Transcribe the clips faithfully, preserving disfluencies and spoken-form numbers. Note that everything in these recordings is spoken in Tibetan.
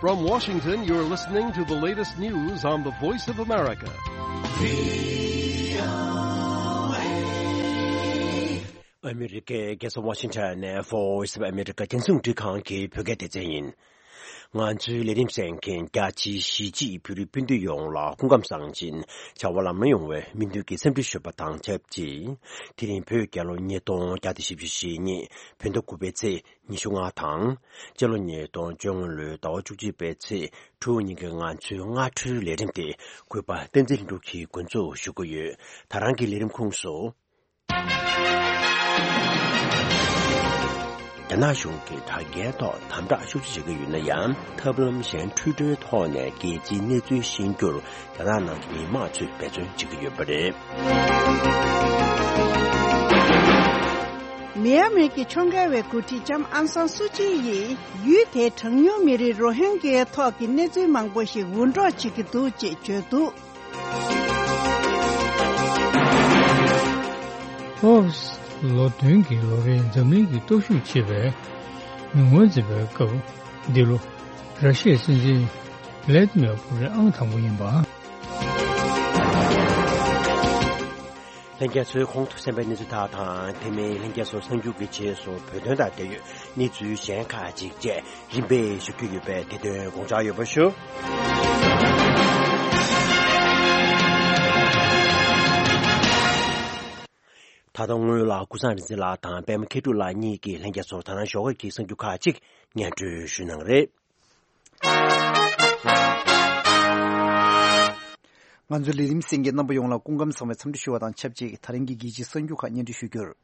From Washington, you're listening to the latest news on the Voice of America. ཨ་མི་རི་ཀའི་རྒྱལ་ས་ཝ་ཤིང་ཊོན་ནས་Voice of America་རྒྱང་སྲིང་རླུང་འཕྲིན་ཁང་གི་བོད་སྐད་སྡེ་ཚན་ཡིན། ང་ཚོའི་ལས་རིམ་གསན་མཁན་རྒྱ་ཆེའི་གཞིས་བྱེས་བོད་རིགས་སྤུན་ཟླ་ཡོངས་ལ་སྐུ་ཁམས་བཟང་ཞིང་བྱ་བ་ལམ་ལྷོང་ཡོང་བའི་སྨོན་འདུན་གྱི་འཚམས་འདྲི་ཞུས་པ་དང་ཆབས་ཅིག་དེ་རིང་བོད་རྒྱལ་ལོ་ཉིས་སྟོང་བརྒྱ་དང་བཞི་བཅུ་ཞེ་གཉིས་བོད་ཟླ་དགུ་པའི་ཚེས་ཉི་ཤུ་ལྔ་དང་། སྤྱི་ལོ་ཉིས་སྟོང་བཅོ་ལྔ་ལོའི་ཟླ་བ་བཅུ་གཅིག་པའི་ཚེས་དྲུག་ཉིན་གྱི་ང་ཚོའི་སྔ་དྲོའི་ལས་རིམ་དེ་གུས་པ་བསྟན་འཛིན་ལྷུན་གྲུབ་ཀྱིས་འགོ་འཛུགས་ཞུ་གི་ཡོད། ད་རང་གི་ལས་རིམ་ཁོངས་སུ། རྒྱ་ནག་གཞུང་གིས་དྲ་རྒྱའི་ཐོག་དམ་དྲག་ཤུགས་ཆེ་བྱེད་ཀྱི་ཡོད་ན་ཡང་། ཐབས་ལམ་གཞན་འཕྲུལ་སྒྲོལ་ཐོག་ནས་རྒྱལ་སྤྱིའི་གནས་ཚུལ་ཤེས་རྒྱུར་རྒྱ་ནག་ནང་གི་མི་མང་ཚོས་འབད་བརྩོན་བྱེད་ཀྱི་ཡོད་པ་རེད། མི་ཡ་མེར་གྱི་ཕྱོགས་འགལ་བའི་འགོ་ཁྲིད་ལྕམ་ཨང་སང་སུ་ཅི་ཡིས་ཡུལ་དེའི་གྲངས་ཉུང་མི་རིགས་རོ་ཧིན་གྱའི་ཐོག་གི་གནས་ཚུལ་མང་པོ་ཞིག་འུར་སྒྲོག་བྱེད་ཀྱི་འདུག་ཅེས་བརྗོད་འདུག། ཧོབས་ལོ་བདུན་གྱི་ལོ་རེའི་འཛམ་གླིང་གི་སྟོབས་ཤུགས་ཆེ་བའི་ཉུང་མ་འཛིན་པའི་སྐབས་འདི་ལོ་ར་ཤི་ཡའི་སྲིད་འཛིན་ལེ་ཏི་མེ་པུ་ཊིན་ཨང་དང་པོ་ཡིན་པ། ལྷན་རྒྱས་ཚོས་གོང་དུ་གསན་པའི་གནས་ཚུལ་དག་དང་། དེ་མིན་ལྷན་རྒྱས་ཚོ་གསར་འགྱུར་གྱི་རྗེས་སུ་བོད་དོན་དང་འབྲེལ་ཡོད་གནས་ཚུལ་གཞན་ཁག་ཅིག་བཅས་རིམ་པས་ཞུ་རྒྱུ་ཡོད་པས། དེ་དོན་དགོངས་འཇགས་ཡོད་པ་ཞུ། ད་དུང་སྔོན་ལ་ཀུན་བཟང་རིག་འཛིན་ལགས་དང་པད་མ་མཁས་གྲུབ་ལགས་གཉིས་ཀྱིས་ལྷན་རྒྱས་ཚོར་ད་རང་ཞོགས་ཀས་ཀྱི་གསར་འགྱུར་ཁག་ཅིག་སྙན་སྒྲོན་ཞུ་གནང་རེད། ང་ཚོའི་ལས་རིམ་གསན་མཁན་རྣམ་པ་ཡོངས་ལ་སྐུ་ཁམས་བཟང་བའི་འཚམས་འདྲི་ཞུ་བ་དང་ཆབས་ཅིག་ད་རིང་གི་རྒྱལ་སྤྱིའི་གསར་འགྱུར་ཁག་སྙན་སྒྲོན་ཞུ་རྒྱུར།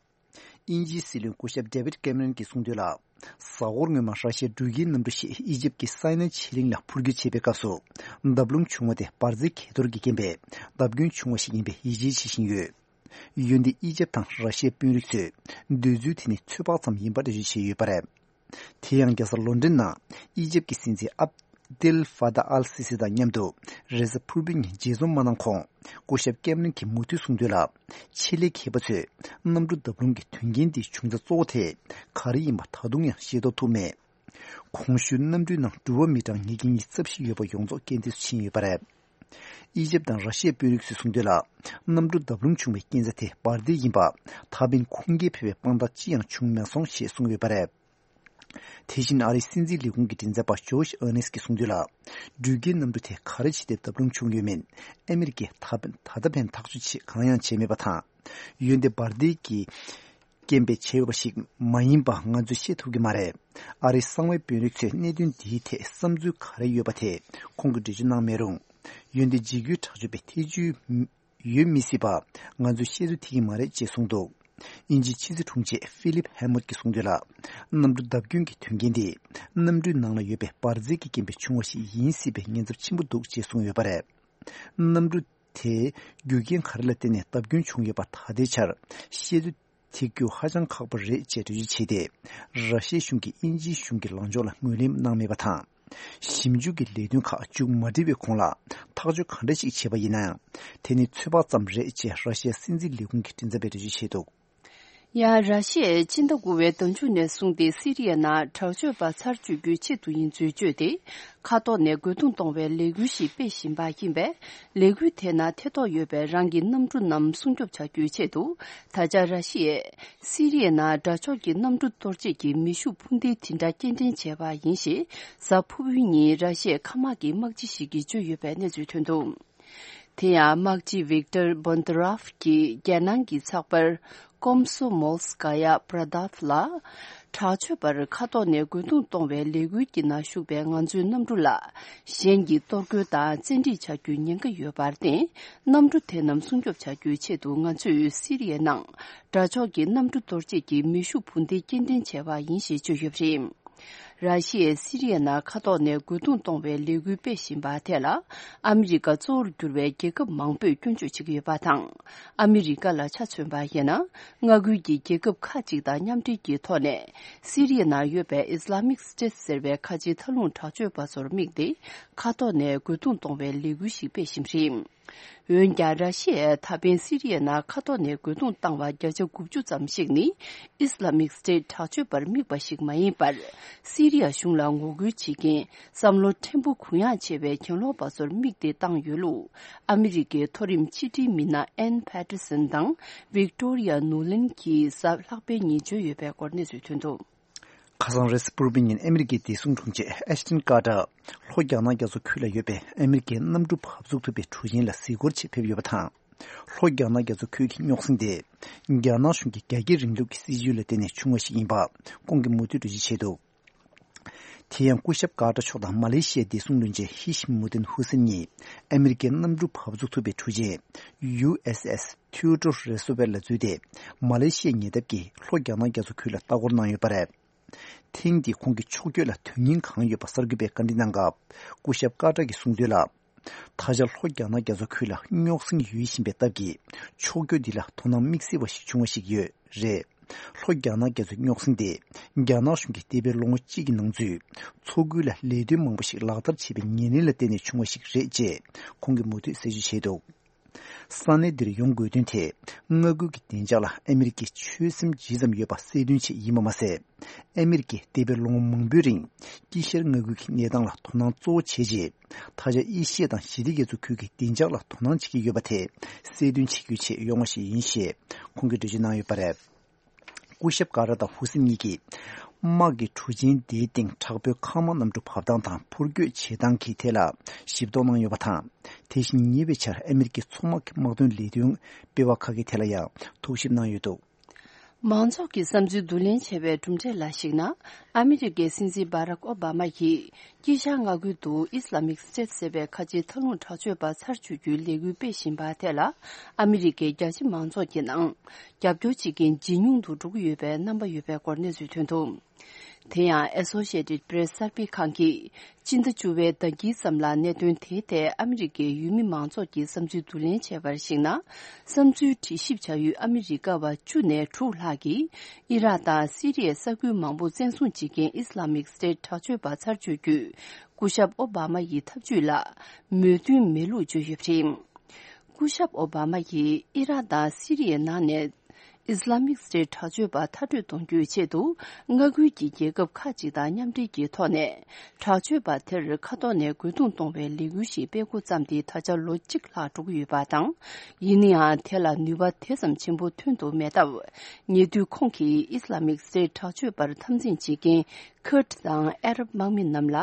དབྱིན་ཇིའི་སྲིད་བློན་སྐུ་ཞབས་ཌེ་བིད་ཀེམ་རན་གྱིས་གསུངས་དོན་ལ། གཟའ་འཁོར་སྔོན་མ་ར་ཤི་ཡའི་འགྲུལ་སྐྱེལ་གནམ་གྲུ་ཞིག་ཨི་ཇིབ་ཀྱི་སའི་ནའི་ཆེ་གླིང་ལ་འཕུར་རྒྱུ་བྱེད་པའི་སྐབས་སུ། བརྡབ་ལྷུང་བྱུང་བ་དེ་འབར་རྫས་གས་གཏོར་གྱི་རྐྱེན་པས་བརྡབ་སྐྱོན་བྱུང་བ་ཞིག་ཡིན་པའི་ཡིད་ཆེས་བྱེད་བཞིན་ཡོད། འོན་ཏེ་ཨི་ཇིབ་དང་ར་ཤི་ཡའི་དཔོན་རིགས་ཚོས་འདོད་ཚུལ་དེ་ནི་ཚོད་དཔག་ཙམ་ཡིན་པ་འགྲེལ་བརྗོད་བྱས་ཡོད་པ་རེད། དེ་ཡང་རྒྱལ་ས་ལོན་ཌོན་ནང་ཨི་ཇིབ་ཀྱི་སྲིད་འཛིན་ཨབ་དེལ་ཧྥ་ཏཱ་ཨལ་སི་སི་དང་མཉམ་དུ་རེས་གཟའ་ཕུར་བུའི་ཉིན་མཇལ་འཛོམས་མ་གནང་གོང་། སྐུ་ཞབས་ཀེམ་རན་གྱིས་མུ་མཐུད་གསུངས་དོན་ལ། ཆེད་ལས་མཁས་པ་ཚོས་གནམ་གྲུ་བརྡབ་ལྷུང་གི་དོན་རྐྱེན་འདིའི་བྱུང་རྩ་གཙོ་བོ་དེ་ག་རེ་ཡིན་པ་ད་དུང་ཡང་ཤེས་རྟོགས་ཐུབ་མེད། གོང་ཞུས་གནམ་གྲུའི་ནང་འགྲུལ་པ་མི་གྲངས་ཉིས་བརྒྱ་ཉི་ཤུ་རྩ་བཞི་ཡོད་པ་ཡོངས་རྫོགས་རྐྱེན་འདས་སུ་ཕྱིན་ཡོད་པ་རེད། ཨི་ཇིབ་དང་ར་ཤི་ཡའི་དཔོན་རིགས་ཚོས་གསུངས་དོན་ལ། གནམ་གྲུ་བརྡབ་ལྷུང་བྱུང་བའི་རྐྱེན་རྩ་དེ་འབར་མདེལ་ཡིན་པ། ད་ཕན་ཁུངས་སྐྱེལ་ཕེབས་པའི་དཔང་རྟགས་ཅི་ཡང་བྱུང་མེད་སོང་ཞེས་གསུངས་ཡོད་པ་རེད། དེ་བཞིན་ཨ་རིའི་སྲིད་འཛིན་ལས་ཁུངས་ཀྱི་མགྲིན་ཚབ་པ་ཇོ་ཤ་ཨར་ནེ་སི་གིས་གསུངས་དོན་ལ། འགྲུལ་སྐྱེལ་གནམ་གྲུ་དེ་ག་རེ་བྱས་ཏེ་བརྡབ་ལྷུང་བྱུང་ཡོད་མེད་ཨ་མི་རི་ཀས་ད་ཕན་ད་ལྟ་ཕན་ཐག་གཅོད་བྱེད་གང་ཡང་བྱས་མེད་པ་དང་། འོན་ཏེ་འབར་མདེལ་གྱི་རྐྱེན་པས་བྱས་ཡོད་པ་ཞིག་མ་ཡིན་པ་ང་ཚོས་ཤེས་ཐུབ་ཀྱི་མ་རེད། ཨ་རིའི་གསང་བའི་དཔོན་རིགས་ཚོས་གནད་དོན་འདིའི་ཐད་བསམ་ཚུལ་ག་རེ་ཡོད་པ་དེ་ཁོང་གིས་འགྲེལ་བརྗོད་གནང་མེད་རུང་། འོན་ཏེ་འཇིགས་སྐུལ་དྲག་སྤྱོད་པའི་ཐེ་བྱུས་ཡོད་མི་སྲིད་པ་ང་ཚོས་བཤད་ཚོད་ཐིག་གི་མ་རེད་ཅེས་གསུངས་འདུག། དབྱིན་ཇིའི་ཕྱི་སྲིད་དྲུང་ཆེ་ཧྥི་ལིབ་ཧེ་མོད་ཀྱིས་གསུངས་དོན་ལ། གནམ་གྲུ་བརྡབ་སྐྱོན་གྱི་དོན་རྐྱེན་དེ་གནམ་གྲུའི་ནང་ལ་ཡོད་པའི་འབར་རྫས་ཀྱི་རྐྱེན་པས་བྱུང་བ་ཞིག་ཡིན་སྲིད་པའི་ཉེན་ཚབས་ཆེན་པོ་འདུག་ཅེས་གསུངས་ཡོད་པ་རེད། གནམ་གྲུ་དེའི་རྒྱུ་རྐྱེན་ག་རེ་ལ་བརྟེན་ནས་བརྡབ་སྐྱོན་བྱུང་ཡོད་པ་ད་ལྟའི་ཆར་བཤད་ཚོད་ཐིག་རྒྱུ་ཧ་ཅང་ཁག་པོ་རེད་ཅེས་འགྲེལ་བརྗོད་བྱས་ཏེ། ར་ཤི་ཡའི་གཞུང་གིས་དབྱིན་ཇིའི་གཞུང་གི་ལངས་ཕྱོགས་ལ་ངོས་ལེན་གནང་མེད་པ་དང་། ཞིབ་འཇུག་གི་ལས་དོན་ཁག་མཇུག་མ་སྒྲིལ་བའི་གོང་ལ་ཐག་གཅོད་ག་འདྲ་ཞིག་བྱས་པ་ཡིན་ན་ཡང་། དེ་ནི་ཚོད་དཔག་ཙམ་རེད་ཅེས་ར་ཤི་ཡའི་སྲིད་འཛིན་ལས་ཁུངས་ཀྱི་མགྲིན་ཚབ་པས་འགྲེལ་བརྗོད་བྱས་འདུག། ཡང་ར་ཤི་ཡས་སྤྱི་ཟླ་དགུ་པའི་ཟླ་མཇུག་ནས་བཟུང་སྟེ་སི་རི་ཡའི་ནང་དྲག་སྤྱོད་པ་ཚར་གཅོད་རྒྱུའི་ཆེད་དུ་ཡིན་ཚུལ་བརྗོད་དེ། མཁའ་ཐོག་ནས་རྒོལ་རྡུང་གཏོང་བའི་ལས་འགུལ་ཞིག་སྤེལ་བཞིན་པ་ཡིན་པས། ལས་འགུལ་དེ་ནང་ཐེ་གཏོགས་ཡོད་པའི་རང་གི་གནམ་གྲུ་རྣམས་སྲུང་སྐྱོབ་བྱ་རྒྱུའི་ཆེད་དུ། ད་ཆ་ར་ཤི་ཡས་སི་རི་ཡའི་ནང་དགྲ་ཕྱོགས་ཀྱི་གནམ་གྲུ་གཏོར་བྱེད་ཀྱི་མེ་ཤུགས་འཕུར་མདེལ་དེ་འདྲ་སྐྱེལ་འདྲེན་བྱས་པ་ཡིན་ཞེས། གཟའ་ཕུར་བུའི་ཉིན་ར་ཤི་ཡའི་མཁའ་དམག་གི་དམག་སྤྱི་ཞིག་གིས་བརྗོད་ཡོད་པའི་གནས་ཚུལ་ཐོན་འདུག། དེ་ཡང་དམག་སྤྱི་ཝིག་ཏར་བོན་ཏི་རཱབ་ཀྱིས་རྒྱལ་ནང་གི་ཚགས་པར་ཀོམ་སོ་མོལ་སི་ཀ་ཡ་པྲ་དཱབ་ལ། དྲག་སྤྱོད་པར་མཁའ་ཐོག་ནས་རྒོལ་རྡུང་གཏོང་བའི་ལས་འགུལ་གྱི་ནང་ཞུགས་པའི་ང་ཚོའི་གནམ་གྲུ་ལ་གཞན་གྱིས་གཏོར་རྒོལ་དང་བཙན་ཁྲིད་བྱ་རྒྱུའི་ཉེན་ཁ་ཡོད་པར་བརྟེན། གནམ་གྲུ་དེ་རྣམས་སྲུང་སྐྱོབ་བྱ་རྒྱུའི་ཆེད་དུ་ང་ཚོས་སི་རི་ཡའི་ནང་དགྲ་ཕྱོགས་ཀྱི་གནམ་གྲུ་གཏོར་བྱེད་ཀྱི་མེ་ཤུགས་འཕུར་མདེལ་སྐྱེལ་འདྲེན་བྱས་པ་ཡིན་ཞེས་བརྗོད་ཡོད་པ་རེད། ར་ཤི་ཡས་སི་རི་ཡའི་ནང་མཁའ་ཐོག་ནས་རྒོལ་རྡུང་གཏོང་བའི་ལས་འགུལ་སྤེལ་བཞིན་པ་དེ་ལ། ཨ་མི་རི་ཀ་གཙོ་བོར་གྱུར་བའི་རྒྱལ་ཁབ་མང་པོས་སྐྱོན་བརྗོད་བྱེད་ཀྱི་ཡོད་པ་དང་། ཨ་མི་རི་ཀ་ལ་ཆ་མཚོན་པ་ཡིན་ན། མངའ་ཁུལ་གྱི་རྒྱལ་ཁབ་ཁག་ཅིག་དང་མཉམ་འབྲེལ་གྱི་ཐོག་ནས། སི་རི་ཡའི་ནང་ཡོད་པའི་ཨིས་ལ་མིག་སི་ཊེ་ཊི་ཟེར་བའི་ཁ་ཆེའི་མཐའ་ལྷུང་དྲག་སྤྱོད་པ་ཚོར་དམིགས་ཏེ། མཁའ་ཐོག་ནས་རྒོལ་རྡུང་གཏོང་བའི་ལས་འགུལ་ཞིག་སྤེལ་བཞིན་པ་རེད། འོན་ཀྱང་། ར་ཤི་ཡས་ད་ཕན་སི་རི་ཡའི་ནང་མཁའ་ཐོག་ནས་རྒོལ་རྡུང་བཏང་བ་བརྒྱ་ཆ་དགུ་བཅུ་ཙམ་ཞིག་ནི་ཨིས་ལ་མིག་སི་ཊེཊ་དྲག་སྤྱོད་པར་དམིགས་པ་ཞིག་མ་ཡིན་པར། སི་རི་ཡ་གཞུང་ལ་ངོ་རྒོལ་བྱེད་མཁན་བསམ་བློ་ཕྲན་བུ་གུ་ཡངས་ཆེ་བའི་གྱེན་ལོག་པ་ཚོར་དམིགས་ཏེ་བཏང་ཡོད་ལུགས། ཨ་མི་རི་ཀའི་མཐོ་རིམ་ཕྱི་དྲིལ་མི་སྣ་ཨན་ཕེ་ཏེར་སན་དང་ཝིག་ཏོ་རི་ཡ་ནུ་ལན་གྱིས་གཟའ་ལྷག་པའི་ཉིན་བརྗོད་ཡོད་པའི་སྐོར་གནས་ཚུལ་ཐོན་འདུག། ཁ་སང་རེས་གཟའ་ཕུར་བུའི་ཉིན་ཨ་མི་རི་ཀའི་བདེ་སྲུང་དྲུང་ཆེ་ཨེ་ཤ་ཏན་ཀར་ཏར་ལྷོ་རྒྱ་ནག་རྒྱ་མཚོ་ཁུལ་ལ་ཡོད་པའི་ཨ་མི་རི་ཀའི་གནམ་གྲུ་བབས་ཚུགས་ཐུབ་པའི་གྲུ་ཆེན་ལ་གཟིགས་སྐོར་ཆེད་ཕེབས་ཡོད་པ་དང་། ལྷོ་རྒྱ་ནག་རྒྱ་མཚོ་ཁུལ་གྱི་རྙོག་ཟིང་དེ། རྒྱ་ནག་གཞུང་གི་རྒྱ་སྐྱེད་རིང་ལུགས་ཀྱི་སྲིད་བྱུས་ལ་བརྟེན་ནས་བྱུང་བ་ཞིག་ཡིན་པ་ཁོང་གིས་མུ་མཐུད་འགྲེལ་བརྗོད་བྱས་འདུག། དེ་ཡང་སྐུ་ཞབས་ཀར་ཏར་མཆོག་དང་མ་ལེ་ཤི་ཡའི་བདེ་སྲུང་བློན་ཆེན་ཧི་ཤི་མུ་ཏན་ཧུ་སེན་གཉིས་ཨ་མི་རི་ཀའི་གནམ་གྲུ་བབས་ཚུགས་ཐུབ་པའི་གྲུ་ཆེན་ཡུ་ཨེས་ཨེས་ཐིའུ་ཏོ་རེ་སོ་ཝེལ་ལ་འཛུལ་ཏེ། མ་ལེ་ཤི་ཡའི་ཉེ་འདབས་ཀྱི་ལྷོ་རྒྱ་ནག་རྒྱ་མཚོ་ཁུལ་ལ་ལྟ་སྐོར་གནང་ཡོད་པ་རེད། ཐེངས་འདིའི་ཁོང་གི་ཕྱོགས་བསྐྱོད་ལ་དོན་སྙིང་གང་ཡོད་པ་གསར་འགོད་པས་བཀའ་འདྲི་གནང་སྐབས། སྐུ་ཞབས་ཀར་ཏར་གྱིས་གསུངས་དོན་ལ། ད་ཆ་ལྷོ་རྒྱ་ནག་རྒྱ་མཚོ་ཁུལ་ལ་རྙོག་ཟིང་ཡོད་བཞིན་པའི་སྟབས་ཀྱིས། ཕྱོགས་བསྐྱོད་འདི་ལ་དོ་སྣང་དམིགས་བསལ་བ་ཞིག་བྱུང་བ་ཞིག་ཡོད་རེད། ལྷོ་རྒྱ་ནག་རྒྱ་མཚོའི་རྙོག་ཟིང་དེ། རྒྱ་ནག་གཞུང་གིས་འདས་པའི་ལོ་ངོ་གཅིག་གི་ནང་ཚུད། མཚོ་ཁུལ་ལ་ལས་དོན་མང་པོ་ཞིག་ལག་བསྟར་བྱས་པའི་ཉེར་ལེན་ལ་བརྟེན་ནས་བྱུང་བ་ཞིག་རེད་ཅེས་ཁོང་གིས་མུ་མཐུད་གསལ་བརྗོད་བྱས་འདུག། ས་གནས་འདིར་ཡོང་དགོས་དོན་དེ། མངའ་ཁུལ་གྱི་བདེ་འཇགས་ལ་ཨ་མི་རི་ཀས་ཆོད་སེམས་ཇི་ཙམ་ཡོད་པ་གསལ་སྟོན་ཆེད་ཡིན་པ་མ་ཟད། ཨ་མི་རི་ཀས་འདས་པའི་ལོ་ངོ་མང་པོའི་རིང་། དཀྱིལ་ཤར་མངའ་ཁུལ་གྱི་གནས་སྟངས་ལ་དོ་སྣང་གཙོ་བོ་བྱས་རྗེས། ད་ཆ་ཨེ་ཤི་ཡ་དང་ཞི་བདེ་རྒྱ་མཚོ་ཁུལ་གྱི་བདེ་འཇགས་ལ་དོ་སྣང་བྱེད་ཀྱི་ཡོད་པ་དེ་གསལ་སྟོན་བྱེད་རྒྱུའི་ཆེད་ཡོང་བ་ཞིག་ཡིན་ཞེས་ཁོང་གིས་འགྲེལ་བརྗོད་གནང་ཡོད་པ་རེད། སྐུ་ཞབས་ཀ་ར་དང་ཧུ་སེན་གཉིས་ཀྱིས། དམག་གི་གྲུ་ཆེན་དེའི་སྟེང་དྲག་པོའི་མཁའ་དམག་གནམ་གྲུ་བབས་སྟངས་དང་འཕུར་སྐྱོད་བྱེད་སྟངས་ཀྱི་ཐད་ལ་ཞིབ་རྟོག་གནང་ཡོད་པ་དང་། དེ་བཞིན་ཉེ་བའི་ཆར་ཨ་མི་རི་ཀའི་མཚོ་དམག་གི་དམག་དོན་ལས་དོན་སྤེལ་བ་ཁག་གི་ཐད་ལ་ཡང་ཐུགས་ཞིབ་གནང་ཡོད་འདུག། མང་ཚོགས་ཀྱི་བསམ་ཚུལ་བསྡུ་ལེན་བྱས་པའི་གྲུབ་འབྲས་ལ་གཞིགས་ན། ཨ་མི་རི་ཀའི་སྲིད་འཛིན་བྷ་རག་ཨོ་བྷ་མ་ཡིས། དཀྱིལ་ཤར་མངའ་ཁུལ་དུ་ཨིས་ལ་མིག་སི་ཊེཊ་ཟེར་བའི་ཁ་ཆེའི་མཐའ་ལྷུང་དྲག་སྤྱོད་པ་ཚར་གཅོད་རྒྱུའི་ལས་འགུལ་སྤེལ་བཞིན་པ་དེ་ལ། ཨ་མི་རི་ཀའི་རྒྱ་ཆེ་མང་ཚོགས་ཀྱི་ནང་རྒྱབ་སྐྱོར་བྱེད་མཁན་ཇེ་ཉུང་དུ་འགྲོ་གི་ཡོད་པའི་རྣམ་པ་ཡོད་པའི་སྐོར་གནས་ཚུལ་ཐོན་འདུག། དེ་ཡང་Associated Press གསར་སྤེལ་ཁང་གིས། སྤྱི་ཟླ་བཅུ་པའི་ཟླ་དཀྱིལ་ཙམ་ལ་གནད་དོན་དེའི་ཐད་ཨ་མི་རི་ཀའི་ཡུལ་མི་མང་ཚོགས་ཀྱི་བསམ་ཚུལ་བསྡུ་ལེན་བྱས་པར་གཞིགས་ན། བསམ་ཚུལ་དྲི་ཞིབ་བྱ་ཡུལ་ཨ་མི་རི་ཀ་བ་བཅུ་ནས་དྲུག་ལྷག་གིས། ཨི་རག་དང་སི་རི་ཡའི་ས་ཁུལ་མང་པོ་བཙན་བཟུང་བྱེད་མཁན་ཨིས་ལ་མིག་སི་ཊེཊ་དྲག་སྤྱོད་པ་ཚར་གཅོད་རྒྱུའི། སྐུ་ཞབས་ཨོ་བྷ་མ་ཡི་ཐབས་ཇུས་ལ་མོས་མཐུན་མེད་ལུགས་བརྗོད་ཡོད་པ་རེད། སྐུ་ཞབས་ཨོ་བྷ་མ་ཡིས་ཨི་རག་དང་སི་རི་ཡའི་ནང་ནས་ཨིས་ལ་མིག་སི་ཊེཊ་དྲག་སྤྱོད་པ་མཐར་སྐྲོད་གཏོང་རྒྱུའི་ཆེད་དུ། མངའ་ཁུལ་གྱི་རྒྱལ་ཁབ་ཁག་ཅིག་དང་མཉམ་འབྲེལ་གྱི་ཐོག་ནས། དྲག་སྤྱོད་པ་དེར་མཁའ་ཐོག་ནས་རྒོལ་རྡུང་གཏོང་བའི་ལས་འགུལ་ཞིག་སྤེལ་འགོ་བརྩམས་ཏེ་ད་ཆ་ལོ་གཅིག་ལྷག་འགྲོ་གི་ཡོད་པ་དང་། ཡིན་ན་ཡང་། དེ་ལ་ནུས་པ་དེ་ཙམ་ཆེན་པོ་ཐོན་ཐུབ་མེད་སྟབས། ཉེ་དུས་ཁོང་གིས་ཨིས་ལ་མིག་སི་ཊེཊ་དྲག་སྤྱོད་པར་འཐབ་འཛིང་བྱེད་མཁན། ཁུར་ཌི་དང་ཨ་རབ་དམག་མི་རྣམས་ལ་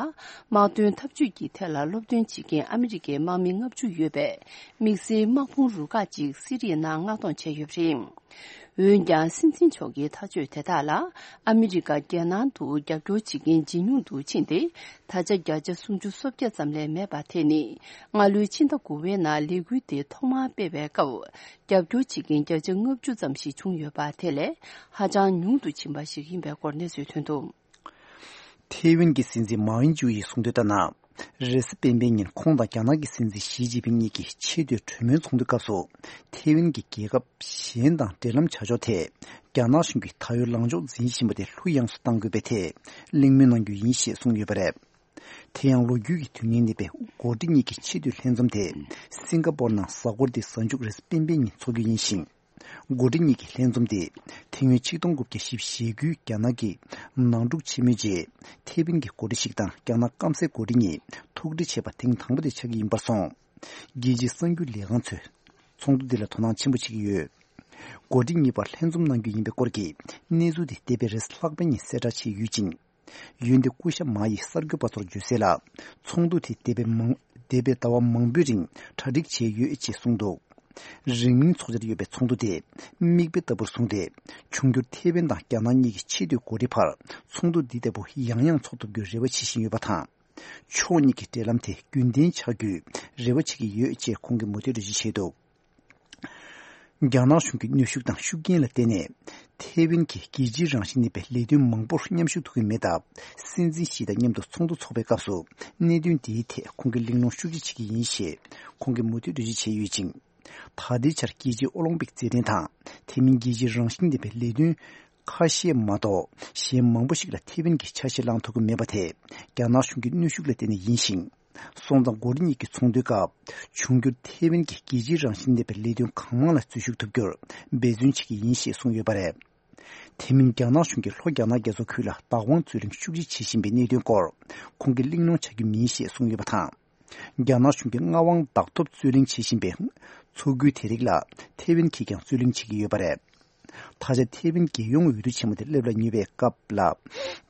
དམག་དོན་འཐབ་ཇུས་ཀྱི་ཐད་ལ་སློབ་སྟོན་བྱེད་མཁན་ཨ་མི་རི་ཀའི་དམག་མི་ལྔ་བཅུ་ཡོད་པའི་དམིགས་བསལ་དམག་དཔུང་རུ་ཁག་ཅིག་སི་རི་ཡའི་ནང་མངགས་གཏོང་བྱས་ཡོད་པ་རེད། འོན་ཀྱང་། སྲིད་འཛིན་མཆོག་གི་ཐག་གཅོད་དེ་དག་ལ་ཨ་མི་རི་ཀ་རྒྱལ་ནང་དུ་རྒྱབ་སྐྱོར་བྱེད་མཁན་ཇེ་ཉུང་དུ་ཕྱིན་ཏེ། ད་ཆ་བརྒྱ་ཆ་སུམ་ཅུ་སོ་བརྒྱད་ཙམ་ལས་མེད་པ་དེ་ནི། སྔ་ལོའི་ཕྱི་ཟླ་དགུ་པའི་ནང་ལས་འགུལ་དེ་ཐོག་མར་སྤེལ་བའི་སྐབས། རྒྱབ་སྐྱོར་བྱེད་མཁན་བརྒྱ་ཆ་ལྔ་བཅུ་ཙམ་ཞིག་བྱུང་ཡོད་པ་དེ་ལས་ཧ་ཅང་ཉུང་དུ་ཕྱིན་པ་ཞིག་ཡིན་པའི་སྐོར་གནས་ཚུལ་ཐོན་འདུག། ཐེ་ཝན་གྱི་སྲིད་འཛིན་མའོ་ཨིན་ཇུ་ཡིས་གསུངས་དོན་ལྟར་ན། རེས་གཟའ་སྤེན་པའི་ཉིན་ཁོང་དང་རྒྱ་ནག་གི་སྲིད་འཛིན་ཞི་ཅིན་ཕིང་གཉིས་ཀྱིས་ཆེས་མཐོའི་གྲོས་མོལ་ཚོགས་འདུའི་སྐབས་སུ། ཐེ་ཝན་གྱིས་རྒྱལ་ཁབ་གཞན་དང་འབྲེལ་ལམ་བྱ་ཕྱོགས་ཐད། རྒྱ་ནག་གཞུང་གིས་ད་ཡོད་ལངས་ཕྱོགས་འཛིན་བཞིན་པ་དེ་ལྷུག་ཡངས་སུ་གཏང་དགོས་པའི་ཐད། གླེང་མོལ་གནང་རྒྱུ་ཡིན་ཞེས་གསུངས་ཡོད་པ་རེད། དེ་ཡང་ལོ་རྒྱུས་ཀྱི་དོན་སྙིང་ལྡན་པའི་འགོ་ཁྲིད་གཉིས་ཀྱི་ཆེས་མཐོའི་ལྷན་འཛོམས་དེ། སིང་ག་པོར་ནང་གཟའ་འཁོར་འདིའི་གཟའ་མཇུག་རེས་གཟའ་སྤེན་པའི་ཉིན་འཚོགས་རྒྱུ་ཡིན་ཞིང་། འགོ་ཁྲིད་གཉིས་ཀྱི་ལྷན་འཛོམས་དེ། དེ་སྔོན་ཆིག་སྟོང་དགུ་བརྒྱ་བཞི་བཅུ་ཞེ་དགུའི་རྒྱ་ནག་གི་ནང་འཁྲུག་ཆེན་མོའི་རྗེས། ཐེ་ཝན་གྱི་འགོ་ཁྲིད་ཞིག་དང་རྒྱ་ནག་སྐམ་སའི་འགོ་ཁྲིད་གཉིས་ཐུག་འཕྲད་བྱས་པ་ཐེངས་དང་པོ་དེ་ཆགས་ཀྱི་ཡིན་པར་སོང་། རྒྱལ་སྤྱིའི་གསར་འགྱུར་ལས་ཁང་ཚོས་ཚོགས་འདུ་འདི་ལ་དོ་སྣང་ཆེན་པོ་བྱེད་ཀྱི་ཡོད། འགོ་ཁྲིད་གཉིས་བར་ལྷན་འཛོམས་གནང་རྒྱུ་ཡིན་པའི་སྐོར་གྱི་གནས་ཚུལ་དེ་འདས་པའི་རེས་གཟའ་ལྷག་པའི་ཉིན་གསལ་བསྒྲགས་བྱས་ཡོད་ཅིང་། འོན་ཏེ་སྐུ་ཞབས་མཱ་ཡིས་གསར་འགོད་པ་ཚོར་བརྗོད་གསལ་ལ། ཚོགས་འདུ་དེ་འདས་པའི་མང་འདས་པའི་ཟླ་བ་མང་པོའི་རིང་གྲ་སྒྲིག་བྱས་ཡོད་ཅེས་གསུངས་འདུག། རིང་མིན་འཚོགས་འཆར་ཡོད་པའི་ཚོགས་འདུ་དེ་མིག་དཔེ་ལྟ་བུར་བཟུང་སྟེ། འབྱུང་འགྱུར་ཐེ་ཝན་དང་རྒྱ་ནག་གཉིས་ཀྱི་ཆེས་མཐོའི་འགོ་ཁྲིད་བར་ཚོགས་འདུ་འདི་ལྟ་བུ་ཡང་ཡང་འཚོགས་ཐུབ་རྒྱུའི་རེ་བ་བྱེད་བཞིན་ཡོད་པ་དང་། ཕྱོགས་གཉིས་ཀྱི་འབྲེལ་ལམ་དེ་རྒྱུན་ལྡན་ཆགས་རྒྱུའི་རེ་བ་བྱེད་ཀྱི་ཡོད་ཅེས་ཁོང་གིས་མུ་མཐུད་འགྲེལ་བརྗོད་བྱས་འདུག། རྒྱ་ནག་གཞུང་གི་གནོན་ཤུགས་དང་ཤུགས་རྐྱེན་ལ་བརྟེན་ནས། ཐེ་ཝན་གྱིས་རྒྱལ་སྤྱིའི་རང་བཞིན་ལྡན་པའི་ལས་དོན་མང་པོར་མཉམ་ཞུགས་ཐུབ་ཀྱི་མེད་སྟབས། སྲིད་འཛིན་ཞི་དང་མཉམ་དུ་ཚོགས་འདུ་འཚོགས་པའི་སྐབས་སུ། གནད་དོན་འདིའི་ཐད་ཁོང་གིས་གླེང་སློང་ཤུགས་ཆེ་བྱེད་ཀྱི་ཡིན་ཞེས་ཁོང་གིས་མུ་མཐུད་འགྲེལ་བརྗོད་བྱས་ཡོད་ཅིང་། ད་ལྟའི་ཆར་རྒྱལ་སྤྱིའི་ཨོ་ལིམ་པིག་རྩེད་འགྲན་དང་། དེ་མིན་རྒྱལ་སྤྱིའི་རང་བཞིན་ལྡན་པའི་ལས་དོན་ཁ་ཤས་མ་གཏོགས་གཞན་མང་པོ་ཞིག་ལ་ཐེ་ཝན་གྱིས་ཆ་ཤས་བླངས་ཐུབ་ཀྱི་མེད་པ་དེ། རྒྱ་ནག་གཞུང་གི་གནོན་ཤུགས་ལ་བརྟེན་ནས་ཡིན་ཞིང་། སོང་ཙང་འགོ་ཁྲིད་གཉིས་ཀྱི་ཚོགས་འདུའི་སྐབས། འབྱུང་འགྱུར་ཐེ་ཝན་གྱི་རྒྱལ་སྤྱིའི་རང་བཞིན་ལྡན་པའི་ལས་དོན་གང་མང་ལ་འཛུལ་ཞུགས་ཐུབ་རྒྱུར་འབད་བརྩོན་བྱེད་ཀྱི་ཡིན་ཞེས་གསུངས་ཡོད་པ་རེད། དེ་མིན་རྒྱ་ནག་གཞུང་གིས་ལྷོ་རྒྱ་ནག་རྒྱ་མཚོ་ཁུལ་ལ་བདག་དབང་རྩོད་ལེན་ཤུགས་ཆེ་བྱེད་བཞིན་པའི་གནད་དོན་སྐོར་ཁོང་གིས་གླེང་སློང་བྱ་རྒྱུ་མིན་ཞེས་གསུངས་ཡོད་པ་དང་། རྒྱ་ནག་གཞུང་གིས་མངའ་དབང་བདག་ཐོབ་རྩོད་ལེན་བྱེད་བཞིན་པའི་མཚོ་ཁུལ་དེ་རིགས་ལ་ཐེ་ཝན་གྱིས་ཀྱང་རྩོད་ལེན་བྱེད་ཀྱི་ཡོད་པ་རེད། ད་ཆ་ཐེ་ཝན་རྒྱལ་ཡོངས་འོས་བསྡུ་ཆེན་མོ་དེ་སླེབས་ལ་ཉེ་བའི་སྐབས་ལ།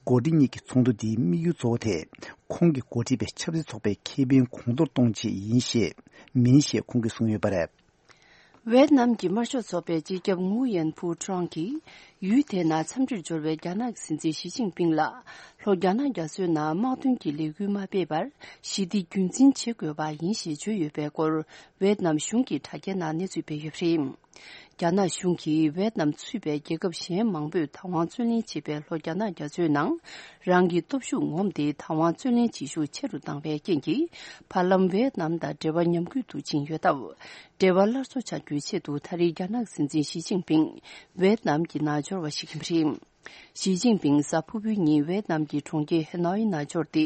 འགོ་ཁྲིད་གཉིས་ཀྱི་ཚོགས་འདུ་འདིའི་དམིགས་ཡུལ་གཙོ་བོ་དེ། ཁོང་གིས་འགོ་ཁྲིད་པའི་ཆབ་སྲིད་ཚོགས་པའི་ཁེ་ཕན་གོང་མཐོར་གཏོང་ཆེད་ཡིན་ཞེས། མིན་ཞེས་ཁོང་གིས་གསུངས་ཡོད་པ་རེད། ཝེད་ནམ་གྱི་དམར་ཤོག་ཚོགས་པའི་སྤྱི་ཁྱབ་ངུ་ཡན་ཕུའུ་ཀྲང་གིས། ཡུལ་དེའི་ནང་འཚམས་འདྲིར་འབྱོར་བའི་རྒྱ་ནག་གི་སྲིད་འཛིན་ཞི་ཅིན་ཕིང་ལ། ལྷོ་རྒྱ་ནག་རྒྱ་མཚོའི་ནང་དམག་དོན་གྱི་ལས་འགུལ་མ་སྤེལ་བར། ཞི་བདེ་རྒྱུན་འཛིན་བྱེད་དགོས་པ་ཡིན་ཞེས་བརྗོད་ཡོད་པའི་སྐོར། ཝེད་ནམ་གཞུང་གི་དྲ་རྒྱའི་ནང་གནས་ཚུལ་སྤེལ་ཡོད་པ་རེད། རྒྱ་ནག་གཞུང་གིས་ཝེད་ནམ་ཚུད་པའི་རྒྱལ་ཁབ་གཞན་མང་པོས་བདག་དབང་རྩོད་ལེན་བྱེད་པའི་ལྷོ་རྒྱ་ནག་རྒྱ་མཚོའི་ནང་། རང་གི་སྟོབས་ཤུགས་ངོམས་ཏེ་བདག་དབང་རྩོད་ལེན་བྱེད་ཤུགས་ཆེ་རུ་བཏང་བའི་རྐྱེན་གྱིས། བར་ལམ་ཝེད་ནམ་དང་འབྲེལ་བ་ཉམས་རྒུད་དུ་ཕྱིན་ཡོད་སྟབས། འབྲེལ་བ་སླར་གསོ་བྱ་རྒྱུའི་ཆེད་དུ་ད་རེས་རྒྱ་ནག་སྲིད་འཛིན་ཞི་ཅིན་ཕིང་ཝེད་ནམ་གྱི་ནང་འབྱོར་བ་ཞིག་ཡིན་པ་རེད། ཞི་ཅིན་ཕིང་གཟའ་ཕུར་བུའི་ཉིན་ཝེད་ནམ་གྱི་གྲོང་ཁྱེར་ཧེ་ནོའི་ནང་འབྱོར་ཏེ།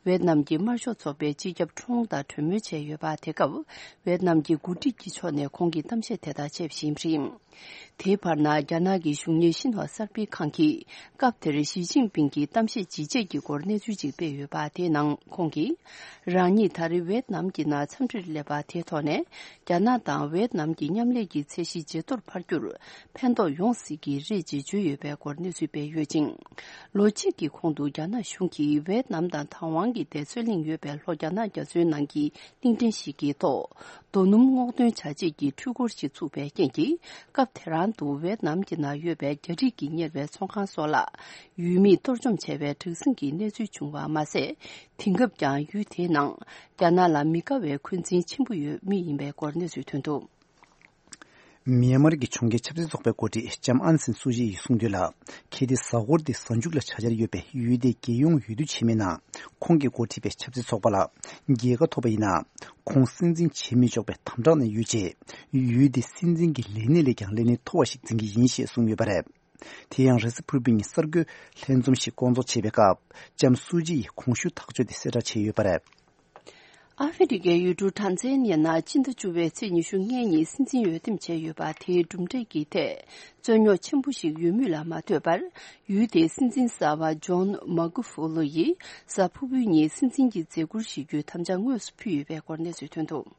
ཝེད་ནམ་གྱི་དམར་ཤོག་ཚོགས་པའི་སྤྱི་ཁྱབ་ཁྲོང་དང་གྲོས་མོལ་བྱས་ཡོད་པ། དེ་སྐབས་ཝེད་ནམ་གྱི་འགོ་ཁྲིད་ཀྱི་ཕྱོགས་ནས་ཁོང་གིས་གཏམ་བཤད་དེ་དག་བྱས་པ་ཞིག་ཡིན་པ་རེད། དེའི་བར་ན་རྒྱ་ནག་གི་གཞུང་གཉེར་ཤིན་ཧྭ་གསར་སྤེལ་ཁང་གིས་སྐབས་དེར་ཞི་ཅིན་ཕིང་གིས་གཏམ་བཤད་ཇི་བྱས་ཀྱི་སྐོར་གནས་ཚུལ་ཅིག་སྤེལ་ཡོད་པ། དེའི་ནང་ཁོང་གིས། རང་ཉིད་ད་རེས་ཝེད་ནམ་གྱི་ནང་འཚམས་འདྲིར་སླེབས་པ་དེའི་ཐོག་ནས། རྒྱ་ནག་དང་ཝེད་ནམ་གྱི་མཉམ་ལས་ཀྱི་ཚད་གཞི་ཇེ་མཐོར་འཕར་རྒྱུར། ཕན་ཐོགས་ཡོང་སྲིད་ཀྱི་རེད་ཅེས་བརྗོད་ཡོད་པའི་སྐོར་གནས་ཚུལ་སྤེལ་ཡོད་ཅིང་། ལོ་གཅིག་གི་གོང་དུ་རྒྱ་ནག་གཞུང་གིས་ཝེད་ནམ་དང་བདག་དབང་གི་བརྡ་མཚོན་གླེང་ཡོད་པའི་ལྷོ་རྒྱ་ནག་རྒྱ་མཚོའི་ནང་གི་གླིང་ཕྲན་ཞིག་གི་ཐོག་རྡོ་སྣུམ་སྔོག་འདོན་བྱ་ཆེད་ཀྱི་འཕྲུལ་འཁོར་ཞིག་ཚུགས་པའི་རྐྱེན་གྱིས། སྐབས་དེ་རང་དུ་ཝེད་ནམ་གྱི་ནང་ཡོད་པའི་རྒྱ་རིགས་ཀྱིས་གཉེར་བའི་ཚོང་ཁང་སོགས་ལ། ཡུལ་མིས་གཏོར་བཅོམ་བྱས་པའི་དྲག་ཟིང་གི་གནས་ཚུལ་བྱུང་བ་མ་ཟད། དེང་སྐབས་ཀྱང་ཡུལ་དེའི་ནང་རྒྱ་ནག་ལ་མི་དགའ་བའི་འཁོན་འཛིན་ཆེན་པོ་ཡོད་མུས་ཡིན་པའི་སྐོར་གནས་ཚུལ་ཐོན་འདུག། མིའན་མར་གྱི་གྲོང་ཁྱེར་ཆབ་སྲིད་ཚོགས་པའི་འགོ་ཁྲིད་ལྕམ་ཨང་སན་སུའུ་ཅི་ཡིས་གསུངས་དོན་ལ། གལ་ཏེ་གཟའ་འཁོར་འདི་གཟའ་མཇུག་ལ་བྱ་འཆར་ཡོད་པའི་ཡུལ་དེའི་རྒྱལ་ཡོངས་འོས་བསྡུ་ཆེན་མོའི་ནང་། ཁོང་གིས་འགོ་ཁྲིད་པའི་ཆབ་སྲིད་ཚོགས་པ་ལ་རྒྱལ་ཁ་ཐོབ་པ་ཡིན་ན། ཁོང་སྲིད་འཛིན་བྱེད་མི་ཆོག་པའི་དམ་དྲག་ནང་ཡོད་ཅེས། ཡུལ་དེའི་སྲིད་འཛིན་གྱི་ལས་གནས་ལས་ཀྱང་ལས་གནས་མཐོ་བ་ཞིག་འཛིན་གྱི་ཡིན་ཞེས་གསུངས་ཡོད་པ་རེད། དེ་ཡང་རེས་གཟའ་ཕུར་བུའི་ཉིན་གསར་འགོད་ལྷན་འཛོམས་ཤིག་བསྐོང་ཚོགས་བྱས་པའི་སྐབས། ལྕམ་སུའུ་ཅི་ཡིས་གོང་ཞུས་ཐག་གཅོད་དེ་གསལ་བསྒྲགས་བྱས་ཡོད་པ་རེད། ཨ་ཧྥེ་རི་ཁའི་ཡུལ་གྲུ་ཊན་ཛ་ནི་ཡ་ནང་སྤྱི་ཟླ་བཅུ་པའི་ཚེས་ཉི་ཤུ་ལྔའི་ཉིན་སྲིད་འཛིན་འོས་འདེམས་བྱས་ཡོད་པ། དེའི་གྲུབ་འབྲས་ཀྱི་ཐད་རྩོད་རྙོག་ཆེན་པོ་ཞིག་ཡོད་མུས་ལ་མ་ལྟོས་པར། ཡུལ་དེའི་སྲིད་འཛིན་གསར་པ་ཇོན་མཱ་གུ་ཧྥུ་ལོ་ཡིས་གཟའ་ཕུར་བུའི་ཉིན་སྲིད་འཛིན་གྱི་མཛད་ཁུར་བཞེས་རྒྱུའི་དམ་བཅའ་དངོས་སུ་ཕུལ་ཡོད་པའི་སྐོར་གནས་ཚུལ་ཐོན་འདུག།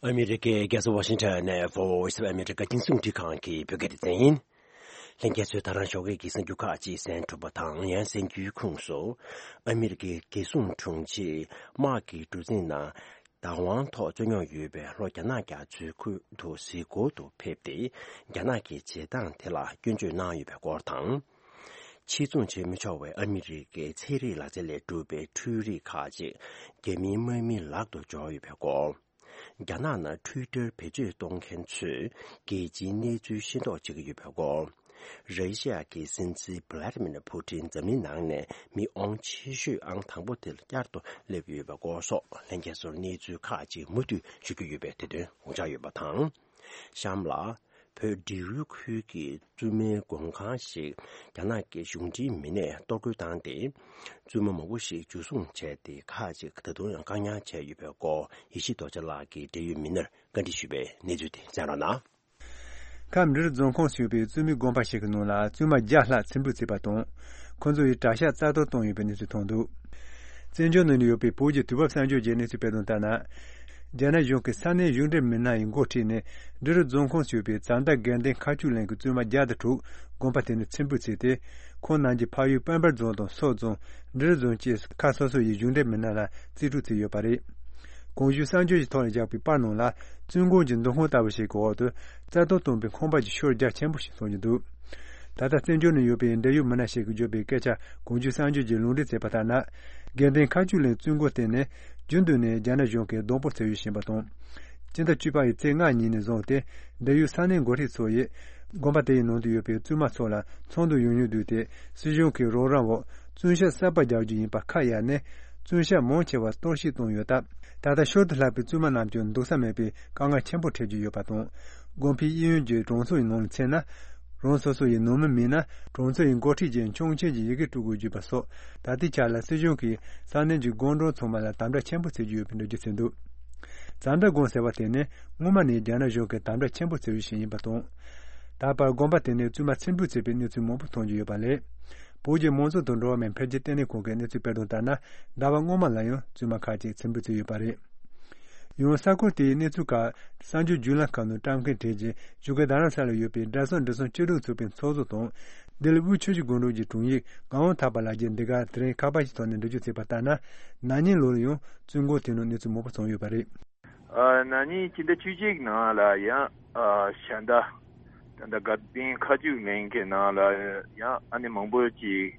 ཨ་མི་རི་ཀའི་རྒྱལ་ས་ཝ་ཤིང་ཊོན་ནས་Voice of America་རྒྱང་སྲིང་རླུང་འཕྲིན་ཁང་གི་བོད་སྐད་སྡེ་ཚན་ཡིན། ལྷན་རྒྱས་ཚོས་ད་རང་ཞོགས་ཀས་ཀྱི་གསར་འགྱུར་ཁག་ཅིག་གསན་གྲུབ་པ་དང་། ཡང་གསན་རྒྱུའི་ཁོངས་སུ། ཨ་མི་རི་ཀའི་རྒྱལ་སྲུང་དྲུང་ཆེས་དམག་གི་གྲུ་གཟིངས་ནང་བདག་དབང་ཐོག་རྩོད་རྙོག་ཡོད་པའི་ལྷོ་རྒྱ་ནག་རྒྱ་མཚོའི་ཁུལ་དུ་གཟིགས་སྐོར་དུ་ཕེབས་ཏེ། རྒྱ་ནག་གི་བྱེད་སྟངས་དེ་ལ་སྐྱོན་བརྗོད་གནང་ཡོད་པའི་སྐོར་དང་། ཕྱིར་ཚོང་བྱེད་མི་ཆོག་པའི་ཨ་མི་རི་ཀའི་ཚན་རིག་ལག་རྩལ་ལས་གྲུབ་པའི་འཕྲུལ་རིག་ཁག་ཅིག་རྒྱ་མིའི་དམག་མིའི་ལག་ཏུ་འབྱོར་ཡོད་པའི་སྐོར། རྒྱ་ནག་ནང་Twitter་བེད་སྤྱོད་གཏོང་མཁན་ཚོས་རྒྱལ་སྤྱིའི་གནས་ཚུལ་ཤེས་རྟོགས་བྱེད་ཀྱི་ཡོད་པའི་སྐོར། ར་ཤི་ཡ་གི་སྲིད་འཛིན་Vladimir Putin་འཛམ་གླིང་ནང་ནས་མི་དབང་ཆེ་ཤོས་ཨང་དང་པོ་དེ་ལ་བསྐྱར་དུ་སླེབས་ཡོད་པའི་སྐོར་སོགས་ལྷན་རྒྱས་ཚོར་གནས་ཚུལ་ཁག་ཅིག་མུ་མཐུད་ཞུ་རྒྱུ་ཡོད་པས་དེ་དོན་ངོ་བཅར་ཡོད་པ་དང་། གཤམ་ལ། བོད་འབྲེལ་ཡོད་ཁུལ་གྱི་བཙུན་མའི་མགོན་ཁང་ཞིག་རྒྱ་ནག་གི་གཞུང་འབྲེལ་མི་སྣས་གཏོར་རྒོལ་བཏང་སྟེ། བཙུན་མ་མང་པོ་ཞིག་འཇུ་བཟུང་བྱས་ཏེ། ཁག་ཅིག་ད་དུང་ཡང་བཀག་ཉར་བྱས་ཡོད་པའི་སྐོར། ཡེ་ཤེས་རྡོ་རྗེ་ལགས་ཀྱིས་འབྲེལ་ཡོད་མི་སྣར་བཀའ་འདྲི་ཞུས་པའི་གནས་ཚུལ་དེ་གསན་རོགས་གནང་། ཁམས་འབྲི་རུ་རྫོང་ཁོངས་སུ་ཡོད་པའི་བཙུན་མའི་དགོན་པ་ཞིག་གི་ནང་ལ་བཙུན་མ་བརྒྱ་ལྷག་འཚེམ་དྲུད་བྱས་པ་དང་། ཁོ་ཚོ་ཡི་གྲྭ་ཤག་རྩ་གཏོར་བཏང་ཡོད་པའི་གནས་ཚུལ་ཐོན་འདུག། བཙན་བྱོལ་ནང་ཡོད་པའི་བོད་ཀྱི་དུས་བབ་གསར་འགྱུར་གྱི་གནས་ཚུལ་སྤེལ་དོན་ལྟར་ན། རྒྱ་ནག་གཞུང་གི་ས་གནས་གཞུང་འབྲེལ་མི་སྣ་ཡི་འགོ་ཁྲིད་ནས་འབྲི་རུ་རྫོང་ཁོངས་སུ་ཡོད་པའི་ཙན་དན་དགེ་ལྡན་མཁར་ཆུ་གླིང་གི་བཙུན་མ་བརྒྱ་དང་དྲུག་དགོན་པ་དེ་ནས་འཚེམ་དྲུད་བྱས་ཏེ། ཁོང་རྣམས་ཀྱི་ཕ་ཡུལ་དཔལ་འབར་རྫོང་དང་སོག་རྫོང་། འབྲི་རུ་རྫོང་བཅས་ཁག་སོ་སོ་ཡི་གཞུང་འབྲེལ་མི་སྣ་ལ་རྩིས་སྤྲོད་བྱས་ཡོད་པ་རེད། གོང་ཞུས་གསར་འགྱུར་གྱི་ཐོག་ལ་བཞག་པའི་པར་ནང་ལ། བཙུན་དགོན་གྱི་འདུ་ཁང་ལྟ་བུ་ཞིག་གི་འོག་ཏུ་རྩ་གཏོར་བཏང་པའི་ཁང་པ་གྱི་ཤོར་རྒྱ་ཆེན་པོ་ཞིག་སོང་གི་འདུག། ད་ལྟ་བཙན་བྱོལ་ནང་ཡོད་པའི་འབྲེལ་ཡོད་མི་སྣ་ཞིག་གིས་བརྗོད་པའི་སྐད་ཆ་གོང་ཞུས་གསར་འགྱུར་གྱིས་ལུང་འདྲེན་བྱས་པ་ལྟར་ན། དགེ་ལྡན་མཁར་ཆུ་གླིང་བཙུན་དགོན་དེ་ནི་རྒྱུན་དུ་ནས་རྒྱ་ནག་གཞུང་གིས་སྡོང་པོ་བྱས་ཡོད་བཞིན་པ་དང་། སྤྱི་ཟླ་བཅུ་པ་ཡི་ཚེས་ལྔ་ཉིན་ནས་བཟུང་སྟེ། འབྲེལ་ཡོད་ས་གནས་འགོ་ཁྲིད་ཚོ་ཡིས་དགོན་པ་དེ་ཡི་ནང་དུ་ཡོད་པའི་བཙུན་མ་ཚོ་ལ་ཚོགས་འདུ་ཡོང་མྱོང་བསྡུས་ཏེ། སྲིད་གཞུང་གི་རོགས་རམ་འོག་བཙུན་ཤ་གསར་པ་རྒྱག་རྒྱུ་ཡིན་པ་ཁ་གཡར་ནས། བཙུན་ཤ་མང་ཆེ་བ་གཏོར་བཤིག་བཏང་ཡོད་སྟབས། ད་ལྟ་ཤུལ་དུ་ལྷག་པའི་བཙུན་མ་རྣམས་ཀྱང་འདུག་ས་མེད་པའི་དཀའ་ངལ་ཆེན་པོ་འཕྲད་ཀྱི་ཡོད་པ་དང་། དགོན་པའི་གཡས་གཡོན་གྱི་གྲོང་ཚོ་ཡི་ནང་ལ་མཚོན་ན། རང་སོ་སོ་ཡི་ནང་མི་མེད་ན། གྲོང་ཚོ་ཡི་འགོ་ཁྲིད་ཀྱིས་ཆོག་མཆན་གྱི་ཡི་གེ་སྤྲོད་དགོས་བརྗོད་པ་སོགས། ད་ལྟའི་ཆར་ལ་སྲིད་གཞུང་གིས་ས་གནས་ཀྱི་དགོན་གྲོང་ཚང་མ་ལ་དམ་དྲག་ཆེན་པོ་བྱེད་ཀྱི་ཡོད་པའི་འགྲེལ་བརྗོད་བྱས་འདུག། ཛ་འདྲ་དགོན་ཟེར་བ་དེ་ནི་སྔོན་མ་ནས་རྒྱ་ནག་གཞུང་གིས་དམ་དྲག་ཆེན་པོ་བྱེད་ཡུལ་ཞིག་ཡིན་པ་དང་། ད་བར་དགོན་པ་དེ་ནས་བཙུན་མ་ཚེ་འབུད་བྱས་པའི་གནས་ཚུལ་མང་པོ་མཐོང་རྒྱུ་ཡོད་པ་ལས། བོད་ཀྱི་མང་གཙོ་དང་འགྲོ་བ་མིའི་འཕེལ་རྒྱས་ལྟེ་གནས་ཁང་གི་གནས་ཚུལ་སྤེལ་དོན་ལྟར་ན། ཟླ་བ་སྔོན་མ་ལ་ཡང་བཙུན་མ་ཁག་ཅིག་ཚེ་འབུད་བྱས་ཡོད་པ་རེད། ཡང་གསར་འགོད་དེའི་གནས་ཚུལ་ཁག་གསར་འགྱུར་བརྒྱུད་ལམ་ཁག་ནང་བཀྲམ་མཁན་གྲས་ཀྱིས་བཞུགས་སྒར་རྡ་རམ་ས་ལར་ཡོད་པའི་དགྲ་ཟམ་འབྲི་གསུམ་བཅུ་དྲུག་ཚོགས་པའི་ཚོགས་གཙོ་དང་། ལྡི་ལི་དབུས་ཆུ་བཞི་སྒང་དྲུག་གི་དྲུང་ཡིག་ངག་དབང་ཐར་པ་ལགས་ཀྱིས་འདི་གར་དེ་རིང་ཁ་པར་གྱི་ཐོག་ནས་འགྲེལ་བརྗོད་བྱས་པ་ལྟར་ན། ན་ནིང་ལོར་ཡང་བཙུན་དགོན་དེ་ནང་གནས་ཚུལ་མང་པོ་བྱུང་ཡོད་པ་རེད། ཨ། ན་ནིང་སྤྱི་ཟླ་བཅུ་གཅིག་ནང་ལ་ཡང་། ཨ། ཞལ་ཟླ། ད་ལྟ་དགའ་ལྡན་ཁ་ཆུ་གླིང་གི་ནང་ལ་ཡང་ཨ་ནི་མང་པོ་ཅིག་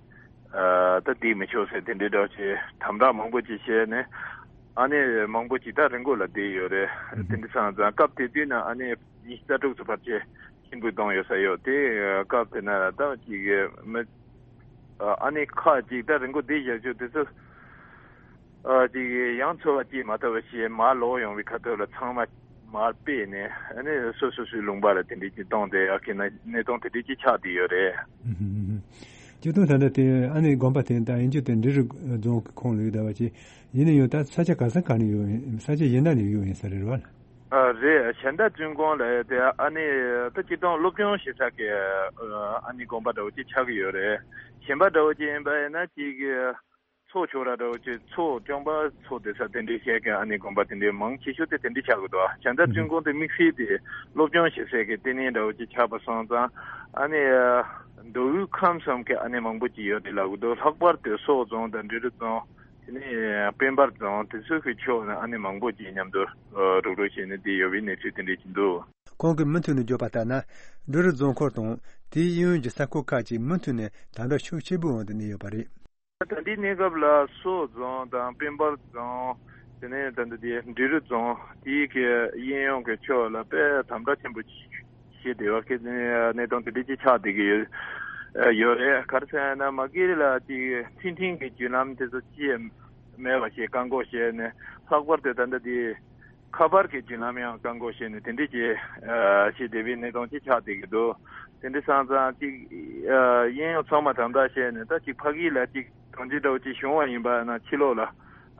ཨ། ད་བསྡད་མི་ཆོག་ཟེར་དེ་འདྲའི་འདྲ་བོ་ཅིག་དམ་དྲག་མང་པོ་ཅིག་བྱས་ནས། ཨ་ནི་མང་པོ་ཅིག་ད་རི་མགོ་ལ་བསྡད་ཡོད་རེད། དེ་འདྲ་སོང་ཙང་སྐབས་དེ་དུས་ན་ཨ་ནི་ཉི་ཤུ་རྩ་དྲུག་ཙམ་ཕལ་ཆེར་ཁྱིམ་བུད་གཏོང་ཡོད་ས་ཡོད་དེ། སྐབས་དེ་ན་ད་ཅིག་མི། ཨ་ནི་ཁག་ཅིག་ད་རི་མགོ་བསྡད་བཞག་ཆོག་དེ་ཚོ། ཨ། ཅིག་ཡང་འཚོ་བ་སྐྱེལ་མ་ཐུབ་པ་བྱས་མར་ལོག་ཡོང་བའི་ཁ་ཐུག་ལ་ཚང་མ་མར་སྤེལ་ནས། ཨ་ནི་སོ་སོ་སོའི་ལུང་པ་ལ་དེ་འདྲའི་ཅིག་གཏོང་དེ། ཨ་ཁེ་ན་གནས་སྟངས་དེ་འདྲའི་ཅིག་ཆགས་བསྡད་ཡོད་རེད། སྤྱིར་བཏང་ད་ལྟ་དེ་ཨ་ནི་དགོན་པ་དེ་ད་ཡིན་རྒྱུ་དེ་འབྲི་རུ་རྫོང་གི་ཁོངས་ལ་ཡོད་བསྡད་པ་ཅིག་ཡིན་ན་ཡང་ད་ས་ཆ་ག་ས་ག་ནས་ཡོད་ཡིན། ས་ཆ་གཞན་དག་ནས་ཡོད་ཡིན་ས་རེད་བ། ཨ། རེད། ཞལ་ཟླ་བཙུན་དགོན་ལ་དེ་ཨ་ནི་ད་སྤྱིར་བཏང་སློབ་སྦྱོང་བྱེད་ས་གི་ཨ་ནི་དགོན་པ་འདྲ་བོ་ཅིག་ཆགས་ཀྱི་ཡོད་རེད། གཞན་པ་འདྲ་བོ་ཅིག་ཡིན་པ་ཡིན་ན་ཅིག་ཚོགས་ཆོས་ར་འདྲ་བོ་ཅིག་ཚོགས་སྐྱོང་པ་ཚོགས་སྡེ་ས་དེ་འདྲའི་བཤད་མཁན་ཨ་ནི་དགོན་པ་དེ་འདྲའི་མང་ཆེ་ཤོས་དེ་དེ་འདྲའི་ཆགས་ཀྱི་འདུག། ཨ། བྱ་མདའ་བཙུན་དགོན་དེ་དམིགས་བསལ་དེ་སློབ་སྦྱོང་བྱེད་སའི་གི་ལྟེ་གནས་འདྲ་བོ་ཅིག་ཆགས་པ་སོང་ཙང་། ཨ་ནི་མདོ་དབུས་ཁམས་གསུམ་གི་ཨ་ནི་མང་པོ་ཅིག་ཡོད་རེད་ལབ་ཀྱི་འདུག། ལྷག་པར་དུ་སོག་རྫོང་དང་འབྲི་རུ་རྫོང་། དེ་ནས་དཔལ་འབར་རྫོང་དེ་ཚོ་གི་ཕྱོགས་ནས་ཨ་ནི་མང་པོ་ཅིག་མཉམ་དུ་རུག་རུག་བྱས་ནས་བསྡད་ཡོད་པའི་གནས་ཚུལ་དེ་འདྲ་ཅིག་འདུག། ཁོང་གིས་མུ་མཐུད་ནས་བརྗོད་པ་ལྟར་ན། འབྲི་རུ་རྫོང་ཁག་དང་དེའི་གཡས་གཡོན་གྱི་ས་ཁུལ་ཁག་ཅིག་མུ་མཐུད་ནས་དམ་དྲག་ཤུགས་ཆེ་པོའི་འོག་ཏུ་གནས་ཡོད་པ་རེད། ད་ལྟའི་གནས་སྐབས་ལ་སོག་རྫོང་དང་དཔལ་འབར་རྫོང་། དེ་ནས་ད་ལྟ་དེ་འབྲི་རུ་རྫོང་དེའི་གི་གཡས་གཡོན་གྱི་ཕྱོགས་ལ་དཔེ་དམ་དྲག་ཆེན་པོ་ཞིག་བྱས་བསྡད་པ་གི་གནས་སྟངས་དེ་འདྲ་ཅིག་ཆགས་བསྡད་ཀྱི་ཡོད་ཡོད་རེད། ག་རེ་ཟེར་ན་མ་གི་ལ་ཅིག་འཕྲིན་ཕྲན་གྱི་བརྒྱུད་ལམ་དེ་ཚོ་ཅིག་མེད་པ་ཞིག་བཀག་འགོག་བྱས་ནས། ལྷག་པར་དུ་ད་ལྟ་དེ། ཁ་པར་གྱི་བརྒྱུད་ལམ་ཡང་བཀག་འགོག་བྱས་ནས་དེ་འདྲས་ཀྱི་ཨ་ཞིག་བསྡད་པའི་གནས་སྟངས་ཅིག་ཆགས་བསྡད་ཀྱི་འདུག། དེ་འདྲ་སོང་ཙང་ཅིག་ཨ་གཡས་གཡོན་ཚང་མ་དམ་དྲག་བྱས་ནས། ད་ཅིག་ཕ་གི་ལ་ཅིག་གྲོང་ཁྱེར་འདྲ་བོ་ཅིག་བྱུང་བ་ཡིན་པ་ན་ཕྱི་ལོགས་ལ་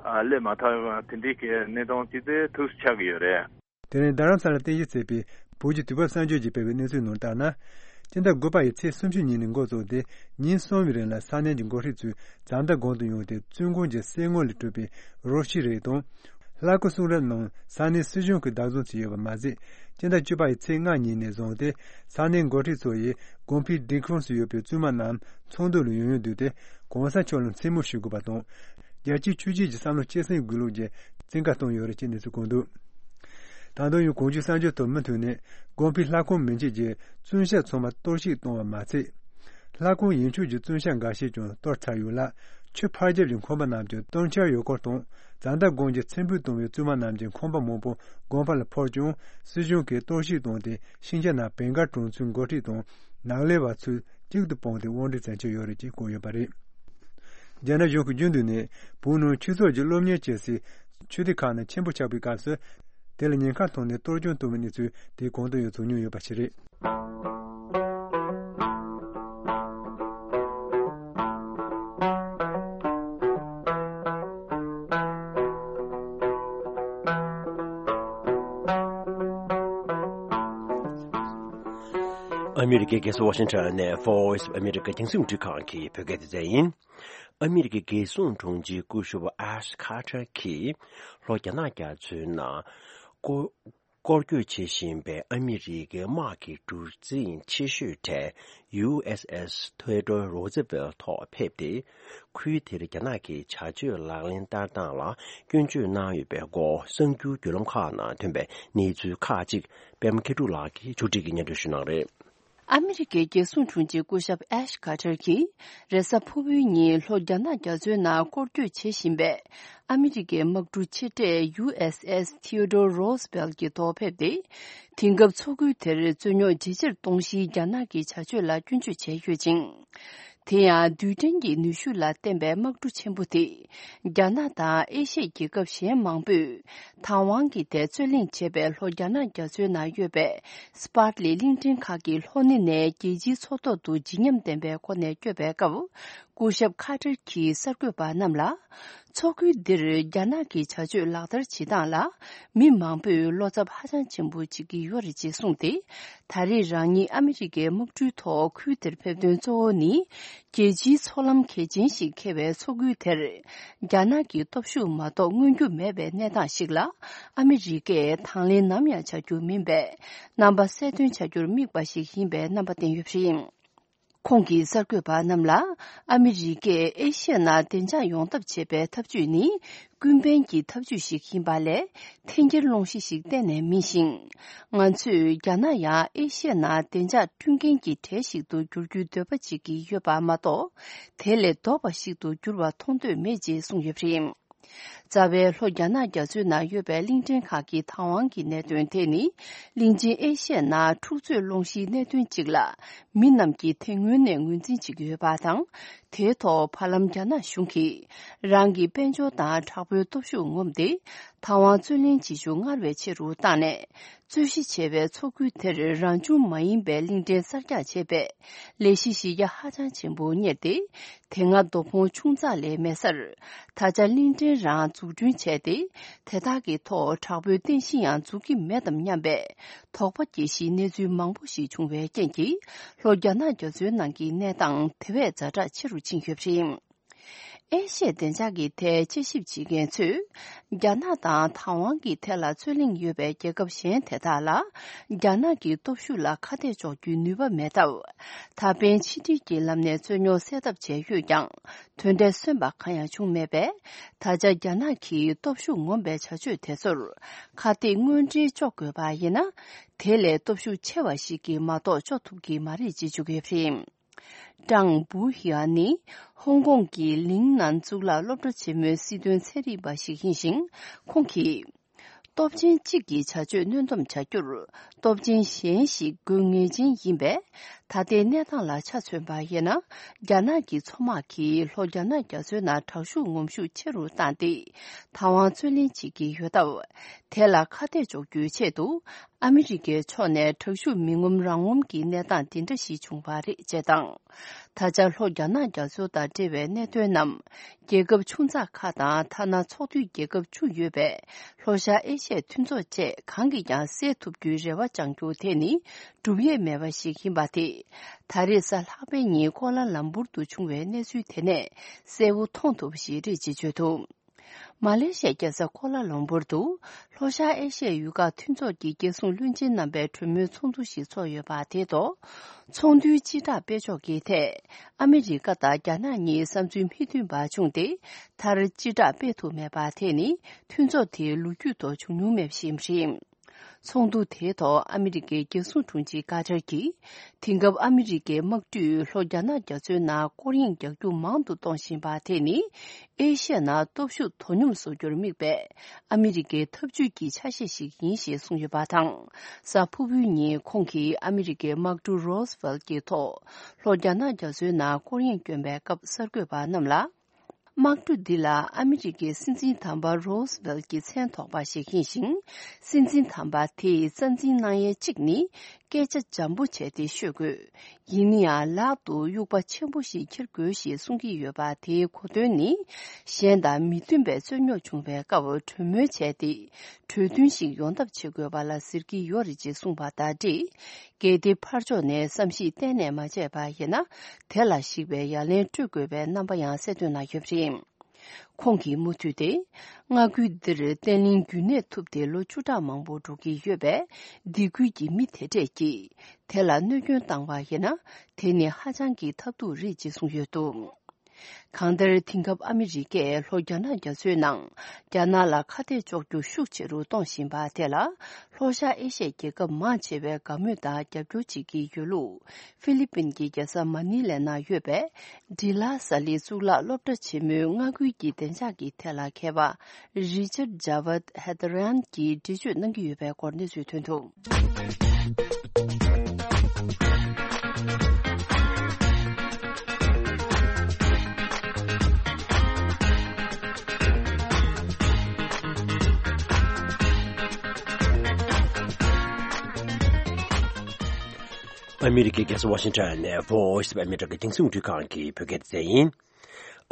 ཨ་སླེབས་མ་ཐུབ་པ་དེ་འདྲས་ཀྱི་གནས་སྟངས་ཅིག་དེ་ཐུགས་སུ་ཆགས་ཀྱི་ཡོད་རེད། དེ་རིང་རྡ་རམ་ས་ལར་རྟེན་གཞི་བྱས་པའི་བོད་ཀྱི་དུས་བབ་གསར་འགྱུར་གྱིས་སྤེལ་བའི་གནས་ཚུལ་ནང་ལྟར་ན། སྤྱི་ཟླ་དགུ་པ་ཡི་ཚེས་སུམ་ཅུ་ཉིན་ནས་འགོ་བཙུགས་ཏེ་ཉིན་གསུམ་པའི་རིང་ལ་ས་གནས་ཀྱི་འགོ་ཁྲིད་ཚོས་ཛ་མདའ་དགོན་དུ་ཡོང་སྟེ་བཙུན་དགོན་གྱི་གསེར་དངུལ་ལས་གྲུབ་པའི་རོ་ཁྱི་རིགས་དང་། ལྷ་སྐུ་གསུང་རབ་རྣམས་ས་གནས་སྲིད་གཞུང་གིས་བདག་བཟུང་བྱས་ཡོད་པ་མ་ཟད། སྤྱི་ཟླ་བཅུ་པ་ཡི་ཚེས་ལྔ་ཉིན་ནས་བཟུང་སྟེ་ས་གནས་འགོ་ཁྲིད་ཚོ་ཡིས་དགོན་པའི་སྒྲིག་ཁོངས་སུ་ཡོད་པའི་བཙུན་མ་རྣམས་ཚོགས་འདུ་ལ་ཡང་ཡང་བསྡུས་ཏེ་གོང་ས་མཆོག་ལ་མཚན་སྨོད་ཞུ་དགོས་པ་དང་། རྒྱལ་གཅེས་ཆོས་གཅེས་ཀྱི་བསམ་བློ་གཅེས་སེམས་དགོས་ལུགས་ཀྱི་བཙན་བཀའ་བཏང་ཡོད་རེད་ཅེས་གནས་ཚུལ་བཀོད་འདུག། ད་དུང་ཡང་གོང་ཞུས་གསར་འགྱུར་དང་མུ་མཐུད་ནས་དགོན་པའི་ལྷ་ཁང་མི་མཇེད་ཀྱི་བཙུན་ཤ་ཚང་མ་གཏོར་བཤིག་བཏང་བ་མ་ཚད། ལྷ་ཁང་ཡན་ཆོད་ཀྱི་བཙུན་ཤ་འགའ་ཤས་ཀྱང་གཏོར་ཚར་ཡོད་ལ། ཆུ་ཕར་རྒྱབ་ཀྱི་ཁང་པ་རྣམས་ཀྱང་གཏོར་འཆར་ཡོད་སྐོར་དང་། ཛ་མདའ་དགོན་གྱི་ཚེ་འབུད་བཏང་བའི་བཙུན་མ་རྣམས་ཀྱི་ཁང་པ་མང་པོ་དགོན་པ་ལ་ཕར་བཅུག་སྲིད་གཞུང་གིས་གཏོར་བཤིག་བཏང་སྟེ་ཤིང་ཆ་རྣམས་བེང་གར་གྲོང་ཚོའི་འགོ་ཁྲིད་དང་ནགས་ལས་པ་ཚོས་གཅིག་ཏུ་སྤུངས་ཏེ་དབང་སྒྲིག་མཛད་ཀྱི་ཡོད་རེད་ཅེས་བཀོད་ཡོད་པ་རེད། རྒྱ་ནག་གཞུང་གིས་རྒྱུན་དུ་ནས་བོད་ནང་ཆོས་ཚོགས་ཀྱི་སློབ་གཉེར་བྱེད་སའི་ཆོས་སྡེ་ཁག་ནང་ཆེན་པོ་ཆགས་པའི་སྐབས་སུ། དེ་ལ་ཉེན་ཁ་མཐོང་ནས་གཏོར་སྐྱོན་བཏང་བའི་གནས་ཚུལ་དེ་གོང་དུ་ཡང་བྱུང་མྱོང་ཡོད་པ་ཞིག་རེད། ཨ་མི་རི་ཀའི་རྒྱལ་ས་ཝ་ཤིང་ཊོན་ནས་Voice of America རྒྱང་སྲིང་རླུང་འཕྲིན་ཁང་གི་བོད་སྐད་སྡེ་ཚན་ཡིན། ཨ་མི་རི་ཀའི་རྒྱལ་སྲུང་དྲུང་ཆེ་སྐུ་ཞབས་ཨེཤ་ཁ་ཏར་གྱིས་ལྷོ་རྒྱ་ནག་རྒྱ་མཚོའི་ནང་སྐོར་སྐོར་སྐྱོད་བྱེད་བཞིན་པའི་ཨ་མི་རི་ཀའི་དམག་གི་གྲུ་གཟིངས་ཆེ་ཤོས་གྲས་ཡུ་ཨེས་ཨེས་ཐེའོ་ཌོར་རོ་ཛི་ཝེལ་ཐོག་ཕེབས་ཏེ། ཁུལ་དེར་རྒྱ་ནག་གི་བྱ་སྤྱོད་ལག་ལེན་བསྟར་སྟངས་ལ་སྐྱོན་བརྗོད་གནང་ཡོད་པའི་སྐོར་གསར་འགྱུར་བརྒྱུད་ལམ་ཁག་ནང་ཐོན་པའི་གནས་ཚུལ་ཁག་ཅིག་པད་མ་མཁས་གྲུབ་ལགས་ཀྱིས་ཕྱོགས་སྒྲིག་གིས་སྙན་སྒྲོན་ཞུ་གནང་རེད། ཨ་མི་རི་ཀའི་རྒྱལ་སྲུང་དྲུང་ཆེ་སྐུ་ཞབས་ཨེཤ་ཁ་ཏར་གྱིས་རེས་གཟའ་ཕུར་བུའི་ཉིན་ལྷོ་རྒྱ་ནག་རྒྱ་མཚོའི་ནང་སྐོར་སྐྱོད་བྱེད་བཞིན་པའི་ཨ་མི་རི་ཀའི་དམག་གྲུ་ཆེ་གྲས་ཡུ་ཨེས་ཨེས་ཐེའོ་ཌོར་རོ་སི་ཝེལ་གྱི་ཐོག་ཕེབས་ཏེ། དེང་སྐབས་མཚོ་ཁུལ་དེར་རྩོད་རྙོག་ཇེ་ཆེར་གཏོང་གཞིའི་རྒྱ་ནག་གི་བྱ་སྤྱོད་ལ་སྐྱོན་བརྗོད་བྱས་ཡོད་ཅིང་། དེ་ཡང་རྡུལ་ཕྲན་གྱི་ནུས་ཤུགས་ལ་བརྟེན་པའི་དམག་གྲུ་ཆེན་པོ་དེ། རྒྱ་ནག་དང་ཨེ་ཤི་ཡའི་རྒྱལ་ཁབ་གཞན་མང་པོས་དང་ཝང་གི་ཐད་རྩོད་གླེང་བྱས་པའི་ལྷོ་རྒྱ་ནག་རྒྱ་མཚོའི་ནང་ཡོད་པའི་སི་པཱར་ལི་གླིང་ཕྲན་ཁག་གི་ལྷོ་སྣེ་ནས་རྒྱལ་སྤྱིའི་མཚོ་ཐོག་ཏུ་བརྗིད་ཉམས་ལྡན་པའི་སྒོ་ནས་བསྐྱོད་པའི་སྐབས། སྐུ་ཞབས་ཁ་ཏར་གྱིས་གསར་འགོད་པ་རྣམས་ལ། མཚོ་ཁུལ་འདིར་རྒྱ་ནག་གི་བྱ་སྤྱོད་ལག་བསྟར་བྱེད་སྟངས་ལ། མི་མང་པོས་བློ་འཚབ་ཧ་ཅང་ཆེན་པོ་བྱེད་ཀྱི་ཡོད་རེད་ཅེས་གསུངས་ཏེ། ད་རེས་རང་ཉིད་ཨ་མི་རི་ཀའི་དམག་གྲུའི་ཐོག་ཁུལ་དེར་ཕེབས་དོན་གཙོ་བོ་ནི། རྒྱལ་སྤྱིའི་མཚོ་ལམ་གལ་ཆེན་ཞིག་འཁེལ་བའི་མཚོ་ཁུལ་དེར། རྒྱ་ནག་གི་སྟོབས་ཤུགས་མ་གཏོགས་མངོན་རྒྱུ་མེད་པའི་གནས་སྟངས་ཤིག་ལ། ཨ་མི་རི་ཀས་དང་ལེན་ནམ་ཡང་བྱ་རྒྱུ་མིན་པས། རྣམ་པ་གསལ་སྟོན་བྱ་རྒྱུར་དམིགས་པ་ཞིག་ཡིན་པའི་རྣམ་པ་བསྟན་ཡོད་པ་རེད། ཁོང་གིས་གསར་འགོད་པ་རྣམས་ལ། ཨ་མི་རི་ཀས་ཨེ་ཤི་ཡ་ནང་བདེ་འཇགས་ཡོང་ཐབས་བྱེད་པའི་ཐབས་ཇུས་ནི། ཀུན་ཕན་གྱི་ཐབས་ཇུས་ཤིག་ཡིན་པ་ལས། འཐེན་འཁྱེར་སློང་གཞི་ཞིག་གཏན་ནས་མིན་ཞིང་། ང་ཚོས་རྒྱ་ནག་ཡང་ཨེ་ཤི་ཡ་ནང་བདེ་འཇགས་བསྐྲུན་མཁན་གྱི་གྲས་ཤིག་ཏུ་འགྱུར་རྒྱུའི་འདོད་པ་བྱེད་ཀྱི་ཡོད་པ་མ་གཏོགས། དེ་ལས་ལྡོག་པ་ཞིག་ཏུ་འགྱུར་བ་མཐོང་འདོད་མེད་ཅེས་གསུངས་ཡོད་པ་རེད། རྩ་བའི་ལྷོ་རྒྱ་ནག་རྒྱ་མཚོའི་ནང་ཡོད་པའི་གླིང་ཕྲན་ཁག་གི་དང་ཝང་གི་གནད་དོན་དེ་ནི། གླིང་ཆེན་ཨེ་ཤི་ཡའི་ནང་འཁྲུག་རྩོད་སློང་གཞིའི་གནད་དོན་གཅིག་ལ། མི་རྣམས་ཀྱིས་དེ་སྔོན་ནས་ངོས་འཛིན་བྱེད་ཀྱི་ཡོད་པ་དང་། དེའི་ཐོག་བར་ལམ་རྒྱ་ནག་གཞུང་གིས། རང་གི་དཔལ་འབྱོར་དང་དྲག་པོའི་སྟོབས་ཤུགས་ངོམ་སྟེ། དང་ཝང་རྩོད་ལེན་བྱེད་ཤུགས་སྔར་བས་ཆེ་རུ་བཏང་ནས། རྩོད་གཞི་ཆེ་བའི་མཚོ་ཁུལ་དེར་རང་བྱུང་མ་ཡིན་པའི་གླིང་ཕྲན་གསར་རྒྱག་བྱས་པས། ལས་གཞི་གཞི་རྒྱ་ཧ་ཅང་ཆེན་པོ་གཉེར་ཏེ། དེ་སྔ་རྡོ་ཕུང་ཆུང་ཙག་ལས་མེད་སར། ད་ཆ་གླིང་ཕྲན་རང་འཛུགས་སྐྲུན་བྱས་ཏེ། དེ་དག་གི་ཐོག་དྲག་པོའི་རྟེན་གཞི་ཡང་འཛུགས་ཀྱི་མེད་དམ་སྙམ་པའི། དོགས་པ་སྐྱེ་གཞིའི་གནས་ཚུལ་མང་པོ་ཞིག་བྱུང་བའི་རྐྱེན་གྱིས། ལྷོ་རྒྱ་ནག་རྒྱ་མཚོའི་ནང་གི་གནས་སྟངས་དེ་བས་ཛ་དྲག་ཆེ་རུ་ཕྱིན་ཡོད་པ་རེད། ཨེ་ཤི་ཡའི་བདེ་འཇགས་ཀྱི་ཐད་དཔྱད་ཞིབ་བྱེད་མཁན་ཚོས། རྒྱ་ནག་དང་དང་ཝང་གི་ཐད་ལ་རྩོད་གླེང་ཡོད་པའི་རྒྱལ་ཁབ་གཞན་དེ་དག་ལ། རྒྱ་ནག་གི་སྟོབས་ཤུགས་ལ་ཁ་གཏད་གཅོག་རྒྱུའི་ནུས་པ་མེད་སྟབས། ད་ཕན་ཕྱི་འབྲེལ་གྱི་ལམ་ནས་རྩོད་རྙོག་སེལ་ཐབས་བྱས་ཡོད་ཀྱང་། དོན་འབྲས་སོན་པ་གང་ཡང་བྱུང་མེད་པས། ད་ཆ་རྒྱ་ནག་གིས་སྟོབས་ཤུགས་ངོམ་པའི་བྱ་སྤྱོད་དེ་ཚོར། ཁ་གཏད་དངོས་འབྲེལ་གཅོག་དགོས་པ་ཡིན་ན། དེ་ལས་སྟོབས་ཤུགས་ཆེ་བ་ཞིག་གིས་མ་གཏོགས་གཅོག་ཐུབ་ཀྱི་མ་རེད་ཅེས་བརྗོད་ཀྱི་ཡོད་པ་རེད། ཀྲང་བུ་ཧི་ཨན་ནི་ཧོང་ཀོང་གི་ལིང་ནན་གཙུག་ལག་སློབ་གྲྭ་ཆེན་མོའི་སྲིད་དོན་ཚན་རིག་པ་ཞིག་ཡིན་ཞིང་། ཁོང་གིས། སྟོབས་ཆེན་གཅིག་གི་བྱ་སྤྱོད་གནོན་སྡོམ་བྱ་རྒྱུར། སྟོབས་ཆེན་གཞན་ཞིག་དགོས་ངེས་ཅན་ཡིན་པས། ད་ལྟའི་གནས་སྟངས་ལ་ཆ་མཚོན་པ་ཡིན་ན། རྒྱ་ནག་གི་མཚོ་དམག་གིས་ལྷོ་རྒྱ་ནག་རྒྱ་མཚོའི་ནང་དྲག་ཤུགས་ངོམ་ཤུགས་ཆེ་རུ་བཏང་སྟེ། དང་ཝང་རྩོད་ལེན་བྱེད་ཀྱི་ཡོད་སྟབས། དེ་ལ་ཁ་གཏད་གཅོག་རྒྱུའི་ཆེད་དུ། ཨ་མི་རི་ཀའི་ཕྱོགས་ནས་དྲག་ཤུགས་མི་ངོམ་རང་ངོམ་གྱི་གནས་སྟངས་འདི་འདྲ་ཞིག་བྱུང་བ་རེད་ཅེས་དང་། ད་ཆ་ལྷོ་རྒྱ་ནག་རྒྱ་མཚོ་དང་འབྲེལ་བའི་གནད་དོན་རྣམས། རྒྱལ་ཁབ་ཆུང་ཙག་ཁག་དང་ཐ་ན་ཚོགས་འདུས་རྒྱལ་ཁབ་བཅུ་ཡོད་པའི་ལྷོ་ཤར་ཨེ་ཤི་ཡའི་མཐུན་ཚོགས་བཅས་གང་གིས་ཀྱང་སེལ་ཐུབ་རྒྱུའི་རེ་བ་བཅང་རྒྱུ་དེ་ནི་སྒྲུབ་ཡས་མེད་པ་ཞིག་ཡིན་པ་དེ། ད་རེས་གཟའ་ལྷག་པའི་ཉིན་ཀོ་ལ་ལམ་བུར་དུ་བྱུང་བའི་གནས་ཚུལ་དེ་ནས་གསལ་བོ་མཐོང་ཐུབ་པ་ཞིག་རེད་ཅེས་བརྗོད་འདུག་མ་ལེ་ཤི་ཡའི་རྒྱལ་ས་ཀོ་ལ་ལམ་བུར་དུ་ལྷོ་ཤར་ཨེ་ཤི་ཡའི་ཡུལ་ཁག་མཐུན་ཚོགས་ཀྱི་རྒྱལ་སྲུང་བློན་ཆེན་རྣམ་པའི་གྲོས་མོལ་ཚོགས་འདུ་ཞིག་ཚོགས་ཡོད་པ་དེ་ཐོག་ཚོགས་འདུའི་སྤྱི་བསྒྲགས་སྤེལ་ཕྱོགས་ཀྱི་ཐད། ཨ་མི་རི་ཀ་དང་རྒྱ་ནག་གཉིས་བསམ་ཚུལ་མི་མཐུན་པ་བྱུང་སྟེ། མཐར་སྤྱི་བསྒྲགས་སྤེལ་ཐུབ་མེད་པ་དེ་ནི་མཐུན་ཚོགས་དེའི་ལོ་རྒྱུས་ཐོག་བྱུང་མྱོང་མེད་པ་ཞིག་རེད། ཚོགས་འདུ་དེའི་ཐོག་ཨ་མི་རི་ཀའི་རྒྱལ་སྲུང་དྲུང་ཆེ་ཀ་ཏར་གྱིས། དེང་སྐབས་ཨ་མི་རི་ཀའི་དམག་གྲུས་ལྷོ་རྒྱ་ནག་རྒྱ་མཚོའི་ནང་སྐོར་གཡེང་རྒྱག་རྒྱུ་མང་དུ་གཏོང་བཞིན་པ་དེ་ནི། ཨེ་ཤི་ཡ་ནང་སྟོབས་ཤུགས་དོ་སྙོམས་བཟོ་རྒྱུར་དམིགས་པའི་ཨ་མི་རི་ཀའི་འཐབ་ཇུས་ཀྱི་ཆ་ཤས་ཤིག་ཡིན་ཞེས་གསུངས་ཡོད་པ་དང་། གཟའ་ཕུར་བུའི་ཉིན་ཁོང་གིས་ཨ་མི་རི་ཀའི་དམག་གྲུ་Roosevelt་གྱི་ཐོག་ལྷོ་རྒྱ་ནག་རྒྱ་མཚོའི་ནང་སྐོར་གཡེང་བསྐྱོན་པའི་སྐབས་གསར་འགོད་པ་རྣམས་ལ། དམག་གྲུ་འདི་ལ་ཨ་མི་རི་ཀའི་སྲིད་འཛིན་དམ་པ་Roosevelt་གྱི་མཚན་ཐོགས་པ་ཞིག་ཡིན་ཞིང་། སྲིད་འཛིན་དམ་པ་དེས་རྩ་འཛིན་གནང་ཡས་གཅིག་ནི་སྐད་ཆ་འཇམ་པོ་བྱས་ཏེ་ཤོད་དགོས། ཡིན་ན་ཡང་ལག་ཏུ་དབྱུག་པ་ཆེན་པོ་ཞིག་འཁྱེར་དགོས་ཞེས་གསུང་གི་ཡོད་པ། དེའི་གོ་དོན་ནི། གཞན་དང་མི་མཐུན་པའི་རྩོད་རྙོག་བྱུང་བའི་སྐབས་གྲོས་མོལ་བྱས་ཏེ། གྲོས་མཐུན་ཞིག་ཡོང་ཐབས་བྱེད་དགོས་པ་ལ་ཟེར་གྱི་ཡོད་རེད་ཅེས་གསུངས་པ་དང་འབྲེལ། གལ་ཏེ་ཕར་ཕྱོགས་ནས་བསམ་གཞིག་གཏན་ནས་མ་བྱས་པ་ཡིན་ན། དེ་ལ་གཞིགས་པའི་ཡ་ལན་སྤྲོད་དགོས་པའི་རྣམ་པ་ཡང་གསལ་སྟོན་གནང་ཡོད་པ་རེད། ཁོང་གིས་མུ་མཐུད་དེ། མངའ་ཁུལ་འདིར་བརྟན་ལྷིང་རྒྱུན་གནས་ཐུབ་སྟེ་ལོ་བཅུ་ཕྲག་མང་པོ་འགྲོ་གི་ཡོད་པས། སྡེ་ཁུལ་གྱི་མི་དེ་གྲས་ཀྱིས་དེ་ལ་གནོད་སྐྱོན་བཏང་བ་ཡིན་ན། དེ་ནི་ཧ་ཅང་གི་ཐབས་སྡུག་རེད་ཅེས་གསུངས་ཡོད་འདུག་གང་ལྟར། དེང་སྐབས་ཨ་མི་རི་ཀས་ལྷོ་རྒྱ་ནག་རྒྱ་མཚོའི་ནང་རྒྱ་ནག་ལ་ཁ་གཏད་གཅོག་རྒྱུ་ཤུགས་ཆེ་རུ་གཏོང་བཞིན་པ་དེ་ལ། ལྷོ་ཤར་ཨེ་ཤི་ཡའི་རྒྱལ་ཁབ་མང་ཆེ་བས་དགའ་མོས་དང་རྒྱབ་སྐྱོར་བྱེད་ཀྱི་ཡོད་ལུགས། ཧྥི་ལི་པིན་གྱི་རྒྱལ་ས་མ་ནི་ལའི་ནང་ཡོད་པའི་ཌི་ལ་ས་ལི་གཙུག་ལག་སློབ་གྲྭ་ཆེན་མོའི་མངའ་ཁུལ་གྱི་བདེ་འཇགས་ཀྱི་ཐད་ལ་མཁས་པ་རི་ཅར་ཇ་ཝད་ཧེ་ད་རན་གྱིས་འགྲེལ་བརྗོད་གནང་གི་ཡོད་པའི་སྐོར་གནས་ཚུལ་ཐོན་འདུག་ཨ་མི་རི་ཀའི་རྒྱལ་ས་ཝ་ཤིང་ཊོན་ནས་Voice of America རྒྱང་སྲིང་རླུང་འཕྲིན་ཁང་གི་བོད་སྐད་སྡེ་ཚན་ཡིན།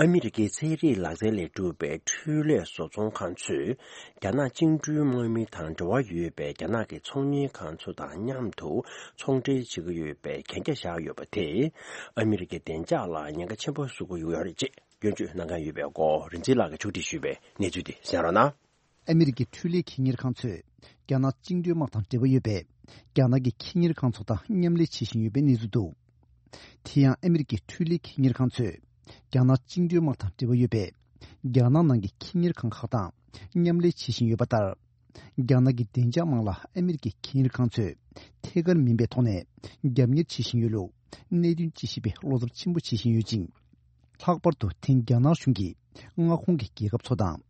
ཨ་མི་རི་ཀའི་ཚན་རིག་ལག་རྩལ་ལས་གྲུབ་པའི་འཕྲུལ་ལས་བཟོ་ཚོང་ཁང་ཚོས་རྒྱ་ནག་བཅིངས་འགྲོལ་དམག་མི་དང་འབྲེལ་བ་ཡོད་པའི་རྒྱ་ནག་གི་ཚོང་གཉེར་ཁང་ཚོ་དང་མཉམ་དུ་ཚོང་འབྲེལ་བྱེད་ཀྱི་ཡོད་པའི་གན་རྒྱ་བཞག་ཡོད་པ་དེས་ཨ་མི་རི་ཀའི་བདེ་འཇགས་ལ་ཉེན་ཁ་ཆེན་པོ་བཟོ་གི་ཡོད་རེད་ཅེས་སྐྱོན་བརྗོད་གནང་མཁན་ཡོད་པའི་སྐོར་རིན་འཛིན་ལགས་ཀྱིས་ཕྱོགས་སྒྲིག་ཞུས་པའི་གནས་ཚུལ་དེ་གསན་རོགས་གནང་། ཨ་མི་རི་ཀའི་འཕྲུལ་ལས་ཁེ་གཉེར་ཁང་ཚོས་རྒྱ་ནག་བཅིངས་འགྲོལ་དམག་དང་འབྲེལ་བ་ཡོད་པའི་རྒྱ་ནག་གི་ཁེ་གཉེར་ཁང་ཚོ་དང་མཉམ་ལས་བྱེད་བཞིན་ཡོད་པའི་གནས་ཚུལ་འདུག་དེ་ཡང་ཨ་མི་རི་ཀའི་འཕྲུལ་ལས་ཁེ་གཉེར་ཁང་ཚོས་རྒྱ་ནག་བཅིངས་འགྲོལ་དམག་དང་འབྲེལ་བ་ཡོད་པའི་རྒྱ་ནག་ནང་གི་ཁེ་གཉེར་ཁང་ཁག་དང་མཉམ་ལས་བྱེད་བཞིན་ཡོད་པ་ལྟར། རྒྱ་ནག་གི་བདེ་འཇགས་དམག་ལ་ཨ་མི་རི་ཀའི་ཁེ་གཉེར་ཁང་ཚོས་ཐད་ཀར་མིན་པའི་ཐོག་ནས་རྒྱབ་གཉེར་བྱེད་བཞིན་ཡོད་ལུགས་གནད་དོན་དཔྱད་ཞིབ་པས་བློ་འཚབ་ཆེན་པོ་བྱེད་བཞིན་ཡོད་ཅིང་། ལྷག་པར་དུ་དེང་རྒྱ་ནག་གཞུང་གིས་མངའ་ཁོངས་ཀྱི་རྒྱལ་ཁབ་ཚོ་དང་།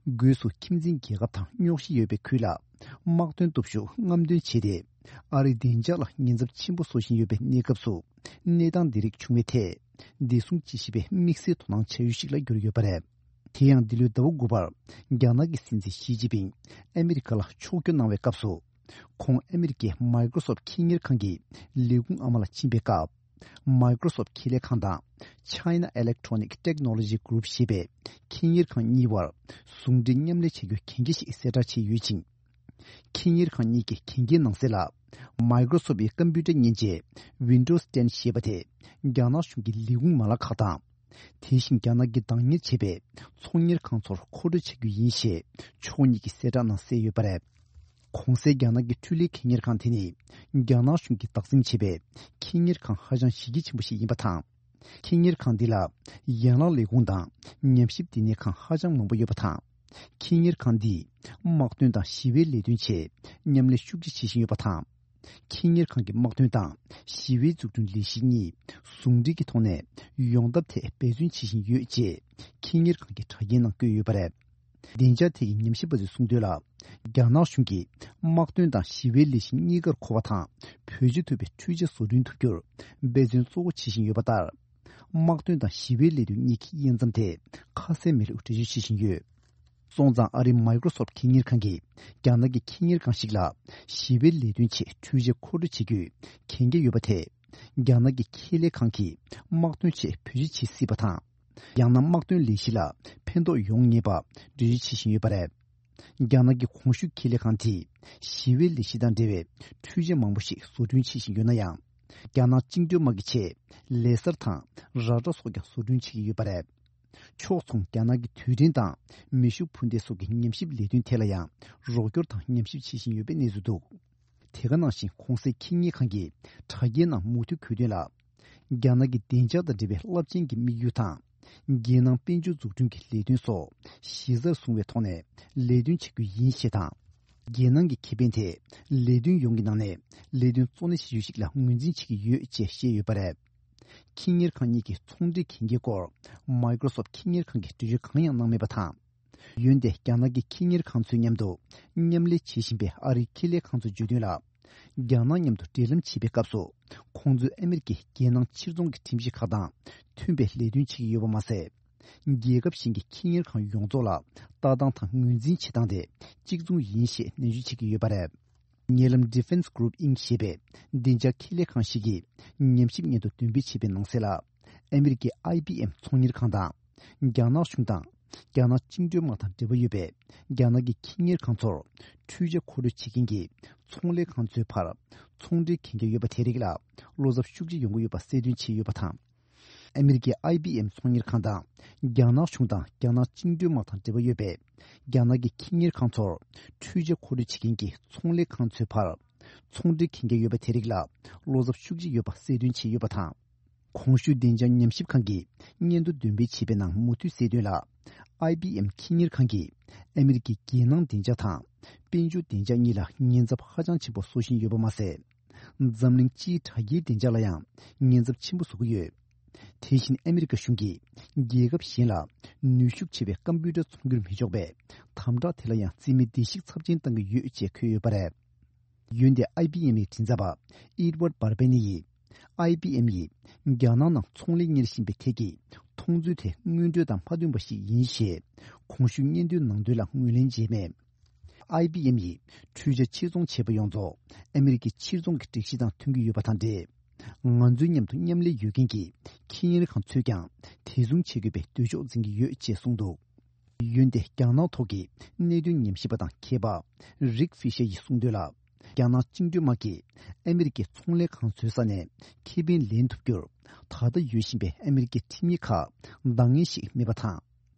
སྒོས་སུ་ཁྱིམ་མཚེས་རྒྱལ་ཁབ་དང་རྙོག་གཞི་ཡོད་པའི་ཁུལ་ལ་དམག་དོན་སྟོབས་ཤུགས་རྔམ་སྟོན་བྱས་ཏེ། ཨ་རིའི་བདེ་འཇགས་ལ་ཉེན་ཚབས་ཆེན་པོ་བཟོ་བཞིན་ཡོད་པའི་གནས་སྐབས་སུ། གནས་སྟངས་འདི་རིགས་བྱུང་བའི་ཐད། བདེ་སྲུང་དཔྱད་ཞིབ་པས་དམིགས་བསལ་དོ་སྣང་བྱ་ཡུལ་ཞིག་ལ་གྱུར་ཡོད་པ་རེད། དེ་ཡང་འདི་ལོའི་ཟླ་བ་དགུ་པར། རྒྱ་ནག་གི་སྲིད་འཛིན་ཞི་ཅིན་ཕིང་ཨ་མི་རི་ཀ་ལ་ཕྱོགས་བསྐྱོད་གནང་བའི་སྐབས་སུ། ཁོང་ཨ་མི་རི་ཀའི་Microsoft ཁེ་གཉེར་ཁང་གི་ལས་ཁུངས་ཨ་མ་ལ་ཕྱིན་པའི་སྐབས། Microsoft ཁེ་ལས་ཁང་དང་China Electronic Technology Group ཞེས་པའི་ཁེ་གཉེར་ཁང་གཉིས་བར་ཟུང་འབྲེལ་མཉམ་ལས་བྱ་རྒྱུའི་གན་རྒྱ་ཞིག་གསལ་བསྒྲགས་བྱས་ཡོད་ཅིང་། ཁེ་གཉེར་ཁང་གཉིས་ཀྱི་གན་རྒྱའི་ནང་གསལ་ལ། Microsoft ཡི་ཀམ་པུ་ཊར་མཉེན་ཆས་Windows ten ཞེས་པ་དེ་རྒྱ་ནག་གཞུང་གི་ལས་ཁུངས་མ་ལག་ཁག་དང་། དེ་བཞིན་རྒྱ་ནག་གིས་བདག་གཉེར་བྱས་པའི་ཚོང་གཉེར་ཁང་ཚོར་མཁོ་སྤྲོད་བྱ་རྒྱུ་ཡིན་ཞེས་ཕྱོགས་གཉིས་ཀྱི་གསལ་བསྒྲགས་ནང་གསལ་ཡོད་པ་རེད། གོང་གསལ་རྒྱ་ནག་གི་འཕྲུལ་ལས་ཁེ་གཉེར་ཁང་དེ་ནི་རྒྱ་ནག་གཞུང་གིས་བདག་འཛིན་བྱས་པའི་ཁེ་གཉེར་ཁང་ཧ་ཅང་གཞི་རྒྱ་ཆེན་པོ་ཞིག་ཡིན་པ་དང་། ཁེ་གཉེར་ཁང་འདི་ལ་ཡན་ལག་ལས་ཁུངས་དང་ཉམས་ཞིབ་བསྟི་གནས་ཁང་ཧ་ཅང་མང་པོ་ཡོད་པ་དང་། ཁེ་གཉེར་ཁང་འདིས་དམག་དོན་དང་ཞི་བའི་ལས་དོན་ཆེད་མཉམ་ལས་ཤུགས་ཆེ་བྱེད་བཞིན་ཡོད་པ་དང་། ཁེ་གཉེར་ཁང་གི་དམག་དོན་དང་ཞི་བའི་འཛུགས་སྐྲུན་ལས་གཞི་གཉིས་ཟུང་འབྲེལ་གྱི་ཐོག་ནས་ཡོང་ཐབས་ཐད་འབད་བརྩོན་བྱེད་བཞིན་ཡོད་ཅེས་ཁེ་གཉེར་ཁང་གི་དྲ་རྒྱའི་ནང་བཀོད་ཡོད་པ་རེད། བདེ་འཇགས་ཐད་ཀྱི་ཉམས་ཞིབ་པ་ཚོས་གསུངས་དོན་ལ། རྒྱ་ནག་གཞུང་གིས་དམག་དོན་དང་ཞི་བའི་ལས་གཞི་གཉིས་ཀར་མཁོ་བ་དང་བེད་སྤྱོད་ཐུབ་པའི་འཕྲུལ་ཆས་བཟོ་སྐྲུན་ཐུབ་རྒྱུར་འབད་བརྩོན་གཙོ་བོ་བྱེད་བཞིན་ཡོད་པ་ལྟར། དམག་དོན་དང་ཞི་བའི་ལས་དོན་གཉིས་ཀྱི་དབྱེ་མཚམས་དེ་ཁ་གསལ་མེད་ལུགས་འགྲེལ་བརྗོད་བྱེད་བཞིན་ཡོད། སོང་ཙང་ཨ་རིའི་Microsoft ཁེ་གཉེར་ཁང་གིས་རྒྱ་ནག་གི་ཁེ་གཉེར་ཁང་ཞིག་ལ་ཞི་བའི་ལས་དོན་ཆེད་འཕྲུལ་ཆས་མཁོ་སྤྲོད་བྱེད་རྒྱུའི་གན་རྒྱ་ཡོད་པ་དེ། རྒྱ་ནག་གི་ཁེ་ལས་ཁང་གིས་དམག་དོན་ཆེད་བེད་སྤྱོད་བྱེད་སྲིད་པ་དང་། ཡང་ན་དམག་དོན་ལས་གཞི་ལ་ཕན་ཐོགས་ཡོང་ངེས་པ་འགྲེལ་བརྗོད་བྱེད་བཞིན་ཡོད་པ་རེད། རྒྱ་ནག་གི་གོང་ཞུས་ཁེ་ལས་ཁང་དེས་ཞི་བའི་ལས་གཞི་དང་འབྲེལ་བའི་འཕྲུལ་ཆས་མང་པོ་ཞིག་བཟོ་སྐྲུན་བྱེད་བཞིན་ཡོད་ན་ཡང་། རྒྱ་ནག་བཅིངས་འགྲོལ་དམག་གི་ཆེད་ལེ་སར་དང་ར་ཌར་སོགས་ཀྱང་བཟོ་སྐྲུན་བྱེད་ཀྱི་ཡོད་པ་རེད། ཕྱོགས་མཚུངས་རྒྱ་ནག་གི་དུས་དྲན་དང་མེ་ཤུགས་འཕུར་མདེལ་སོགས་ཀྱི་ཉམས་ཞིབ་ལས་དོན་ཐད་ལ་ཡང་རོགས་སྐྱོར་དང་ཉམས་ཞིབ་བྱེད་བཞིན་ཡོད་པའི་གནས་ཚུལ་འདུག་དེ་ག་ནང་བཞིན་གོང་གསལ་ཁེ་གཉེར་ཁང་གི་དྲ་རྒྱའི་ནང་མུ་མཐུད་འཁོད་དོན་ལ། རྒྱ་ནག་གི་བདེ་འཇགས་དང་འབྲེལ་བའི་རླབས་ཆེན་གྱི་དམིགས་ཡུལ་དང་། རྒྱལ་ནང་དཔལ་འབྱོར་འཛུགས་སྐྲུན་གྱི་ལས་དོན་སོགས་གཞི་རྩར་བཟུང་བའི་ཐོག་ནས་ལས་དོན་བྱེད་རྒྱུ་ཡིན་ཞེས་དང་། རྒྱལ་ནང་གི་ཁེ་ཕན་དེ་ལས་དོན་ཡོངས་ཀྱི་ནང་ནས་ལས་དོན་གཙོ་གནད་བྱེད་ཡུལ་ཞིག་ལ་ངོས་འཛིན་བྱེད་ཀྱི་ཡོད་ཅེས་བཤད་ཡོད་པ་རེད། ཁེ་གཉེར་ཁང་གཉིས་ཀྱི་ཚོང་འབྲེལ་གན་རྒྱའི་སྐོར་Microsoft ཁེ་གཉེར་ཁང་གིས་འགྲེལ་བརྗོད་གང་ཡང་གནང་མེད་པ་དང་། འོན་ཏེ་རྒྱ་ནག་གི་ཁེ་གཉེར་ཁང་ཚོའི་མཉམ་དུ་མཉམ་ལས་བྱེད་བཞིན་པའི་ཨ་རིའི་ཁེ་ལས་ཁང་ཚོས་བརྗོད་དོན་ལ། རྒྱ་ནག་མཉམ་དུ་འབྲེལ་ལམ་བྱེད་པའི་སྐབས་སུ་ཁོང་ཚོས་ཨ་མི་རི་ཀའི་རྒྱལ་ནང་ཕྱིར་ཚོང་གི་ཁྲིམས་གཞི་ཁག་དང་མཐུན་པའི་ལས་དོན་བྱེད་ཀྱི་ཡོད་པ་མ་ཟད། རྒྱལ་ཁབ་གཞན་གྱི་ཁེ་གཉེར་ཁང་ཡོངས་རྫོགས་ལ་ལྟ་སྟངས་དང་ངོས་འཛིན་བྱེད་སྟངས་དེ་གཅིག་མཚུངས་ཡིན་ཞེས་ནན་བརྗོད་བྱེད་ཀྱི་ཡོད་པ་རེད། ཉེ་ལམ་Defense Group Inc ཞེས་པའི་བདེ་འཇགས་ཁེ་ལས་ཁང་ཞིག་གིས་ཉམས་ཞིབ་སྙན་ཐོ་འདོན་སྤེལ་བྱས་པའི་ནང་གསལ་ལ། ཨ་མི་རི་ཀའི་ཨའི་བི་ཨེམ་ཚོང་གཉེར་ཁང་དང་། རྒྱ་ནག་གཞུང་དང་། རྒྱ་ནག་བཅིངས་འགྲོལ་དམག་དང་འབྲེལ་བ་ཡོད་པའི་རྒྱ་ནག་གི་ཁེ་གཉེར་ཁང་ཚོར་འཕྲུལ་ཆས་མཁོ་སྤྲོད་བྱེད་མཁན་གྱི་ཚོང་ལས་ཁང་ཚོའི་བར་ཚོང་འབྲེལ་གན་རྒྱ་ཡོད་པ་དེ་རིགས་ལ་བློ་འཚབ་ཤུགས་ཆེ་ཡོང་གི་ཡོད་པ་གསལ་སྟོན་བྱས་ཡོད་པ་དང་། ཨ་མི་རི་ཀའི་ཨའི་བི་ཨེམ་ཚོང་གཉེར་ཁང་དང་རྒྱ་ནག་གཞུང་དང་རྒྱ་ནག་བཅིངས་འགྲོལ་དམག་དང་འབྲེལ་བ་ཡོད་པའི་རྒྱ་ནག་གི་ཁེ་གཉེར་ཁང་ཚོར་འཕྲུལ་ཆས་མཁོ་སྤྲོད་བྱེད་མཁན་གྱི་ཚོང་ལས་ཁང་ཚོའི་བར་ཚོང་འབྲེལ་གན་རྒྱ་ཡོད་པ་དེ་རིགས་ལ་བློ་འཚབ་ཤུགས་ཆེ་ཡོད་པ་གསལ་སྟོན་བྱས་ཡོད་པ་དང་། གོང་ཞུས་བདེ་འཇགས་ཉམས་ཞིབ་ཁང་གིས་སྙན་ཐོ་འདོན་སྤེལ་བྱས་པའི་ནང་མུ་མཐུད་གསལ་དོན་ལ། ཨའི་བི་ཨེམ་ཁེ་གཉེར་ཁང་གིས་ཨ་མི་རི་ཀའི་རྒྱལ་ནང་བདེ་འཇགས་དང་དཔལ་འབྱོར་བདེ་འཇགས་གཉིས་ལ་ཉེན་ཚབས་ཧ་ཅང་ཆེན་པོ་བཟོ་བཞིན་ཡོད་པ་མ་ཟད། འཛམ་གླིང་སྤྱིའི་དྲ་རྒྱའི་བདེ་འཇགས་ལ་ཡང་ཉེན་ཚབས་ཆེན་པོ་བཟོ་གི་ཡོད། དེ་བཞིན་ཨ་མི་རི་ཀ་གཞུང་གིས་རྒྱལ་ཁབ་གཞན་ལ་ནུས་ཤུགས་ཆེ་བའི་ཀམ་པུ་ཊར་ཚོང་སྒྱུར་མི་ཆོག་པའི་དམ་དྲག་དེ་ལ་ཡང་རྩིས་མེད་བརྡལ་བཤིག་ཚབས་ཆེན་བཏང་གི་ཡོད་ཅེས་འཁོད་ཡོད་པ་རེད། འོན་ཏེ་ཨའི་བི་ཨེམ་ཡི་མགྲིན་ཚབ་པ་Edward Barbenni ཡིས། ཨའི་བི་ཨེམ་ཡིས་རྒྱ་ནག་ནང་ཚོང་ལས་གཉེར་བཞིན་པའི་ཐད་ཀྱི་མཐོང་ཚུལ་དེ་དངོས་འབྲེལ་དང་མ་མཐུན་པ་ཞིག་ཡིན་ཞེས་གོང་ཞུས་སྙན་ཐོའི་ནང་དོན་ལ་ངོས་ལེན་བྱས་མེད། ཨའི་བི་ཨེམ་ཡིས་འཕྲུལ་ཆས་ཕྱིར་ཚོང་བྱས་པ་ཡོངས་རྫོགས་ཨ་མི་རི་ཀའི་ཕྱིར་ཚོང་གི་སྒྲིག་གཞི་དང་མཐུན་གྱི་ཡོད་པ་དང་འབྲེལ། ང་ཚོའི་མཉམ་དུ་མཉམ་ལས་ཡོད་མཁན་གྱི་ཁེ་གཉེར་ཁང་ཚོས་ཀྱང་དེ་མཚུངས་བྱེད་དགོས་པའི་འདོད་ཕྱོགས་འཛིན་གྱི་ཡོད་ཅེས་གསུངས་འདུག། འོན་ཏེ་རྒྱ་ནག་ཐོག་གི་གནད་དོན་ཉམས་ཞིབ་པ་དང་མཁས་པ་རིག་ཧྥི་ཤེ་ཡིས་གསུངས་དོན་ལ། རྒྱ་ནག་བཅིངས་འགྲོལ་དམག་གིས་ཨ་མི་རི་ཀའི་ཚོང་ལས་ཁང་བཟོས་ས་ནས་ཁེ་ཕན་ལེན་ཐུབ་རྒྱུར། ད་ལྟ་ཡོད་བཞིན་པའི་ཨ་མི་རི་ཀའི་ཁྲིམས་ཡིག་ཁག་འདང་ངེས་ཤིག་མེད་པ་དང་།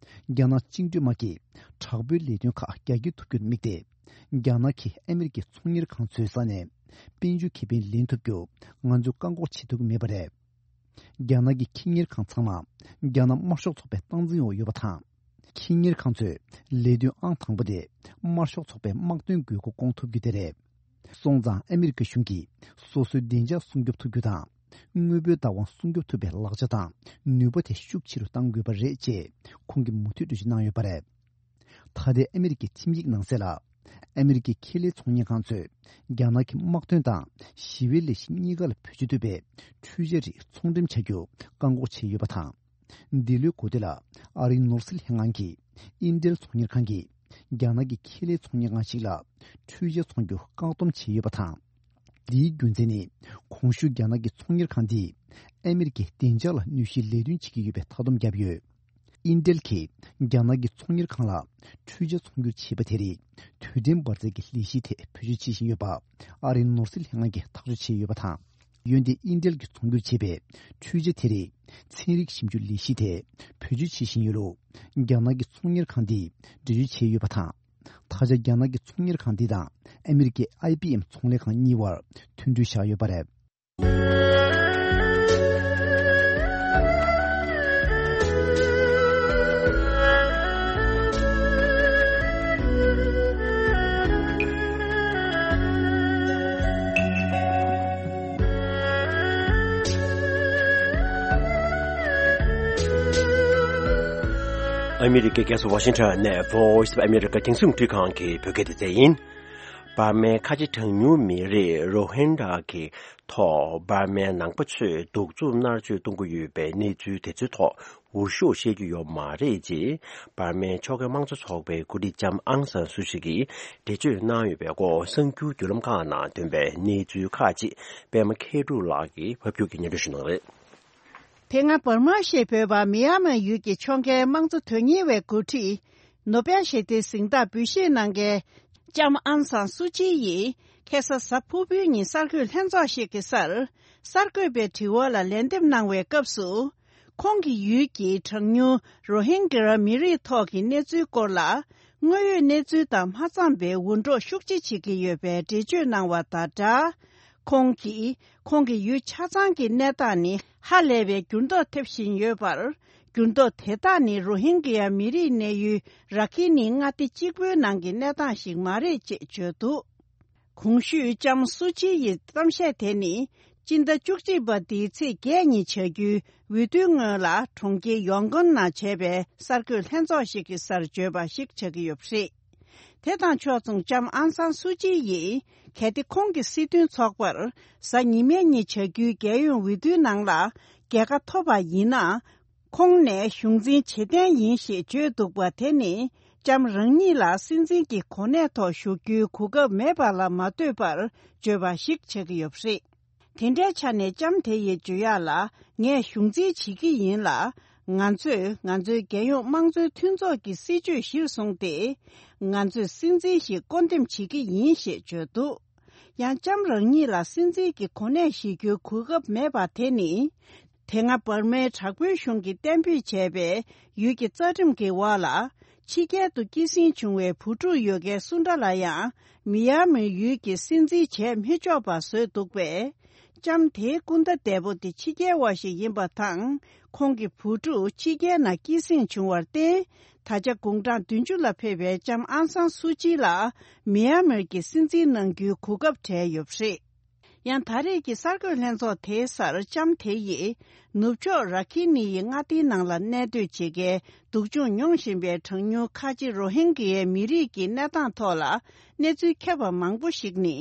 རྒྱ་ནག་བཅིངས་འགྲོལ་དམག་གིས་དྲག་པོའི་ལས་དོན་ཁག་རྒྱ་སྐྱེད་ཐུབ་རྒྱུར་དམིགས་ཏེ། རྒྱ་ནག་གིས་ཨ་མི་རི་ཀའི་ཚོང་གཉེར་ཁང་བཟོས་ས་ནས་དཔལ་འབྱོར་ཁེ་ཕན་ལེན་ཐུབ་རྒྱུར་ང་ཚོས་བཀག་འགོག་བྱེད་ཐུབ་ཀྱི་མེད་པ་རེད། རྒྱ་ནག་གི་ཁེ་གཉེར་ཁང་ཚང་མ་རྒྱ་ནག་དམར་ཤོག་ཚོགས་པའི་སྟངས་འཛིན་འོག་ཡོད་པ་དང་། ཁེ་གཉེར་ཁང་ཚོས་ལས་དོན་ཨང་དང་པོ་དེ་དམར་ཤོག་ཚོགས་པའི་དམག་དོན་དགོས་མཁོ་སྐོང་ཐུབ་རྒྱུ་དེ་རེད། སོང་ཙང་ཨ་མི་རི་ཀ་གཞུང་གིས་སོ་སོའི་བདེ་འཇགས་སྲུང་སྐྱོབ་ཐུབ་རྒྱུ་དང་། དངོས་པོའི་བདག་དབང་སྲུང་སྐྱོབ་ཐུབ་པའི་ལག་ཆ་དང་ནུས་པ་དེ་ཤུགས་ཆེ་རུ་གཏང་དགོས་པ་རེད་ཅེས་ཁོང་གིས་མུ་མཐུད་འགྲེལ་བརྗོད་གནང་ཡོད་པ་རེད། ད་ལྟའི་ཨ་མི་རི་ཀའི་ཁྲིམས་ཡིག་ནང་གསལ་ལ། ཨ་མི་རི་ཀའི་ཁེ་ལས་ཚོང་གཉེར་ཁང་ཚོས་རྒྱ་ནག་གི་དམག་དོན་དང་ཞི་བའི་ལས་གཞི་གཉིས་ཀ་ལ་བེད་སྤྱོད་ཐུབ་པའི་འཕྲུལ་ཆས་རིགས་ཚོང་འགྲེམས་བྱ་རྒྱུ་བཀག་འགོག་བྱས་ཡོད་པ་དང་། འདི་ལོའི་འགོ་སྟོད་ལ་ཨ་རིའི་ནོར་སྲིད་ལྷན་ཁང་གིས་ཨིན་ཏེལ་ཚོང་གཉེར་ཁང་གིས་རྒྱ་ནག་གི་ཁེ་ལས་ཚོང་གཉེར་ཁང་ཞིག་ལ་འཕྲུལ་ཆས་ཚོང་རྒྱུ་བཀག་སྡོམ་བྱས་ཡོད་པ་དང་། འདིའི་རྒྱུ་མཚན་ནི། གོང་ཞུས་རྒྱ་ནག་གི་ཚོང་གཉེར་ཁང་འདིས་ཨ་མི་རི་ཀའི་བདེ་འཇགས་ལ་གནོད་གཞིའི་ལས་དོན་བྱེད་ཀྱི་ཡོད་པའི་མཐའ་སྡོམ་བརྒྱབ་ཡོད། ཨིན་ཏེལ་གྱིས་རྒྱ་ནག་གི་ཚོང་གཉེར་ཁང་ལ་འཕྲུལ་ཆས་ཚོང་སྒྱུར་བྱས་པ་དེ་རིགས་དུས་དྲན་འབར་རྫས་ཀྱི་ལས་གཞིའི་ཐད་བེད་སྤྱོད་བྱེད་བཞིན་ཡོད་པ་ཨ་རིའི་ནོར་སྲིད་ལྷན་ཁང་གིས་ཐག་གཅོད་བྱས་ཡོད་པ་དང་། འོན་ཏེ་ཨིན་ཏེལ་གྱིས་ཚོང་སྒྱུར་བྱས་པའི་འཕྲུལ་ཆས་དེ་རིགས་ཚན་རིག་ཞིབ་འཇུག་ལས་གཞིའི་ཐད་བེད་སྤྱོད་བྱེད་བཞིན་ཡོད་ལུགས་རྒྱ་ནག་གི་ཚོང་གཉེར་ཁང་འདིས་འགྲེལ་བརྗོད་བྱས་ཡོད་པ་དང་། ད་ཆ་རྒྱ་ནག་གི་ཚོང་གཉེར་ཁང་འདི་དང་ཨ་མི་རི་ཀའི་ཨའི་བི་ཨེམ་ཚོང་ལས་ཁང་གཉིས་བར་མཐུན་གྲོས་བཞག་ཡོད་པ་རེད། ཨ་མི་རི་ཀའི་རྒྱལ་ས་ཝ་ཤིང་ཊོན་ནས་Voice of America་རྒྱང་སྲིང་རླུང་འཕྲིན་ཁང་གི་བོད་སྐད་སྡེ་ཚན་ཡིན། འབར་མའི་ཁ་ཆེ་གྲངས་ཉུང་མི་རིགས་རོ་ཧིན་ཌ་གི་ཐོག་འབར་མའི་ནང་པ་ཚོས་གདུག་རྩུབ་མནར་གཅོད་གཏོང་གི་ཡོད་པའི་གནས་ཚུལ་དེ་ཚོའི་ཐོག་འུར་ཤོག་བཤད་རྒྱུ་ཡོད་མ་རེད་ཅེས་འབར་མའི་ཕྱོགས་འགལ་དམངས་གཙོ་ཚོགས་པའི་འགོ་ཁྲིད་ལྕམ་ཨང་སན་སུ་ཅི་གིས་འགྲེལ་བརྗོད་གནང་ཡོད་པའི་སྐོར་གསར་འགྱུར་བརྒྱུད་ལམ་ཁག་ནང་ཐོན་པའི་གནས་ཚུལ་ཁག་ཅིག་པད་མ་མཁས་གྲུབ་ལགས་ཀྱིས་ཕབ་སྒྱུར་གྱིས་སྙན་སྒྲོན་ཞུ་གནང་རེད། དེ་སྔ་འབར་མ་ཞེས་འབོད་པ་མི་ཡ་མན་ཡུལ་གྱི་ཕྱོགས་འགལ་དམངས་གཙོ་དོན་གཉེར་བའི་འགོ་ཁྲིད་ནོ་བེལ་ཞི་བདེའི་གཟེངས་རྟགས་འབུལ་བཞེས་གནང་མཁན་ལྕམ་ཨང་སང་སུ་ཅི་ཡིས་ཁ་སང་གཟའ་ཕུར་བུའི་ཉིན་གསར་འགོད་ལྷན་ཚོགས་ཤིག་གི་སར་གསར་འགོད་པའི་དྲི་བ་ལ་ལན་འདེབས་གནང་བའི་སྐབས་སུ། ཁོང་གི་ཡུལ་གྱི་གྲངས་ཉུང་རོ་ཧིན་གྱི་མི་རིགས་ཐོག་གི་གནས་ཚུལ་སྐོར་ལ་དངོས་ཡོད་གནས་ཚུལ་དང་མ་འཚམས་པའི་འུར་སྒྲོག་ཤུགས་ཆེ་བྱེད་ཀྱི་ཡོད་པའི་འགྲེལ་བརྗོད་གནང་བ་དང་སྦྲགས། ཁོང་གིས་ཁོང་གི་ཡུལ་ཆ་ཚང་གི་གནས་སྟངས་ནི་ཧ་ལས་པའི་འགྱུར་ལྡོག་ཐེབས་བཞིན་ཡོད་པར། འགྱུར་ལྡོག་དེ་དག་ནི་རོ་ཧིན་གྱི་མི་རིགས་གནས་ཡུལ་ར་ཁི་ནི་མངའ་སྡེ་གཅིག་པུའི་ནང་གི་གནས་སྟངས་ཤིག་མ་རེད་ཅེས་བརྗོད་འདུག། གོང་ཞུས་ལྕམ་སུ་ཅི་ཡི་གཏམ་བཤད་དེ་ནི་སྤྱི་ཟླ་བཅུ་གཅིག་པ་འདིའི་ཚེས་བརྒྱད་ཉིན་བྱ་རྒྱུའི་འོས་བསྡུའི་སྔོན་ལ་གྲོང་ཁྱེར་ཡོང་ཀོན་ནང་བྱས་པའི་གསར་འགོད་ལྷན་ཚོགས་ཤིག་གི་སར་བརྗོད་པ་ཞིག་ཆགས་ཀྱི་ཡོད་པ་རེད། དེ་དང་ཕྱོགས་མཚུངས་ལྕམ་ཨང་སང་སུ་ཅི་ཡིས་གལ་ཏེ་ཁོང་གི་སྲིད་དོན་ཚོགས་པར་གཟའ་ཉི་མའི་ཉིན་བྱ་རྒྱུའི་རྒྱལ་ཡོངས་འོས་བསྡུའི་ནང་ལ་རྒྱལ་ཁ་ཐོབ་པ་ཡིན་ན། ཁོང་ནས་གཞུང་འཛིན་བྱེད་གཏན་ཡིན་ཞེས་བརྗོད་འདུག་པ་དེ་ནི་ལྕམ་རང་ཉིད་ལ་སྲིད་འཛིན་གྱི་གོ་གནས་ཐོག་བཞུགས་རྒྱུའི་གོ་སྐབས་མེད་པ་ལ་མ་ལྟོས་པར་བརྗོད་པ་ཞིག་ཆགས་ཀྱི་ཡོད་པ་རེད། དེ་འདྲའི་ཆ་ནས་ལྕམ་དེ་ཡིས་བརྗོད་ཡག་ལ་ངས་གཞུང་འཛིན་བྱེད་ཀྱི་ཡིན་ལ། ང་ཚོས་ང་ཚོའི་རྒྱལ་ཡོངས་དམངས་གཙོའི་མཐུན་ཚོགས་ཀྱི་སྲིད་བྱུས་གཞིར་བཟུང་སྟེ། ང་ཚོས་སྲིད་འཛིན་ཞིག་བསྐོ་འདེམས་བྱེད་ཀྱི་ཡིན་ཞེས་བརྗོད་འདུག། ཡང་ལྕམ་རང་ཉིད་ལ་སྲིད་འཛིན་གྱི་གོ་གནས་བཞེས་རྒྱུའི་གོ་སྐབས་མེད་པ་དེ་ནི། དེ་སྔ་འབར་མའི་དྲག་པོའི་གཞུང་གིས་གཏན་འབེབས་བྱས་པའི་ཡུལ་གྱི་རྩ་ཁྲིམས་ཀྱི་འོག་ལ། ཕྱི་རྒྱལ་དུ་སྐྱེད་སྲིང་བྱུང་བའི་བུ་ཕྲུག་ཡོད་མཁན་སུ་འདྲ་ལ་ཡང་མི་ཡ་མི་ཡུལ་གྱི་སྲིད་འཛིན་བྱས་མི་ཆོག་པ་བཟོས་འདུག་པས། ལྕམ་དེའི་སྐུ་ཟླ་འདས་པོ་དེ་ཕྱི་རྒྱལ་བ་ཞིག་ཡིན་པ་དང་། ཁོང་གི་བུ་ཕྲུག་ཕྱི་རྒྱལ་ནང་སྐྱེད་སྲིང་བྱུང་བར་བརྟེན། ད་ཆ་དགུང་གྲངས་བདུན་ཅུ་ལ་ཕེབས་པའི་ལྕམ་ཨང་སང་སུ་ཅི་ལ་མི་ཡ་མིར་གྱི་སྲིད་འཛིན་གནང་རྒྱུའི་གོ་སྐབས་བྲལ་ཡོད་པ་རེད། ཡང་ད་རེས་ཀྱི་གསར་འགོད་ལྷན་ཚོགས་དེའི་སར་ལྕམ་དེ་ཡིས་ནུབ་ཕྱོགས་ར་ཁི་ནི་ཡི་མངའ་སྡེའི་ནང་ལ་གནས་སྡོད་བྱེད་མཁན་སྡུག་སྦྱོང་མྱོང་བཞིན་པའི་གྲངས་ཉུང་ཁ་ཆེ་རོ་ཧིན་གྱི་མི་རིགས་ཀྱི་གནས་སྟངས་ཐོག་ལ་གནས་ཚུལ་ཁྱབ་པ་མང་པོ་ཞིག་ནི།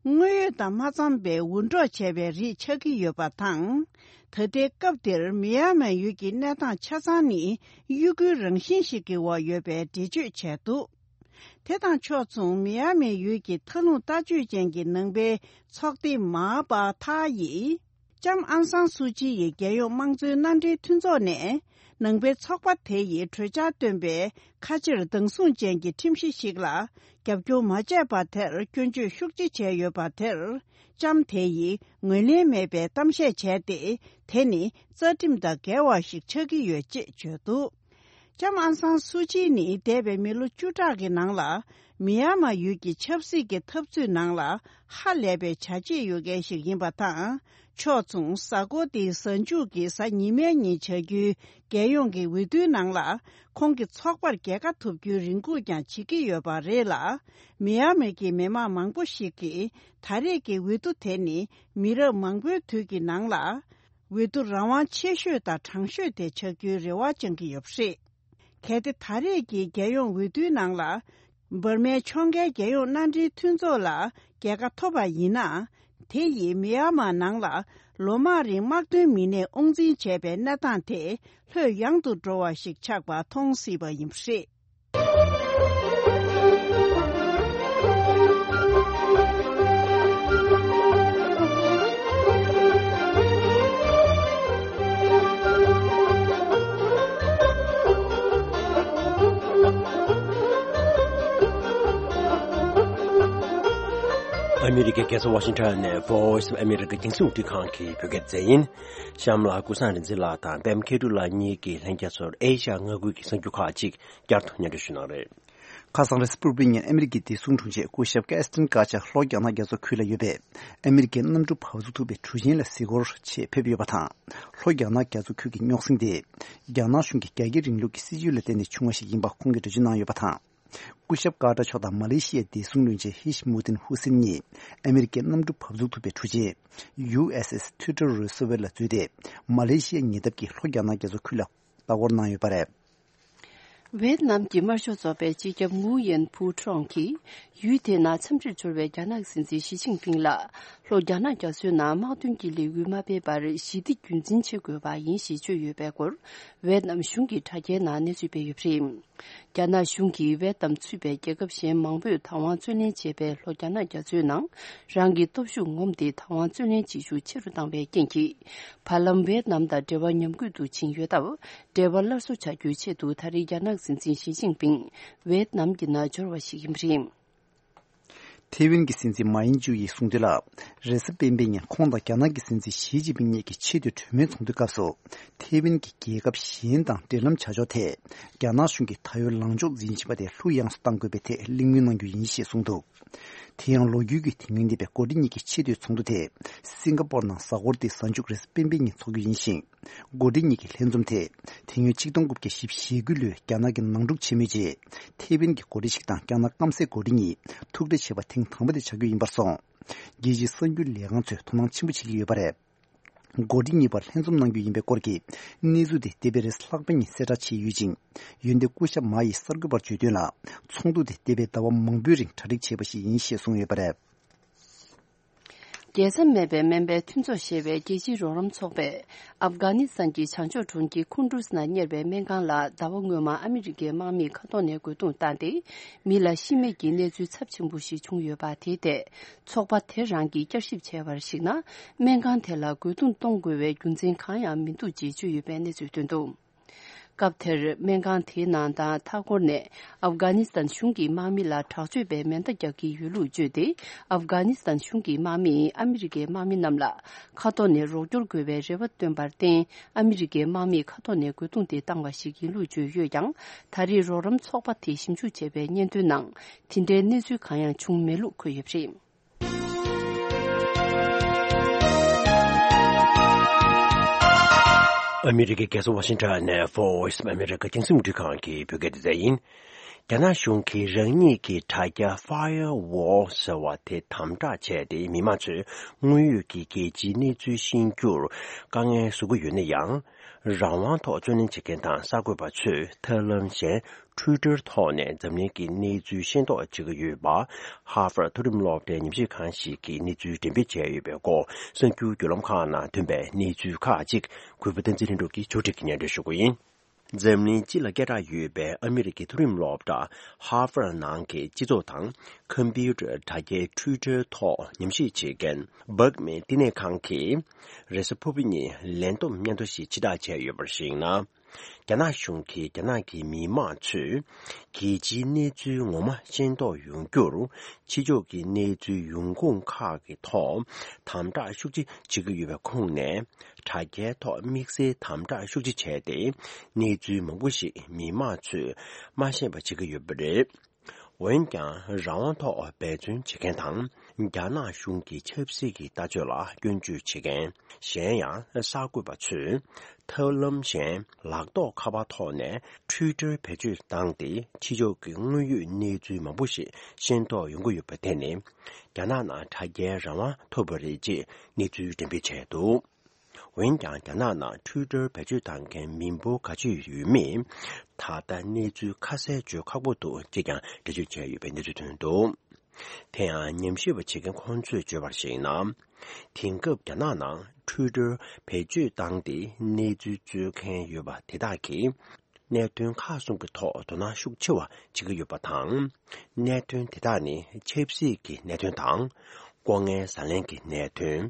དངོས་ཡོད་དང་མ་འཚམས་པའི་འུར་སྒྲོག་བྱས་པའི་རིགས་ཆགས་ཀྱི་ཡོད་པ་དང་། ད་ལྟའི་སྐབས་འདིར་མི་ཡ་མན་ཡུལ་གྱི་གནས་སྟངས་ཆ་ཚང་ནི་གཡོ་འགུལ་རང་བཞིན་ཞིག་གི་འོག་ཡོད་པའི་འགྲེལ་བརྗོད་བྱས་འདུག། དེ་དང་ཕྱོགས་མཚུངས་མི་ཡ་མན་ཡུལ་གྱི་མཐའ་ལྷུང་ལྟ་སྤྱོད་ཅན་གྱི་ནང་པའི་ཚོགས་སྡེ་མཱ་པ་ཐ་ཡིས། ལྕམ་ཨང་སང་སུའུ་ཅི་ཡི་རྒྱལ་ཡོངས་དམངས་གཙོའི་མནའ་འབྲེལ་མཐུན་ཚོགས་ནས། ནང་པའི་ཚོགས་པ་དེ་ཡིས་གྲོས་འཆར་བཏོན་པའི་ཁ་ཕྱིར་སྡང་ཟུང་ཅན་གྱི་ཁྲིམས་གཞི་ཞིག་ལ་རྒྱབ་སྐྱོར་མ་བྱས་པ་དེར་སྐྱོན་བརྗོད་ཤུགས་ཆེ་བྱས་ཡོད་པ་དེར། ལྕམ་དེ་ཡིས་ངོས་ལེན་མེད་པའི་གཏམ་བཤད་བྱས་ཏེ། དེ་ནི་རྩ་ཁྲིམས་དང་འགལ་བ་ཞིག་ཆགས་ཀྱི་ཡོད་ཅེས་བརྗོད་འདུག་ལྕམ་ཨང་སང་སུའུ་ཅི་ནི་འདས་པའི་མི་ལོ་བཅུ་ཕྲག་གི་ནང་ལ། མི་ཡ་མ་ཡུལ་གྱི་ཆབ་སྲིད་ཀྱི་འཐབ་རྩོད་ནང་ལ་ཧ་ལས་པའི་བྱ་བྱེད་ཡོད་མཁན་ཞིག་ཡིན་པ་དང་། ཕྱོགས་མཚུངས་གཟའ་འཁོར་འདིའི་གཟའ་མཇུག་གི་གཟའ་ཉི་མའི་ཉིན་བྱ་རྒྱུའི་རྒྱལ་ཡོངས་ཀྱི་འོས་བསྡུའི་ནང་ལ། ཁོང་གི་ཚོགས་པར་རྒྱལ་ཁ་ཐོབ་རྒྱུའི་རེ་སྒུག་ཀྱང་བྱེད་ཀྱི་ཡོད་པ་རེད་ལ། མི་ཡ་མི་གི་མི་མང་མང་པོ་ཞིག་གིས་ད་རེས་ཀྱི་འོས་བསྡུ་དེ་ནི་མི་རབས་མང་པོའི་དུས་ཀྱི་ནང་ལ། འོས་བསྡུ་རང་དབང་ཆེ་ཤོས་དང་དྲང་ཤོས་དེ་ཆགས་རྒྱུའི་རེ་བ་བཅངས་ཀྱི་ཡོད་པ་རེད། གལ་ཏེ་ད་རེས་ཀྱི་རྒྱལ་ཡོངས་འོས་བསྡུའི་ནང་ལ། འབར་མའི་ཕྱོགས་འགལ་རྒྱལ་ཡོངས་མནའ་འབྲེལ་མཐུན་ཚོགས་ལ་རྒྱལ་ཁ་ཐོབ་པ་ཡིན་ན། དེ་ཡིས་མི་ཡ་མ་ནང་ལ་ལོ་མང་རིང་དམག་དོན་མི་སྣས་དབང་འཛིན་བྱས་པའི་གནས་སྟངས་དེ་ལྷོད་ཡངས་དུ་འགྲོ་བ་ཞིག་ཆགས་པ་མཐོང་སྲིད་པ་ཡིན་པ་རེད། ཨ་མི་རི་ཀའི་རྒྱལ་ས་ཝ་ཤིང་ཊོན་ནས་Voice of America་རྒྱང་སྲིང་རླུང་འཕྲིན་ཁང་གི་བོད་སྐད་སྡེ་ཚན་ཡིན། གཤམ་ལ་ཀུན་བཟང་རིག་འཛིན་ལགས་དང་པད་མ་མཁས་གྲུབ་ལགས་གཉིས་ཀྱིས་ལྷན་རྒྱས་ཚོར་ཨེ་ཤ་ཡ་མངའ་ཁུལ་གྱི་གསར་འགྱུར་ཁག་ཅིག་བསྐྱར་དུ་སྙན་སྒྲོན་ཞུ་གནང་རེད། ཁ་སང་རེས་གཟའ་ཕུར་བུའི་ཉིན་ཨ་མི་རི་ཀའི་བདེ་སྲུང་དྲུང་ཆེ་སྐུ་ཞབས་ཀེ་སི་ཊིན་ཀ་ཆ་ལྷོ་རྒྱ་ནག་རྒྱ་མཚོ་ཁུལ་ལ་ཡོད་པའི་ཨ་མི་རི་ཀའི་གནམ་གྲུ་བབས་ཚུགས་ཐུབ་པའི་གྲུ་ཆེན་ལ་གཟིགས་སྐོར་ཆེད་ཕེབས་ཡོད་པ་དང་། ལྷོ་རྒྱ་ནག་རྒྱ་མཚོ་ཁུལ་གྱི་རྙོག་ཟིང་དེ། རྒྱ་ནག་གཞུང་གིས་རྒྱ་སྐྱེད་རིང་ལུགས་ཀྱི་སྲིད་བྱུས་ལ་བརྟེན་ནས་བྱུང་བ་ཞིག་ཡིན་པ་ཁོང་གིས་འགྲེལ་བརྗོད་གནང་ཡོད་པ་དང་། སྐུ་ཞབས་ཀར་ཏར་མཆོག་དང་མ་ལེ་ཤི་ཡའི་བདེ་སྲུང་བློན་ཆེན་ཧི་ཤི་མུ་དིན་ཧུ་སིན་གཉིས་ཨ་མི་རི་ཀའི་གནམ་གྲུ་བབས་ཚུགས་ཐུབ་པའི་གྲུ་ཆེན་ཡུ་ཨེས་ཨེས་ཐུའུ་ཊར་རུ་སོ་ཝེལ་ལ་འཛུལ་ཏེ། མ་ལེ་ཤི་ཡའི་ཉེ་འདབས་ཀྱི་ལྷོ་རྒྱ་ནག་རྒྱ་མཚོ་ཁུལ་ལ་ལྟ་སྐོར་གནང་ཡོད་པ་རེད། ཝེད་ནམ་གྱི་དམར་ཤོག་ཚོགས་པའི་སྤྱི་ཁྱབ་ངུ་ཡན་ཕུའུ་ཁྲོང་གིས། ཡུལ་དེའི་ནང་འཚམས་འདྲིར་འབྱོར་བའི་རྒྱ་ནག་སྲིད་འཛིན་ཞི་ཅིན་ཕིང་ལ། ལྷོ་རྒྱ་ནག་རྒྱ་མཚོའི་ནང་དམག་དོན་གྱི་ལས་འགུལ་མ་སྤེལ་བར་ཞི་བདེ་རྒྱུན་འཛིན་བྱེད་དགོས་པ་ཡིན་ཞེས་བརྗོད་ཡོད་པའི་སྐོར། ཝེད་ནམ་གཞུང་གི་དྲ་རྒྱའི་ནང་གནས་ཚུལ་སྤེལ་ཡོད་པ་རེད། རྒྱ་ནག་གཞུང་གིས་ཝེད་ནམ་ཚུད་པའི་རྒྱལ་ཁབ་གཞན་མང་པོས་བདག་དབང་རྩོད་ལེན་བྱས་པའི་ལྷོ་རྒྱ་ནག་རྒྱ་མཚོའི་ནང་། རང་གི་སྟོབས་ཤུགས་ངོམ་སྟེ་བདག་དབང་རྩོད་ལེན་བྱེད་ཤུགས་ཆེ་རུ་བཏང་བའི་རྐྱེན་གྱིས། བར་ལམ་ཝེད་ནམ་དང་འབྲེལ་བ་ཉམས་རྒུད་དུ་ཕྱིན་ཡོད་སྟབས། འབྲེལ་བ་སླར་གསོ་བྱ་རྒྱུའི་ཆེད་དུ་ད་རེས་རྒྱ་ནག་སྲིད་འཛིན་ཞི་ཅིན་ཕིང་ཝེད་ནམ་གྱི་ནང་འབྱོར་བ་ཞིག་ཡིན་པ་རེད། ཐེ་ཝན་གྱི་སྲིད་འཛིན་མ་ཡིན་ཅུ་ཡིས་གསུངས་དོན་ལ། རེས་གཟའ་སྤེན་པའི་ཉིན་ཁོང་དང་རྒྱ་ནག་གི་སྲིད་འཛིན་ཞི་ཅིན་ཕིང་གཉིས་ཀྱི་ཆེས་མཐོའི་གྲོས་མོལ་ཚོགས་འདུའི་སྐབས་སུ། ཐེ་ཝན་གྱི་རྒྱལ་ཁབ་གཞན་དང་འབྲེལ་ལམ་བྱ་ཕྱོགས་ཐད། རྒྱ་ནག་གཞུང་གིས་ད་ཡོད་ལངས་ཕྱོགས་འཛིན་བཞིན་པ་དེ་ལྷུག་ཡངས་སུ་གཏང་དགོས་པའི་ཐད་གླེང་མོལ་གནང་རྒྱུ་ཡིན་ཞེས་གསུངས་འདུག་དེ་ཡང་ལོ་རྒྱུས་ཀྱི་དེ་སྔོན་འདས་པའི་འགོ་ཁྲིད་གཉིས་ཀྱི་ཆེས་མཐོའི་ཚོགས་འདུ་དེ། སིང་ག་པོར་ནང་གཟའ་འཁོར་འདིའི་གཟའ་མཇུག་རེས་གཟའ་སྤེན་པའི་ཉིན་འཚོགས་རྒྱུ་ཡིན་ཞིང་། འགོ་ཁྲིད་གཉིས་ཀྱི་ལྷན་འཛོམས་དེ། དེ་སྔོན་ཆིག་སྟོང་དགུ་བརྒྱ་བཞི་བཅུ་ཞེ་དགུ་ལོའི་རྒྱ་ནག་གི་ནང་འཁྲུག་ཆེན་མོའི་རྗེས། ཐེ་ཝན་གྱི་འགོ་ཁྲིད་ཞིག་དང་རྒྱ་ནག་སྐམ་སའི་འགོ་ཁྲིད་གཉིས་ཐུག་འཕྲད་བྱས་པ་ཐེངས་དང་པོ་དེ་ཆགས་རྒྱུ་ཡིན་པར་སོང་། རྒྱལ་སྤྱིའི་གསར་འགྱུར་ལས་ཁང་ཚོས་དོ་སྣང་ཆེན་པོ་བྱེད་ཀྱི་ཡོད་པ་རེད། འགོ་ཁྲིད་གཉིས་བར་ལྷན་འཛོམས་གནང་རྒྱུ་ཡིན་པའི་སྐོར་གྱི་གནས་ཚུལ་དེ་འདས་པའི་རེས་ལྷག་པའི་ཉིན་གསལ་བསྒྲགས་བྱས་ཡོད་ཅིང་། འོན་ཏེ་སྐུ་ཞབས་མ་ཡིས་གསར་འགོད་པར་བརྗོད་དོན་ལ། ཚོགས་འདུ་དེ་འདས་པའི་ཟླ་བ་མང་པོའི་རིང་གྲ་སྒྲིག་བྱས་པ་ཞིག་ཡིན་ཞེས་གསུངས་ཡོད་པ་རེད། རྒྱལ་ས་མེད་པའི་སྨན་པའི་མཐུན་ཚོགས་ཞེས་པའི་རྒྱལ་སྤྱིའི་རོགས་རམ་ཚོགས་པས། ཨབ་གྷ་ནི་སི་ཐན་གྱི་བྱང་ཕྱོགས་གྲོང་ཁྱེར་ཁུན་ཌུས་ནང་གཉེར་བའི་སྨན་ཁང་ལ་ཟླ་བ་སྔོན་མ་ཨ་མི་རི་ཀའི་དམག་མིས་མཁའ་ཐོག་ནས་རྒོལ་རྡུང་བཏང་སྟེ། མི་ལ་ཤི་རྨས་ཀྱི་གནས་ཚུལ་ཚབས་ཆེན་པོ་ཞིག་བྱུང་ཡོད་པ་དེའི་ཐད། ཚོགས་པ་དེ་རང་གིས་བསྐྱར་ཞིབ་བྱས་པར་གཞིགས་ན། སྨན་ཁང་དེ་ལ་རྒོལ་རྡུང་གཏོང་དགོས་པའི་རྒྱུ་མཚན་གང་ཡང་མི་འདུག་ཅེས་བརྗོད་ཡོད་པའི་གནས་ཚུལ་བཏོན་འདུག་སྐབས་དེར་སྨན་ཁང་དེའི་ནང་དང་མཐའ་འཁོར་ནས་ཨབ་གྷ་ནི་སི་ཐན་གཞུང་གི་དམག་མི་ལ་དྲག་སྤྱོད་པའི་མེ་མདའ་རྒྱག་གི་ཡོད་ལུགས་བརྗོད་དེ། ཨབ་གྷ་ནི་སི་ཐན་གཞུང་གི་དམག་མིས་ཨ་མི་རི་ཀའི་དམག་མི་རྣམས་ལ་མཁའ་ཐོག་ནས་རོགས་སྐྱོར་དགོས་པའི་རེ་བ་བཏོན་པར་བརྟེན། ཨ་མི་རི་ཀའི་དམག་མིས་མཁའ་ཐོག་ནས་རྒོལ་རྡུང་དེ་བཏང་བ་ཞིག་ཡིན་ལུགས་བརྗོད་ཡོད་ཀྱང་། ད་རེས་རོགས་རམ་ཚོགས་པ་དེས་ཞིབ་འཇུག་བྱས་པའི་སྙན་ཐོའི་ནང་། དེ་འདྲའི་གནས་ཚུལ་གང་ཡང་བྱུང་མེད་ལུགས་འཁོད་ཡོད་པ་རེད། ཨ་མི་རི་ཀའི་རྒྱལ་ས་ཝ་ཤིང་ཊོན་ནས་Voice of America་རྒྱང་སྲིང་རླུང་འཕྲིན་ཁང་གི་བོད་སྐད་སྡེ་ཚན་ཡིན། རྒྱ་ནག་གཞུང་གིས་རང་ཉིད་ཀྱི་དྲ་རྒྱ་Firewall་ཟེར་བ་དེ་དམ་དྲག་བྱས་ཏེ། མི་མང་ཚོས་དངོས་ཡོད་ཀྱི་རྒྱལ་སྤྱིའི་གནས་ཚུལ་ཤེས་རྒྱུར་དཀའ་ངལ་བཟོ་གི་ཡོད་ན་ཡང་། རང་དབང་ཐོག་རྩོད་ལེན་བྱེད་མཁན་དང་གསར་འགོད་པ་ཚོས་ཐབས་ལམ་གཞན། Twitter་ཐོག་ནས་འཛམ་གླིང་གི་གནས་ཚུལ་ཤེས་རྟོགས་བྱེད་ཀྱི་ཡོད་པ། Harvard་མཐོ་རིམ་སློབ་གྲྭའི་ཉམས་ཞིབ་ཁང་ཞིག་གིས་གནས་ཚུལ་འགྲེམས་སྤེལ་བྱས་ཡོད་པའི་སྐོར། གསར་འགྱུར་བརྒྱུད་ལམ་ཁག་ནང་ཐོན་པའི་གནས་ཚུལ་ཁག་ཅིག་གུས་པ་བསྟན་འཛིན་ལྷུན་གྲུབ་ཀྱིས་ཕྱོགས་སྒྲིག་གིས་སྙན་སྒྲོན་ཞུ་གི་ཡིན། འཛམ་གླིང་སྤྱི་ལ་སྐད་གྲགས་ཡོད་པའི་ཨ་མི་རི་ཀའི་མཐོ་རིམ་སློབ་གྲྭ་ཧར་ཝར་ནང་གི་སྤྱི་ཚོགས་དང་ཁམ་པུ་ཊར་དྲ་རྒྱའི་ཊུའི་ཊར་ཐོག་ཉམས་ཞིབ་བྱེད་མཁན་སྦག་མེད་བསྟི་གནས་ཁང་གིས་རེས་གཟའ་ཕུར་བུ་ཉིན་ལན་བསྡོམས་སྙན་ཐོ་ཞིག་ཕྱིར་བསྒྲགས་བྱས་ཡོད་པར་གཞིགས་ན། རྒྱ་ནག་གཞུང་གིས་རྒྱ་ནག་གི་མི་མང་ཚོས་རྒྱལ་སྤྱིའི་གནས་ཚུལ་ངོ་མ་ཤེས་རྟོགས་ཡོང་རྒྱུར་ཕྱི་ཕྱོགས་ཀྱི་གནས་ཚུལ་ཡོང་ཁུངས་ཁག་གི་ཐོག་དམ་དྲག་ཤུགས་ཆེ་བྱེད་ཀྱི་ཡོད་པའི་ཁོངས་ནས། དྲ་རྒྱའི་ཐོག་དམིགས་བསལ་དམ་དྲག་ཤུགས་ཆེ་བྱས་ཏེ། གནས་ཚུལ་མང་པོ་ཞིག་མི་མང་ཚོས་མ་ཤེས་པ་བྱེད་ཀྱི་ཡོད་པ་རེད། འོན་ཀྱང་། རང་དབང་ཐོག་འབད་བརྩོན་བྱེད་མཁན་དང་། རྒྱ་ནག་གཞུང་གི་ཆབ་སྲིད་ཀྱི་ལྟ་སྤྱོད་ལ་སྐྱོན་བརྗོད་བྱེད་མཁན། གཞན་ཡང་། གསར་འགོད་པ་ཚོས་ཐབས་ལམ་གཞན་ལག་ཐོགས་ཁ་པར་ཐོག་ནས་ཊུའི་ཊར་བེད་སྤྱོད་བཏང་སྟེ། ཕྱི་ཕྱོགས་ཀྱི་དངོས་ཡོད་གནས་ཚུལ་མང་པོ་ཞིག་ཤེས་རྟོགས་ཡོང་གི་ཡོད་པ་དེ་ནི། རྒྱ་ནག་ནང་དྲ་རྒྱའི་རང་དབང་ཐོབ་པ་རེད་ཅེས་གནས་ཚུལ་འགྲེམས་སྤེལ་བྱས་འདུག་འོན་ཀྱང་། རྒྱ་ནག་ནང་ཊུའི་ཊར་བེད་སྤྱོད་བཏང་མཁན་མི་འབོར་ག་ཚོད་ཡོད་མེད། ད་ལྟ་གནས་ཚུལ་ཁ་གསལ་བརྗོད་ཁག་པོ་འདུག་ཅེས་ཀྱང་འགྲེལ་བརྗོད་བྱས་ཡོད་པའི་གནས་ཚུལ་ཐོན་འདུག་དེ་ཡང་། ཉམས་ཞིབ་པ་བྱེད་མཁན་ཁོང་ཚོས་བརྗོད་པར་གཞིགས་ན། དེང་སྐབས་རྒྱ་ནག་ནང་ཊུའི་ཊར་བེད་སྤྱོད་བཏང་སྟེ་གནས་ཚུལ་རྩོད་མཁན་ཡོད་པ་དེ་དག་གིས། གནད་དོན་ཁག་གསུམ་གྱི་ཐོག་དོ་སྣང་ཤུགས་ཆེ་བ་བྱེད་ཀྱི་ཡོད་པ་དང་། གནད་དོན་དེ་དག་ནི་ཆབ་སྲིད་ཀྱི་གནད་དོན་དང་། ལྐོག་རྔན་ཟ་ལེན་གྱི་གནད་དོན།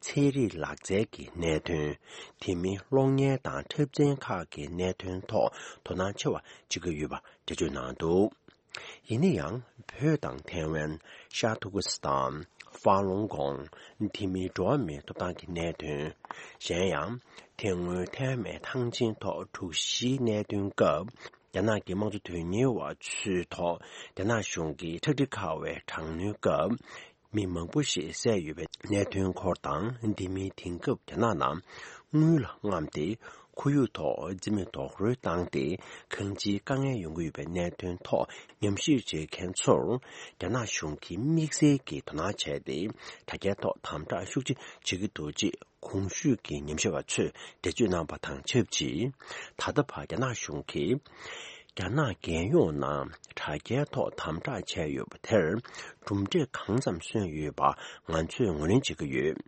ཚན་རིག་ལག་རྩལ་གྱི་གནད་དོན། དེ་མིན་གློག་བརྙན་དང་འཁྲབ་ཚན་ཁག་གི་གནད་དོན་ཐོག་དོ་སྣང་ཆེ་བ་བྱེད་ཀྱི་ཡོད་པ་འགྲེལ་བརྗོད་གནང་འདུག་ཡིན་ན་ཡང་། བོད་དང་ཐའེ་ཝན། ཤར་ཏུར་ཀི་སི་ཐན། ཧྥ་ལུང་ཀོང་། དེ་མིན་འགྲོ་བ་མིའི་ཐོབ་ཐང་གི་གནད་དོན། གཞན་ཡང་། དེ་སྔོན་ཐའེ་ཝན་ཐང་ཆེན་ཐོག་དྲུག་བཞིའི་གནད་དོན་སྐབས། རྒྱ་ནག་གི་དམངས་གཙོ་དོན་གཉེར་བ་ཚོའི་ཐོག་རྒྱ་ནག་གཞུང་གིས་ཁྲག་དྲི་ཁ་བའི་དྲག་གནོན་སྐབས། མི་མང་པོ་ཞིག་བསད་ཡོད་པའི་གནད་དོན་སྐོར་དང་། དེ་མིན་དེང་སྐབས་རྒྱ་ནག་ནང་དངུལ་ལ་རྔམས་ཏེ། ཁོར་ཡུག་ཐོག་རྩིས་མེད་རྡོག་རོལ་བཏང་སྟེ། གང་ཅིའི་དཀའ་ངལ་ཡོང་གི་ཡོད་པའི་གནད་དོན་ཐོག་ཉམས་ཞིབ་བྱེད་མཁན་ཚོར། རྒྱ་ནག་གཞུང་གིས་དམིགས་བསལ་གྱིས་དོ་སྣང་བྱས་ཏེ། དྲ་རྒྱའི་ཐོག་དམ་དྲག་ཤུགས་ཆེ་བྱེད་ཀྱི་འདུག་ཅེས་གོང་ཞུས་ཀྱི་ཉམས་ཞིབ་པ་ཚོས་འགྲེལ་བརྗོད་གནང་བ་དང་ཆབས་ཅིག་ད་ལྟ་བར་རྒྱ་ནག་གཞུང་གིས། རྒྱ་ནག་རྒྱལ་ཡོངས་ནང་དྲ་རྒྱའི་ཐོག་དམ་དྲག་བྱས་ཡོད་པ་དེར། གྲུབ་འབྲས་གང་ཙམ་སོན་ཡོད་པ་ང་ཚོས་ངོས་ལེན་བྱེད་ཀྱི་ཡོད།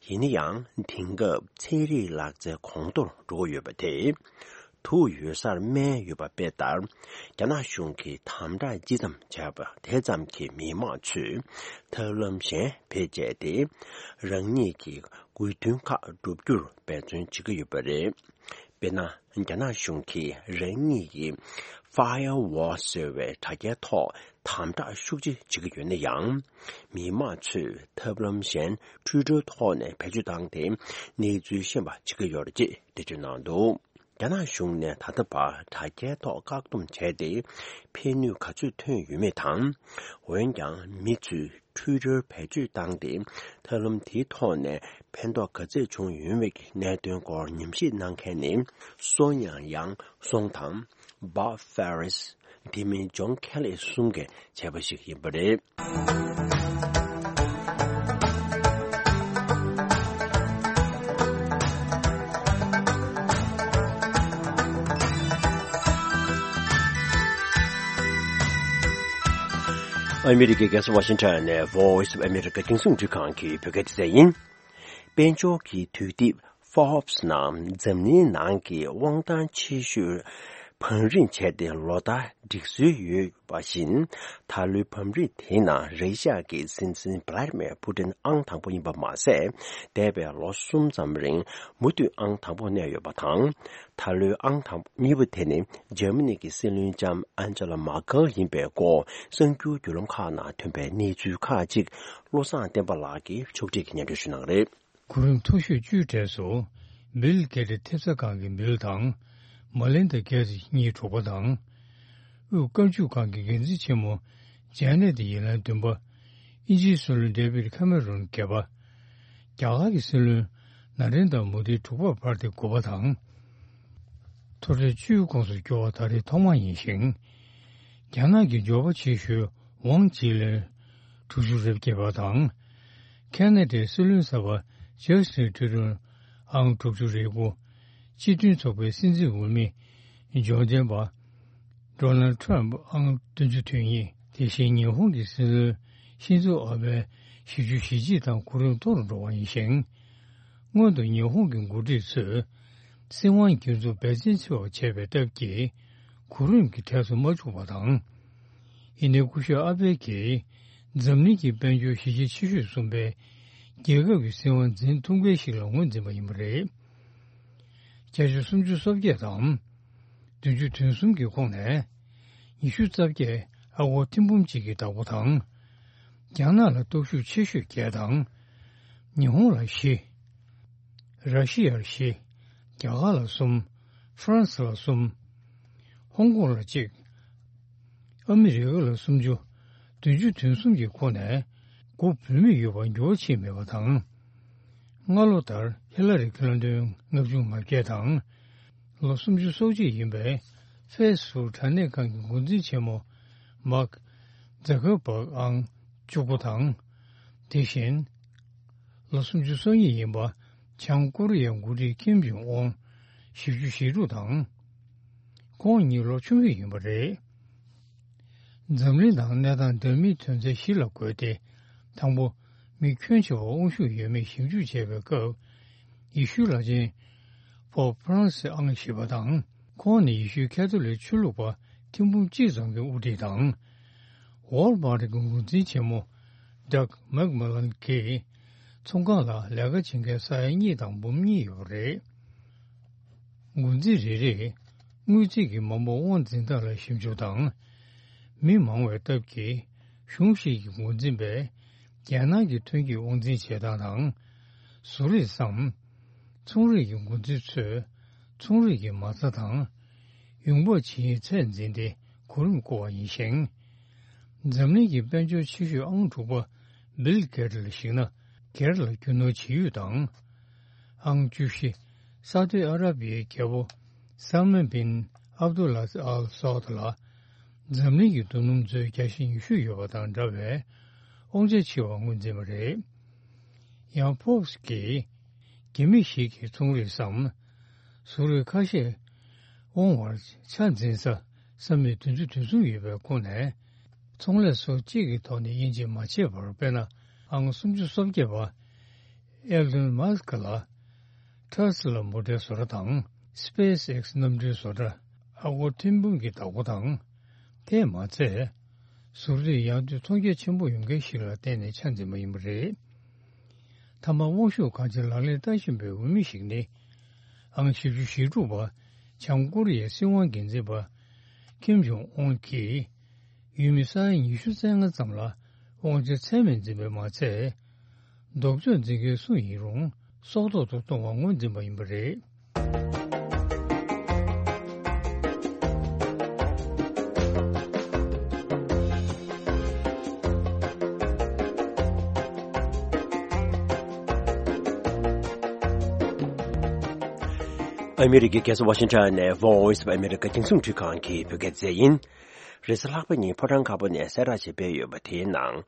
ཡིན་ན་ཡང་། དེང་སྐབས་ཚན་རིག་ལག་རྩལ་གོང་མཐོར་འགྲོ་གི་ཡོད་པ་དེ། དུག་ཡོད་སར་སྨན་ཡོད་པ་དཔེ་ལྟར། རྒྱ་ནག་གཞུང་གིས་དམ་དྲག་ཅི་ཙམ་བྱས་པ་དེ་ཙམ་གྱིས་མི་མང་ཚོས་ཐབས་ལམ་གཞན་བེད་སྤྱད་དེ། རང་ཉིད་ཀྱི་དགོས་འདུན་ཁག་བསྒྲུབ་རྒྱུར་འབད་བརྩོན་བྱེད་ཀྱི་ཡོད་པ་རེད། དཔེར་ན། རྒྱ་ནག་གཞུང་གིས་རང་ཉིད་ཀྱི་Firewall ཟེར་བའི་དྲ་རྒྱའི་ཐོག་དམ་དྲག་ཤུགས་ཆེ་བྱེད་ཀྱི་ཡོད་ན་ཡང་། མི་མང་ཚོས་ཐབས་ལམ་གཞན་ཊུའི་ཊར་ཐོག་ནས་བེད་སྤྱོད་བཏང་སྟེ་གནས་ཚུལ་ཤེས་པ་བྱེད་ཀྱི་ཡོད་རེད་ཅེས་འགྲེལ་བརྗོད་གནང་འདུག་རྒྱ་ནག་གཞུང་ནས་ད་ལྟ་བར་དྲ་རྒྱའི་ཐོག་བཀག་སྡོམ་བྱས་ཏེ་ཕན་ནུས་ག་ཚོད་ཐོན་ཡོད་མེད་དང་། འོན་ཀྱང་མི་ཚོས་ཊུའི་ཊར་བེད་སྤྱོད་བཏང་སྟེ་ཐབས་ལམ་དེའི་ཐོག་ནས་ཕན་ཐོགས་ག་ཚད་བྱུང་ཡོད་མེད་ཀྱི་གནད་དོན་སྐོར་ཉམས་ཞིབ་གནང་མཁན་ནི་སོ་ཉང་ཡང་སོང་དང་། Bob Ferris། དེ་མིན་John Kelly་གསུམ་གྱིས་བྱས་པ་ཞིག་ཡིན་པ་རེད། ཨ་མི་རི་ཀའི་རྒྱལ་ས་ཝ་ཤིང་ཊོན་ནས་Voice of America རྒྱང་སྲིང་རླུང་འཕྲིན་ཁང་གི་བོད་སྐད་སྡེ་ཚན་ཡིན། དཔལ་འབྱོར་གྱི་དུས་དེབ་Forbes ནང་འཛམ་གླིང་ནང་གི་དབང་ཐང་ཆེ་ཤོས་བང་རིམ་བྱས་ཏེ་ལོ་ལྟར་སྒྲིག་སྲོལ་ཡོད་པ་བཞིན། ད་ལོའི་བང་རིམ་དེའི་ནང་ར་ཤི་ཡ་གི་སྲིད་འཛིན་Vladimir Putin ཨང་དང་པོ་ཡིན་པ་མ་ཟད། འདས་པའི་ལོ་གསུམ་ཙམ་རིང་མུ་མཐུད་ཨང་དང་པོ་གནས་ཡོད་པ་དང་། ད་ལོའི་ཨང་དང་གཉིས་པ་དེ་ནི་འཇར་མ་ནི་གི་སྲིད་བློན་ལྕམ་Angela Merkel ཡིན་པའི་སྐོར་གསར་འགྱུར་བརྒྱུད་ལམ་ཁག་ནང་ཐོན་པའི་གནས་ཚུལ་ཁག་ཅིག་བློ་བཟང་བསྟན་པ་ལགས་ཀྱིས་ཕྱོགས་སྒྲིག་གིས་སྙན་སྒྲོན་ཞུ་གནང་གི་རེད། གོ་རིམ་མཐོ་ཤོས་བཅུའི་གྲས་སུ། བིལ་གེ་ཏི་ཐེབས་རྩ་ཁང་གི་བིལ་དང་། མ་ལིན་ཌ་གེ་ཊི་གཉིས་དྲུག་པ་དང་། དབུས་དཀར་ཆུ་ཁང་གི་འགན་འཛིན་ཆེན་མོ་ཇེ་ནེ་ཊི་ཡེ་ལན་བདུན་པ། དབྱིན་ཇིའི་སྲིད་བློན་ཌེ་བིད་ཁེ་མེ་རོན་བརྒྱད་པ། རྒྱ་གར་གྱི་སྲིད་བློན་ན་རེན་དྲ་མོ་དི་དྲུག་པར་བར་ཏེ་དགུ་པ་དང་། མཐོ་གྲས་བཅུའི་ཁོངས་སུ་འགྱུར་བ་ད་རེས་ཐོག་མ་ཡིན་ཞིང་། རྒྱ་ནག་གི་འབྱོར་པ་ཆེ་ཤོས་ཝང་ཅི་ལེན་དྲུག་ཅུ་རེ་བརྒྱད་པ་དང་། ཁེ་ན་ཌའི་སྲིད་བློན་གསར་པ་ཇ་སི་ཊིན་ཊུ་རུ་ཨང་དྲུག་ཅུ་རེ་དགུ། སྤྱི་མཐུན་ཚོགས་པའི་སྲིད་འཛིན་འོས་མི་འབྱོར་ལྡན་པ་ཌོ་ནལ་ཊམ་ཨང་བདུན་ཅུ་དོན་གཉིས། དེ་བཞིན་ཉི་ཧོང་གི་སྲིད་བློན་ཤིན་ཛོ་ཨ་བྷེ་བཞི་བཅུ་ཞེ་གཅིག་དང་གོ་རིམ་མཐོ་རུ་འགྲོ་བ་ཡིན་ཞིང་། སྔོན་དུ་ཉི་ཧོང་གི་འགོ་ཁྲིད་ཚོས་ སྲིད་དབང་སྒེར་འཛུགས་འབད་བརྩོན་ཆེ་བ་བྱས་པའི་སྟབས་ཀྱིས་གོ་རིམ་གྱི་གྲས་སུ་མ་བཅུག་པ་དང་། ཡིན་ནའི་སྐུ་ཞབས་ཨ་པེ་གིས་འཛམ་གླིང་གི་དཔལ་འབྱོར་གཞི་རྒྱ་ཆེ་ཤོས་གསུམ་པའི་རྒྱལ་ཁབ་ཀྱི་སྲིད་དབང་འཛིན་ཐུབ་མཁན་ཞིག་ལ་ངོས་འཛིན་པ་ཡིན་པ་རེད། བརྒྱ་ཆ་སུམ་ཅུ་སོ་བརྒྱད་དང་། བདུན་ཅུ་དོན་གསུམ་གྱི་ཁོངས་ནས་ཉི་ཤུ་རྩ་བརྒྱད་ཨ་སྒོར་ཐེར་འབུམ་གཅིག་གི་བདག་པོ་དང་། རྒྱ་ནག་ལ་སྟོབས་ཤུགས་ཆེ་ཤོས་བརྒྱད་དང་། ཉི་ཧོང་ལ་བཞི། ར་ཤི་ཡར་བཞི། རྒྱ་གར་ལ་གསུམ། ཧྥ་རན་སི་ལ་གསུམ། ཧོང་ཀོང་ལ་གཅིག། ཨ་མི་རི་ཀ་ལ་སུམ་ཅུ། བདུན་ཅུ་དོན་གསུམ་གྱི་ཁོངས་ནས་དགུ་བུད་མེད་ཡོད་པར་འགྱུར་བ་ཕྱིན་མེད་པ་དང་། སྔ་ལོ་ལྟར་ཧི་ལ་རི་ཁི་ལིན་ཏོན་ལྔ་བཅུ་ང་བརྒྱད་དང་། ལོ་སུམ་ཅུ་སོ་གཅིག་ཡིན་པའི་ཧྥེ་སི་བུག་དྲ་གནས་ཁང་གི་འགོ་འཛིན་ཆེན་མོ་མཱག་ཛ་ཀར་བྷག་ཨང་བཅུ་དགུ་དང་། དེ་བཞིན་ལོ་སུམ་ཅུ་སོ་གཉིས་ཡིན་པ་བྱང་ཀོ་རི་ཡའི་འགོ་ཁྲིད་ཁིམ་ཇོང་ཨུན་བཞི་བཅུ་ཞེ་དྲུག་དང་། ཁོང་གཉིས་ལོ་ཆུང་ཤོས་ཡིན་པ་རེད། འཛམ་གླིང་ནང་གནས་སྟངས་འདྲ་མིན་དོན་ཚན་བཞི་ལ་བགོས་ཏེ། དང་པོ། མི་ཁྱོན་ཆེ་བ་དབང་ཤུགས་ཡོད་མེད་ཞིབ་འཇུག་བྱས་པའི་སྐབས། ཡེ་ཤུའི་བླ་ཆེན་པོབ་ཧྥ་རན་སི་ཨང་བཞི་པ་དང་། ཁོང་ནི་ཡེ་ཤུའི་ཁ་ཐོ་ལིག་ཆོས་ལུགས་པ་ཐེར་འབུམ་གཅིག་ཙམ་གྱི་དབུ་ཁྲིད་དང་། ཝོལ་མར་ཊི་གི་འགོ་འཛིན་ཆེན་མོ་ཌག་མེག་མེ་ལན་གྱི་ཚོང་ཁང་ལ་ལས་ཀ་བྱེད་མཁན་ས་ཡ་གཉིས་དང་འབུམ་གཉིས་ཡོད་པ་རེད། འགོ་འཛིན་རེ་རེས་དངུལ་རྩིས་ཀྱི་མ་འབོར་དབང་འཛིན་སྟངས་ལ་ཞིབ་འཇུག་དང་། མི་མང་བའི་སྟབས་ཀྱིས་གཞུང་ཞིག་གི་འགོ་འཛིན་པས་རྒྱལ་ནང་གི་ཐོན་སྐྱེད་དབང་འཛིན་བྱེད་སྟངས་དང་། བཟོ་རིག་སམ། ཚོང་རིག་གི་འགོ་འཛིན་ཚོས་ཚོང་རིག་གི་མ་རྩ་དང་ཡོང་འབབ་ཇི་སྙེད་ཚད་འཛིན་ཏེ་གོ་རིམ་བསྐོར་བ་ཡིན་ཞིང་། འཛམ་གླིང་གི་དཔལ་འབྱོར་ཆེ་ཤོས་ཨང་དྲུག་པ་བིལ་གེ་ཊི་ལ་གཞིགས་ན། སྒེར་ལ་རྒྱུ་ནོར་ཇི་ཡོད་དང་། ཨང་བཅུ་བཞི། ས་ཨུ་དི་ཨ་ར་བི་ཡའི་རྒྱལ་པོ་སལ་མན་བིན་ཨབ་དུ་ལ་ཨལ་སའུ་ད་ལ། འཛམ་གླིང་གི་རྡོ་སྣུམ་ཚོའི་བརྒྱ་ཆ་ཉི་ཤུ་ཡོད་པ་དང་འདྲ་བའི་དབང་ཆ་ཆེ་བ་ངོས་འཛིན་པ་རེད། ཡང་ཕོབ་སི་ཀྱིས། རྒྱ་མི་ཞིག་གིས་ཚོང་རིག་སམ། བཟོ་རིག་ཁ་ཤས་དབང་བར་ཆ་འཛིན་ས་ས་མིག་བདུན་ཅུ་དོན་གསུམ་ཡོད་པའི་ཁོངས་ནས། ཚོང་ལས་སོགས་གཅིག་གི་ཐོག་ནས་དབྱེ་འབྱེད་མ་བྱས་པར། དཔེར་ན། ཨང་སུམ་ཅུ་སོ་བརྒྱད་པ་ཨེལ་ལོན་མཱ་སི་ཀི་ལ་ཊེ་སི་ལ་མོ་ཊའི་བཟོ་གྲྭ་དང་སི་པེ་སི་ཨེག་སི་གནམ་གྲུའི་བཟོ་གྲྭ། ཨ་སྒོར་ཐེར་འབུམ་གྱི་བདག་པོ་དང་། དེས་མ་ཚད། བཟོ་གྲྭ་དེ་ཡར་ཐོན་མཐོང་རྒྱ་ཆེན་པོ་ཡོང་མཁན་ཞིག་ལ་བརྟེན་ནས་ཆ་འཛིན་པ་ཡིན་པ་རེད། མཐའ་མ། དབང་ཤུགས་གང་ཆེ་ལག་ལེན་བསྟར་བཞིན་པའི་འོས་མི་ཞིག་ནི། ཨང་བཞི་བཅུ་ཞེ་དྲུག་པ་བྱང་ཀོ་རི་ཡའི་སྲིད་དབང་འགན་འཛིན་པ་ཁིམ་ཇོང་ཨུན་གྱིས། ཡུལ་མི་ས་ཡ་ཉི་ཤུ་རྩ་ལྔ་ཙམ་ལ་དབང་ཆ་ཚད་མེད་འཛིན་པས་མ་ཚད། ལྡོག་ཕྱོགས་འཛིན་མཁན་སུ་ཡིན་རུང་སྲོག་ཐོག་ཏུ་གཏོང་བར་ངོས་འཛིན་པ་ཡིན་པ་རེད། ཨ་མི་རི་ཀའི་རྒྱལ་ས་ཝ་ཤིང་ཊོན་ནས་Voice of America རྒྱང་སྲིང་འཕྲུལ་ཁང་གི་བོད་སྐད་སྡེ་ཚན་ཡིན། རེས་གཟའ་ལྷག་པ་ཉིན་ཕོ་བྲང་དཀར་པོ་ནས་གསལ་བསྒྲགས་ཤིག་སྤེལ་ཡོད་པ་དེའི་ནང་།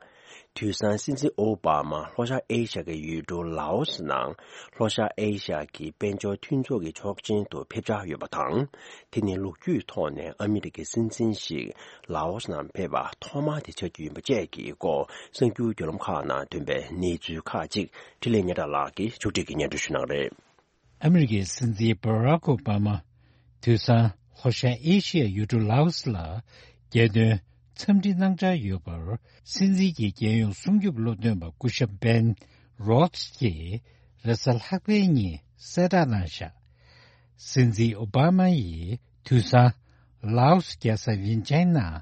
དུས་སང་སྲིད་འཛིན་ཨོ་བྷ་མ་ལྷོ་ཤར་ཨེ་ཤ་ཡའི་ཡུལ་གྲུ་ལའོ་སི་ནང་ལྷོ་ཤར་ཨེ་ཤ་ཡ་གི་དཔལ་འབྱོར་མཐུན་ཚོགས་ཀྱི་ཚོགས་ཆེན་དུ་ཕེབས་འཆར་ཡོད་པ་དང་། དེ་ནི་ལོ་རྒྱུས་ཐོག་ནས་ཨ་མི་རི་ཀའི་སྲིད་འཛིན་ཞིག་ལའོ་སི་ནང་ཕེབས་པ་ཐོག་མ་དེ་ཆགས་རྒྱུ་ཡིན་པ་བཅས་ཀྱི་སྐོར་གསར་འགྱུར་བརྒྱུད་ལམ་ཁག་ནང་ཐོན་པའི་གནས་ཚུལ་ཁག་ཅིག་འཕྲིན་ལས་སྙན་གྲགས་ལགས་ཀྱིས་ཕྱོགས་སྒྲིག་གིས་སྙན་སྒྲོན་ཞུ་གནང་རེད། ཨ་མི་རི་ཀའི་སྲིད་འཛིན་བྷ་རག་ཨོ་བྷ་མ། དུས་སང་ལྷོ་ཤར་ཨེ་ཤི་ཡའི་ཡུལ་གྲུ་ལའོ་སི་ལ་རྒྱལ་དོན་འཚམས་འདྲི་གནང་འཆར་ཡོད་པར། སྲིད་འཛིན་གྱི་རྒྱལ་ཡོངས་སྲུང་སྐྱོབ་སློབ་སྟོན་པ་སྐུ་ཞབས་བེན་རོད་སི་ཀྱིས་རེས་གཟའ་ལྷག་པའི་ཉིན་གསལ་བསྒྲགས་གནང་བཞག་སྲིད་འཛིན་ཨོ་བྷ་མ་ཡིས་དུས་སང་ལའོ་སི་རྒྱལ་ས་ཝིན་ཅན་ནང་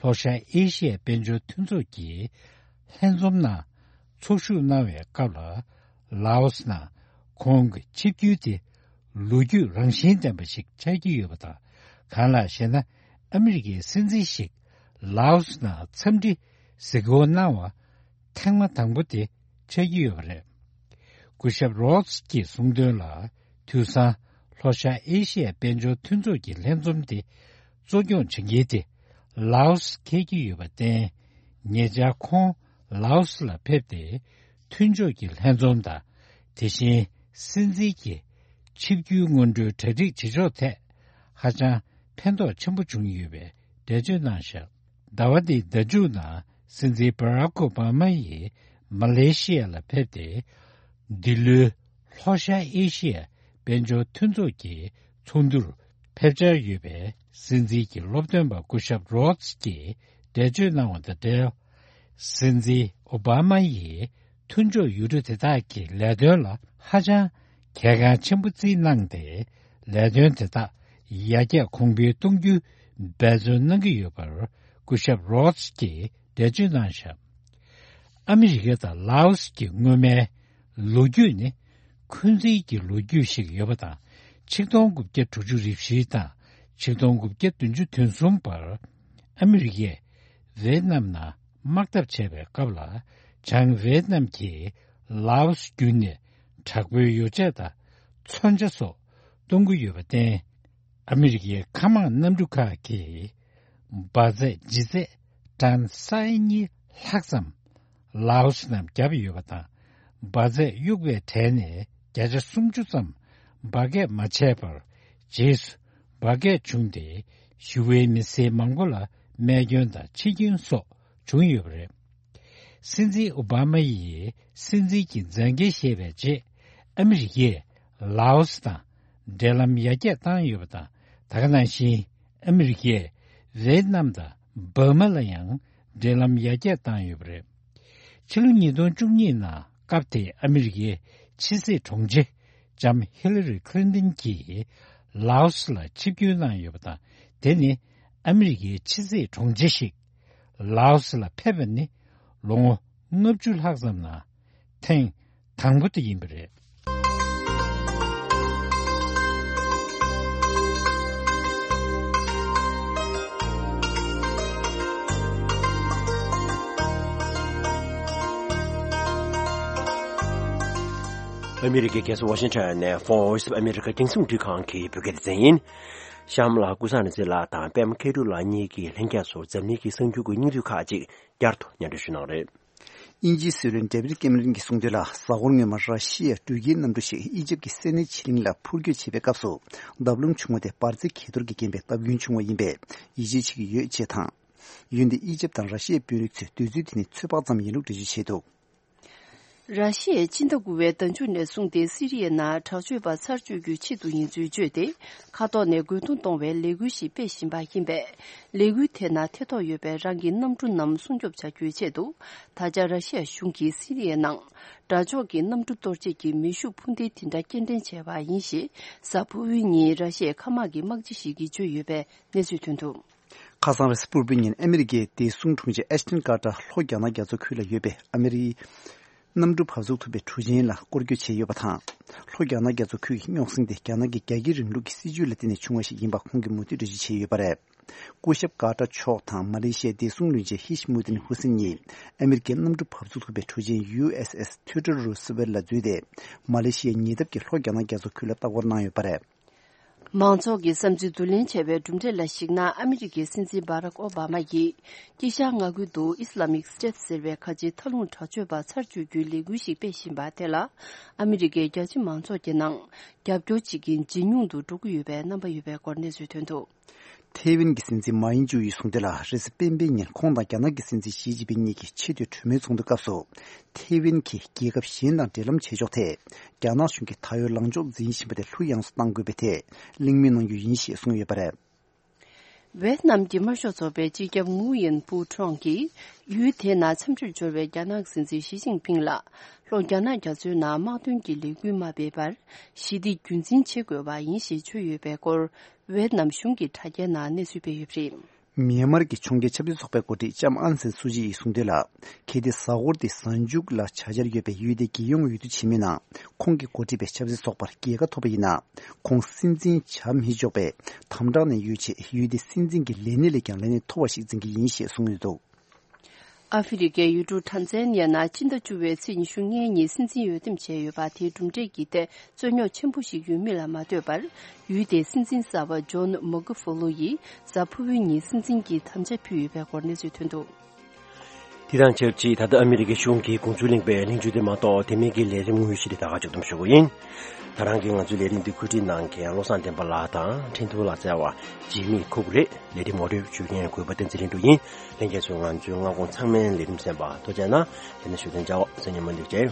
ལྷོ་ཤར་ཨེ་ཤི་ཡའི་དཔལ་འབྱོར་མཐུན་ཚོགས་ཀྱི་ལྷན་འཛོམས་ནང་ཚོགས་ཞུགས་གནང་བའི་སྐབས་ལ། ལའོ་སི་ནང་ཁོང་གི་ཆིབས་བསྒྱུར་དེ་ལོ་རྒྱུས་རང་བཞིན་ལྡན་པ་ཞིག་ཆགས་ཀྱི་ཡོད་པ་དང་། གང་ལགས་ཤེ་ན། ཨ་མི་རི་ཀའི་སྲིད་འཛིན་ཞིག་ལའོ་སི་ནང་འཚམས་འདྲི་གཟིགས་སྐོར་གནང་བ་ཐེངས་མ་དང་པོ་དེ་ཆགས་ཀྱི་ཡོད་པ་རེད། སྐུ་ཞབས་རོད་སི་ཀྱིས་གསུངས་དོན་ལ། དུས་སང་ལྷོ་ཤར་ཨེ་ཤི་ཡའི་དཔལ་འབྱོར་མཐུན་ཚོགས་ཀྱི་ལྷན་འཛོམས་དེ་གཙོ་སྐྱོང་བྱེད་མཁན་དེ་ལའོ་སི་འཁེལ་གྱི་ཡོད་པར་བརྟེན། ཉེ་ཆར་ཁོང་ལའོ་སི་ལ་ཕེབས་ཏེ། མཐུན་ཕྱོགས་ཀྱི་ལྷན་འཛོམས་དང་། དེ་བཞིན་སྲིད་འཛིན་གྱི་ཆིབས་བསྒྱུར་སྔོན་འགྲོའི་གྲ་སྒྲིག་བྱེད་ཕྱོགས་ཐད་ཧ་ཅང་ཕན་ཐོགས་ཆེན་པོ་བྱུང་ཡོད་པའི་འགྲེལ་བརྗོད་གནང་བཞག་ཟླ་བ་འདིའི་ཟླ་མཇུག་ནང་སྲིད་འཛིན་བྷ་རག་ཨོ་བྷ་མ་ཡིས་མ་ལེ་ཤི་ཡ་ལ་ཕེབས་ཏེ། འདི་ལོའི་ལྷོ་ཤར་ཨེ་ཤི་ཡ་ དཔལ་འབྱོར་མཐུན་ཚོགས་ཀྱི་ཚོགས་འདུར་ཕེབས་འཆར་ཡོད་པའི་སྲིད་འཛིན་གྱི་སློབ་སྟོན་པ་སྐུ་ཞབས་རོ་སི་ཀྱིས་འགྲེལ་བརྗོད་གནང་བ་དང་འབྲེལ། སྲིད་འཛིན་ཨོ་བྷ་མ་ཡིས་མཐུན་ཕྱོགས་ཡུལ་གྲུ་དེ་དག་གི་ལས་དོན་ལ་ཧ་ཅང་གལ་འགངས་ཆེན་པོ་བརྩིས་གནང་སྟེ། ལས་དོན་དེ་དག་ཡར་རྒྱས་གོང་འཕེལ་གཏོང་རྒྱུའི་འབད་བརྩོན་གནང་གི་ཡོད་པར་སྐུ་ཞབས་རོ་སི་ཀྱིས་འགྲེལ་བརྗོད་གནང་བཞག་ཨ་མི་རི་ཀ་དང་ལའོ་སི་གི་སྔོན་མའི་ལོ་རྒྱུས་ནི་འཁོན་འཛིན་གྱི་ལོ་རྒྱུས་ཤིག་ཡོད་པ་དང་། ཆིག་སྟོང་དགུ་བརྒྱ་དྲུག་ཅུ་རེ་བཞི་དང་ཆིག་སྟོང་དགུ་བརྒྱ་བདུན་ཅུ་དོན་གསུམ་བར་ཨ་མི་རི་ཀས་ཝེད་ནམ་ནང་དམག་འཐབ་བྱས་པའི་སྐབས་ལ། བྱང་ཝེད་ནམ་གྱིས་ལའོ་སི་བརྒྱུད་ནས་དྲག་པོའི་ཡོ་བྱད་དང་མཚོན་ཆ་སོགས་གཏོང་གི་ཡོད་པར་བརྟེན། ཨ་མི་རི་ཀའི་མཁའ་དམག་གནམ་གྲུ་ཁག་གིས་འབར་རྫས་ལྗིད་ཚད་ཊོན་ས་ཡ་གཉིས་ལྷག་ཙམ་ལའོ་སི་ནང་བརྒྱབ་ཡོད་པ་དང་། འབར་རྫས་གཡུག་པའི་གྲས་ནས་བརྒྱ་ཆ་སུམ་ཅུ་ཙམ་འབར་གས་མ་བྱས་པར། རྗེས་སུ་འབར་གས་བྱུང་སྟེ། ཞི་བའི་མི་སེར་མང་པོ་ལ་རྨས་སྐྱོན་དང་འཆི་སྐྱོན་སོགས་བྱུང་ཡོད་པ་རེད། སྲིད་འཛིན་ཨོ་བྷ་མ་ཡིས་སྲིད་འཛིན་གྱི་མཛད་འགན་བཞེས་པའི་རྗེས། ཨ་མི་རི་ཀས་ལའོ་སི་དང་འབྲེལ་ལམ་ཡར་རྒྱས་བཏང་ཡོད་པ་དང་། ད་ག་ནང་བཞིན་ཨ་མི་རི་ཀས་ཝེད་ནམ་དང་འབར་མ་ལ་ཡང་འབྲེལ་ལམ་ཡར་རྒྱས་བཏང་ཡོད་པ་རེད། ཕྱི་ལོ་ཉིས་སྟོང་བཅུ་གཉིས་ནང་སྐབས་དེའི་ཨ་མི་རི་ཀའི་ཕྱི་སྲིད་དྲུང་ཆེ་ལྕམ་ཧི་ལ་རི་ཁི་ལིན་ཏིན་གྱིས་ལའོ་སི་ལ་ཆིབས་བསྒྱུར་གནང་ཡོད་པ་དང་། དེ་ནི་ཨ་མི་རི་ཀའི་ཕྱི་སྲིད་དྲུང་ཆེ་ཞིག་ལའོ་སི་ལ་ཕེབས་པ་ནི་ལོ་ངོ་ལྔ་བཅུ་ལྷག་ཙམ་ནང་ཐེངས་དང་པོ་དེ་ཡིན་པ་རེད། ཨ་མི་རི་ཀའི་རྒྱལ་ས་ཝ་ཤིང་ཊོན་ནས་Voice of America རྒྱང་སྲིང་རླུང་འཕྲིན་ཁང་གི་བོད་སྐད་སྡེ་ཚན་ཡིན། གཤམ་ལ་ཀུན་བཟང་ནོར་འཛིན་ལགས་དང་པད་མ་མཁས་གྲུབ་ལགས་གཉིས་ཀྱིས་ལྷན་རྒྱས་ཚོར་འཛམ་གླིང་གི་གསར་འགྱུར་གྱི་སྙིང་བསྡུས་ཁག་ཅིག་བསྐྱར་དུ་སྙན་སྒྲོན་ཞུ་གནང་རེད། དབྱིན་ཇིའི་སྲིད་བློན་ཌེ་བིད་ཀེམ་རན་གྱིས་གསུངས་དོན་ལ། གཟའ་འཁོར་སྔོན་མ་ར་ཤི་ཡའི་འགྲུལ་སྐྱེལ་གནམ་གྲུ་ཞིག་ཨི་ཇེབ་ཀྱི་སེམས་ནད་ཆེ་གླིང་ལ་འཕུར་སྐྱོད་བྱེད་པའི་སྐབས་སུ། བརྡབ་ལྷུང་བྱུང་བ་དེ་འབར་རྫས་གས་གཏོར་གྱི་རྐྱེན་པས་བརྡབ་སྐྱོན་བྱུང་བ་ཡིན་པས་ཡིད་ཆེས་བྱེད་ཀྱི་ཡོད་ཅེས་དང་། འོན་ཏེ་ཨི་ཇེབ་དང་ར་ཤི་ཡའི་དཔོན་རིགས་ཚོས་འདོད་ཚུལ་དེ་ནི་ཚོད་དཔག་ཙམ་ཡིན་ལུགས་འགྲེལ་བརྗོད་བྱས་འདུག་ར་ཤི་ཡས་སྤྱི་ཟླ་དགུ་པའི་ཟླ་མཇུག་ནས་བཟུང་སྟེ་སི་རི་ཡའི་ནང་དྲག་སྤྱོད་པ་ཚར་གཅོད་རྒྱུའི་ཆེད་དུ་ཡིན་ཚུལ་བརྗོད་དེ། མཁའ་ཐོག་ནས་རྒོལ་རྡུང་གཏོང་བའི་ལས་འགུལ་ཞིག་སྤེལ་བཞིན་པ་ཡིན་པས། ལས་འགུལ་དེ་ནང་ཐེ་གཏོགས་ཡོད་པའི་རང་གི་གནམ་གྲུ་རྣམས་སྲུང་སྐྱོབ་བྱ་རྒྱུའི་ཆེད་དུ། ད་ཆ་ར་ཤི་ཡ་གཞུང་གིས་སི་རི་ཡའི་ནང་དགྲ་ཕྱོགས་ཀྱི་གནམ་གྲུ་གཏོར་བྱེད་ཀྱི་མེ་ཤུགས་འཕུར་མདེལ་དེ་འདྲ་སྐྱེལ་འདྲེན་བྱས་པ་ཡིན་ཞེས། གཟའ་ཕུར་བུའི་ཉིན་ར་ཤི་ཡའི་མཁའ་དམག་གི་དམག་སྤྱི་ཞིག་གིས་བརྗོད་ཡོད་པའི་གནས་ཚུལ་ཐོན་འདུག་ཁ་སང་རེས་གཟའ་ཕུར་བུའི་ཉིན་ཨ་མི་རི་ཀའི་བདེ་སྲུང་དྲུང་ཆེ་ཨེཤ་ཊོན་ཀར་ཏར་ལྷོ་རྒྱ་ནག་རྒྱ་མཚོ་ཁུལ་ལ་ཡོད་པའི་ཨ་མི་རིའི་གནམ་གྲུ་བབས་ཚུགས་ཐུབ་པའི་གྲུ་ཆེན་ལ་སྐོར་སྐྱོད་བྱས་ཡོད་པ་དང་། ལྷོ་རྒྱ་ནག་རྒྱ་མཚོ་ཁུལ་གྱི་རྙོག་ཟིང་དེ་རྒྱ་ནག་གི་རྒྱ་སྐྱེད་རིང་ལུགས་ཀྱི་སྲིད་ཇུས་ལ་བརྟེན་ནས་བྱུང་བ་ཞིག་ཡིན་པ་ཁོང་གིས་མུ་མཐུད་འགྲེལ་བརྗོད་བྱས་ཡོད་པ་རེད། སྐུ་ཞབས་ཀར་ཏར་མཆོག་དང་མ་ལེ་ཤི་ཡའི་བདེ་སྲུང་བློན་ཆེན་ཧི་ཤི་མུ་དིན་ཧུ་སིན་གཉིས་ཨ་མི་རི་ཀའི་གནམ་གྲུ་བབས་ཚུགས་ཐུབ་པའི་གྲུ་ཆེན་ཡུ་ཨེས་ཨེས་ཐི་ཡོ་ཌོར་རུ་སི་ཝེལ་ལ་འཛུལ་ཏེ། མ་ལེ་ཤི་ཡའི་ཉེ་འདབས་ཀྱི་ལྷོ་རྒྱ་ནག་རྒྱ་མཚོ་ཁུལ་ལ་ལྟ་སྐོར་གནང་ཡོད་པ་རེད། མང་ཚོགས་ཀྱི་བསམ་ཚུལ་བསྡུ་ལེན་བྱས་པའི་གྲུབ་འབྲས་ལ་གཞིགས་ན། ཨ་མི་རི་ཀའི་སྲིད་འཛིན་བྷ་རག་ཨོ་བྷ་མ་ཡིས་དཀྱིལ་ཤར་མངའ་ཁུལ་དུ་ཨི་སི་ལ་མིག་སི་ཊེ་ཊི་ཟེར་བའི་ཁ་ཆེའི་མཐའ་ལྷུང་དྲག་སྤྱོད་པ་ཚར་གཅོད་རྒྱུའི་ལས་འགུལ་ཞིག་སྤེལ་བཞིན་པ་དེ་ལ། ཨ་མི་རི་ཀའི་རྒྱ་ཆེ་མང་ཚོགས་ཀྱི་ནང་རྒྱབ་སྐྱོར་བྱེད་མཁན་ཇེ་ཉུང་དུ་འགྲོ་གི་ཡོད་པའི་རྣམ་པ་ཡོད་པའི་སྐོར་གནས་ཚུལ་ཐོན་འདུག་ཐའེ་ཝན་གྱི་སྲིད་འཛིན་མཱ་ཡིན་ཅུ་ཡིས་གསུངས་དོན་ལ། རེས་གཟའ་སྤེན་པའི་ཉིན་ཁོང་དང་རྒྱ་ནག་གི་སྲིད་འཛིན་ཞི་ཅིན་ཕིང་གཉིས་ཀྱིས་ཆེས་མཐོའི་གྲོས་མོལ་ཚོགས་འདུའི་སྐབས་སུ། ཐའེ་ཝན་གྱིས་རྒྱལ་ཁབ་གཞན་དང་འབྲེལ་ལམ་བྱེད་ཕྱོགས་ཐད། རྒྱ་ནག་གཞུང་གིས་ད་ཡོད་ལངས་ཕྱོགས་འཛིན་བཞིན་པ་དེ་ལྷུག་ཡངས་སུ་གཏང་དགོས་པའི་ཐད་གླེང་མོལ་གནང་རྒྱུ་ཡིན་ཞེས་གསུངས་ཡོད་པ་རེད། ཝེད་ནམ་གྱི་དམར་ཤོག་ཚོགས་པའི་སྤྱི་ཁྱབ་ངུ་ཡིན་ཕུའུ་ཁྲོང་གིས། ཡུལ་དེའི་ནང་འཚམས་འདྲིར་འབྱོར་བའི་རྒྱ་ནག་སྲིད་འཛིན་ཞི་ཅིན་ཕིང་ལ། ལྷོ་རྒྱ་ནག་རྒྱ་མཚོའི་ནང་དམག་དོན་གྱི་ལས་འགུལ་མ་སྤེལ་བར། ཞི་བདེ་རྒྱུན་འཛིན་བྱེད་དགོས་པ་ཡིན་ཞེས་བརྗོད་ཡོད་པའི་སྐོར། ཝེད་ནམ་གཞུང་གི་དྲ་རྒྱའི་ནང་གནས་ཚུལ་སྤེལ་ཡོད་པ་རེད། མྱན་མར་གྱི་ཕྱོགས་འགལ་ཆབ་སྲིད་ཚོགས་པའི་འགོ་ཁྲིད་ལྕམ་ཨང་སན་སུ་ཅི་ཡིས་གསུངས་དོན་ལ། གལ་ཏེ་གཟའ་འཁོར་འདིའི་གཟའ་མཇུག་ལ་བྱ་འཆར་ཡོད་པའི་ཡུལ་དེ་རྒྱལ་ཡོངས་འོས་བསྡུ་བྱེད་མུས་ན། ཁོང་གིས་འགོ་ཁྲིད་པའི་ཆབ་སྲིད་ཚོགས་པར་རྒྱལ་ཁ་ཐོབ་པ་ཡིན་ན། ཁོང་སྲིད་འཛིན་བྱ་མི་ཆོག་པས་དམ་དྲག་ནས་ཡོད་ཆེད་ཡུལ་དེའི་སྲིད་འཛིན་གྱི་ལས་གནས་ལས་ཀྱང་ལས་གནས་མཐོ་བ་ཞིག་འཛིན་གྱི་ཡིན་ཞེས་གསུངས་ཡོད་འདུག་ཨ་ཧྥེ་རི་ཁའི་ཡུལ་གྲུ་ཊན་ཛན་ཡ་ནང་སྤྱི་ཟླ་བཅུ་པའི་ཚེས་ཉི་ཤུ་ལྔའི་ཉིན་སྲིད་འཛིན་འོས་འདེམས་བྱས་ཡོད་པ་དེའི་གྲུབ་འབྲས་ཀྱི་ཐད་རྩོད་རྙོག་ཆེན་པོ་ཞིག་ཡོད་མིན་ལ་མ་ལྟོས་པར། ཡུལ་དེའི་སྲིད་འཛིན་གསར་པ་ཇོན་མོ་གྷི་ཧྥུ་ལོ་ཡིས་གཟའ་ཕུར་བུའི་ཉིན་སྲིད་འཛིན་གྱི་དམ་བཅའ་ཕུལ་ཡོད་པའི་སྐོར་གནས་ཚུལ་ཐོན་འདུག་དེ་དང་ཆབས་ཅིག་ད་ལྟ་ཨ་མི་རི་ཀའི་གཞུང་གི་དགོངས་ཚུལ་གླེང་བའི་གླེང་བརྗོད་དེ་མ་གཏོགས་དེ་མིན་གྱི་ལས་རིམ་དངོས་གཞི་དེ་ད་ག་ཅིག་ཐོན་ཞུ་གི་ཡིན། ད་རང་གིས་ང་ཚོའི་ལས་རིམ་འདི་བཀོད་སྒྲིག་གནང་མཁན་བློ་བཟང་བསྟན་པ་ལགས་དང་འཕྲིན་ཐུང་ལགས་བཅས་པ་འཇིགས་མེད་ཁུག་རེད། ལས་རིམ་ངོ་སྤྲོད་ཞུ་མཁན་གུས་པ་བསྟན་འཛིན་ལྷུན་གྲུབ་ཡིན། ལྷན་རྒྱས་ཚོས་ང་ཚོའི་སྔ་དགོང་ཚང་མའི་ལས་རིམ་གསན་པར་ཐུགས་རྗེ་གནང་། དེ་ནས་བཞུགས་གདན་འཇགས། གཟའ་ཉི་མ་འདིར་མཇལ།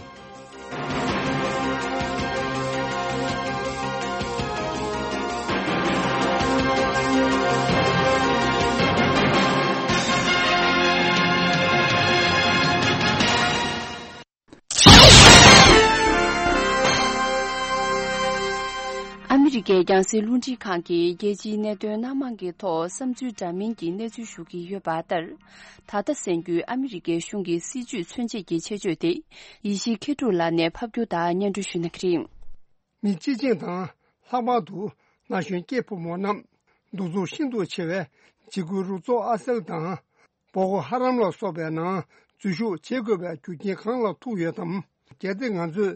ཕྱི་རྒྱལ་རྒྱང་སྲིང་རླུང་འཕྲིན་ཁང་གིས་རྒྱལ་སྤྱིའི་གནད་དོན་སྣ་མང་གི་ཐོག་བསམ་ཚུལ་འདྲ་མིན་གྱི་གནས་ཚུལ་ཞུ་གི་ཡོད་པ་ལྟར། ད་ལྟ་གསན་རྒྱུའི་ཨ་མི་རི་ཀའི་གཞུང་གི་སྲིད་ཇུས་མཚོན་བྱེད་ཀྱི་ཆེད་བརྗོད་དེ། ཡེ་ཤེས་མཁས་གྲུབ་ལགས་ནས་ཕབ་སྒྱུར་དང་སྙན་སྒྲོན་ཞུ་གནང་གི་རེད། མི་སྤྱི་བྱིངས་དང་། ལྷག་པར་དུ་ན་གཞོན་སྐྱེས་ཕོ་མོ་རྣམས་གདུག་རྩུབ་ཤིན་ཏུ་ཆེ་བའི་འཇིགས་སྐུལ་རུ་ཚོགས་ཨ་སེལ་དང་། བོ་ཀོ་ཧ་རམ་ལ་སོགས་པའི་ནང་འཛུལ་ཞུགས་བྱེད་དགོས་པའི་རྒྱུ་རྐྱེན་གང་ལ་ཐུག་ཡོད་དམ། གལ་ཏེ་ང་ཚོས་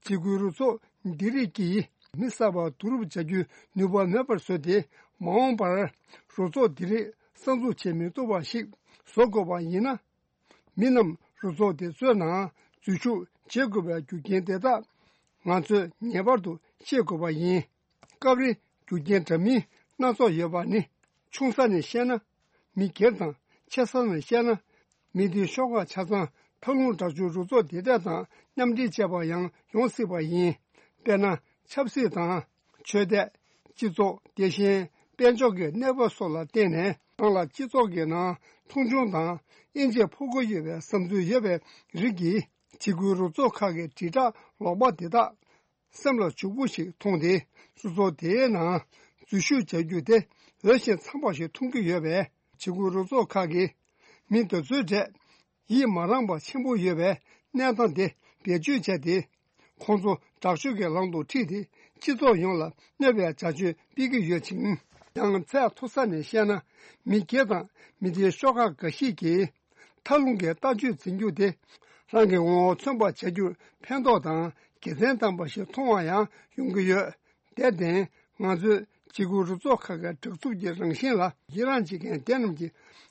འཇིགས་སྐུལ་རུ་ཚོགས་འདི་རིགས་ཀྱིས་མི་གསར་པ་བསྡུ་རུབ་བྱ་རྒྱུའི་ནུས་པ་མེད་པར་བཟོས་ཏེ། མ་འོངས་པར་རུ་ཚོགས་འདི་རིགས་གསར་འཛུགས་བྱེད་མི་ཐུབ་པ་ཞིག་བཟོ་དགོས་པ་ཡིན་ན། མི་རྣམས་རུ་ཚོགས་དེ་ཚོའི་ནང་འཛུལ་ཞུགས་བྱེད་དགོས་པའི་རྒྱུ་རྐྱེན་དེ་དག་ང་ཚོས་ངེས་པར་དུ་ཤེས་དགོས་པ་ཡིན། སྐབས་རེ་རྒྱུ་རྐྱེན་འདྲ་མིན་སྣ་ཚོགས་ཡོད་པ་ནི། ཆུང་ས་ནས་བཤད་ན། མི་སྒེར་དང་། ཆེ་ས་ནས་བཤད་ན། མི་སྡེའི་ཤོག་ཁག་ཆ་ཚང་མཐའ་ལྷུང་དྲག་སྤྱོད་རུ་ཚོགས་དེ་འདྲ་དང་མཉམ་འབྲེལ་བྱས་པ་ཡང་ཡོང་སྲིད་པ་ཡིན། དཔེར་ན། ཆབ་སྲིད་དང་། ཆོས་དད། སྤྱི་ཚོགས། དེ་བཞིན་དཔལ་འབྱོར་གྱི་གནས་བབ་སོགས་ལ་བརྟེན་ནས། རང་ལ་སྤྱི་ཚོགས་ཀྱི་ནང་མཐོང་ཆུང་དང་དབྱེ་འབྱེད་ཕོག་གི་ཡོད་པའི་བསམ་ཚུལ་ཡོད་པའི་རིགས་ཀྱིས། འཇིགས་སྐུལ་རུ་ཚོགས་ཁག་གི་དྲིལ་བསྒྲགས་ལོག་པ་དེ་དག་སེམས་ལ་འཇུག་པོ་ཞིག་མཐོང་སྟེ། སོ་སོ་དེའི་ནང་འཛུལ་ཞུགས་བྱ་རྒྱུ་དེ་འོས་ཤིང་འཚམ་པ་ཞིག་མཐོང་གི་ཡོད་པས། འཇིགས་སྐུལ་རུ་ཚོགས་ཁག་གིས་མི་དེ་ཚོའི་གྲས་ཡིད་མ་རངས་པ་ཆེན་པོ་ཡོད་པའི་གནས་སྟངས་དེ་བེད་སྤྱོད་བྱས་ཏེ། ཁོང་ཚོ་དྲག་སྤྱོད་ཀྱི་ལམ་དུ་ཁྲིད་དེ། སྤྱི་ཚོགས་ཡོངས་ལ་གནོད་པའི་བྱ་སྤྱོད་སྤེལ་གྱི་ཡོད་ཅིང་། ཡང་ཚད་མཐོ་ས་ནས་བཤད་ན། མི་སྒེར་དང་མི་སྡེའི་ཤོག་ཁག་འགའ་ཞིག་གིས། མཐའ་ལྷུང་གི་ལྟ་སྤྱོད་འཛིན་རྒྱུ་དེ། རང་གི་ངོ་བོ་མཚོན་པར་བྱ་རྒྱུར་ཕན་ཐོགས་དང་དགེ་མཚན་ལྡན་པ་ཞིག་མཐོང་བ་ཡང་ཡོང་གི་ཡོད། དེར་བརྟེན། ང་ཚོས་འཇིགས་སྐུལ་རུ་ཚོགས་ཁག་གི་དྲག་རྩུབ་ཀྱི་རང་བཞིན་ལ་ཡི་རངས་བྱེད་མཁན་དེ་རྣམས་ཀྱི་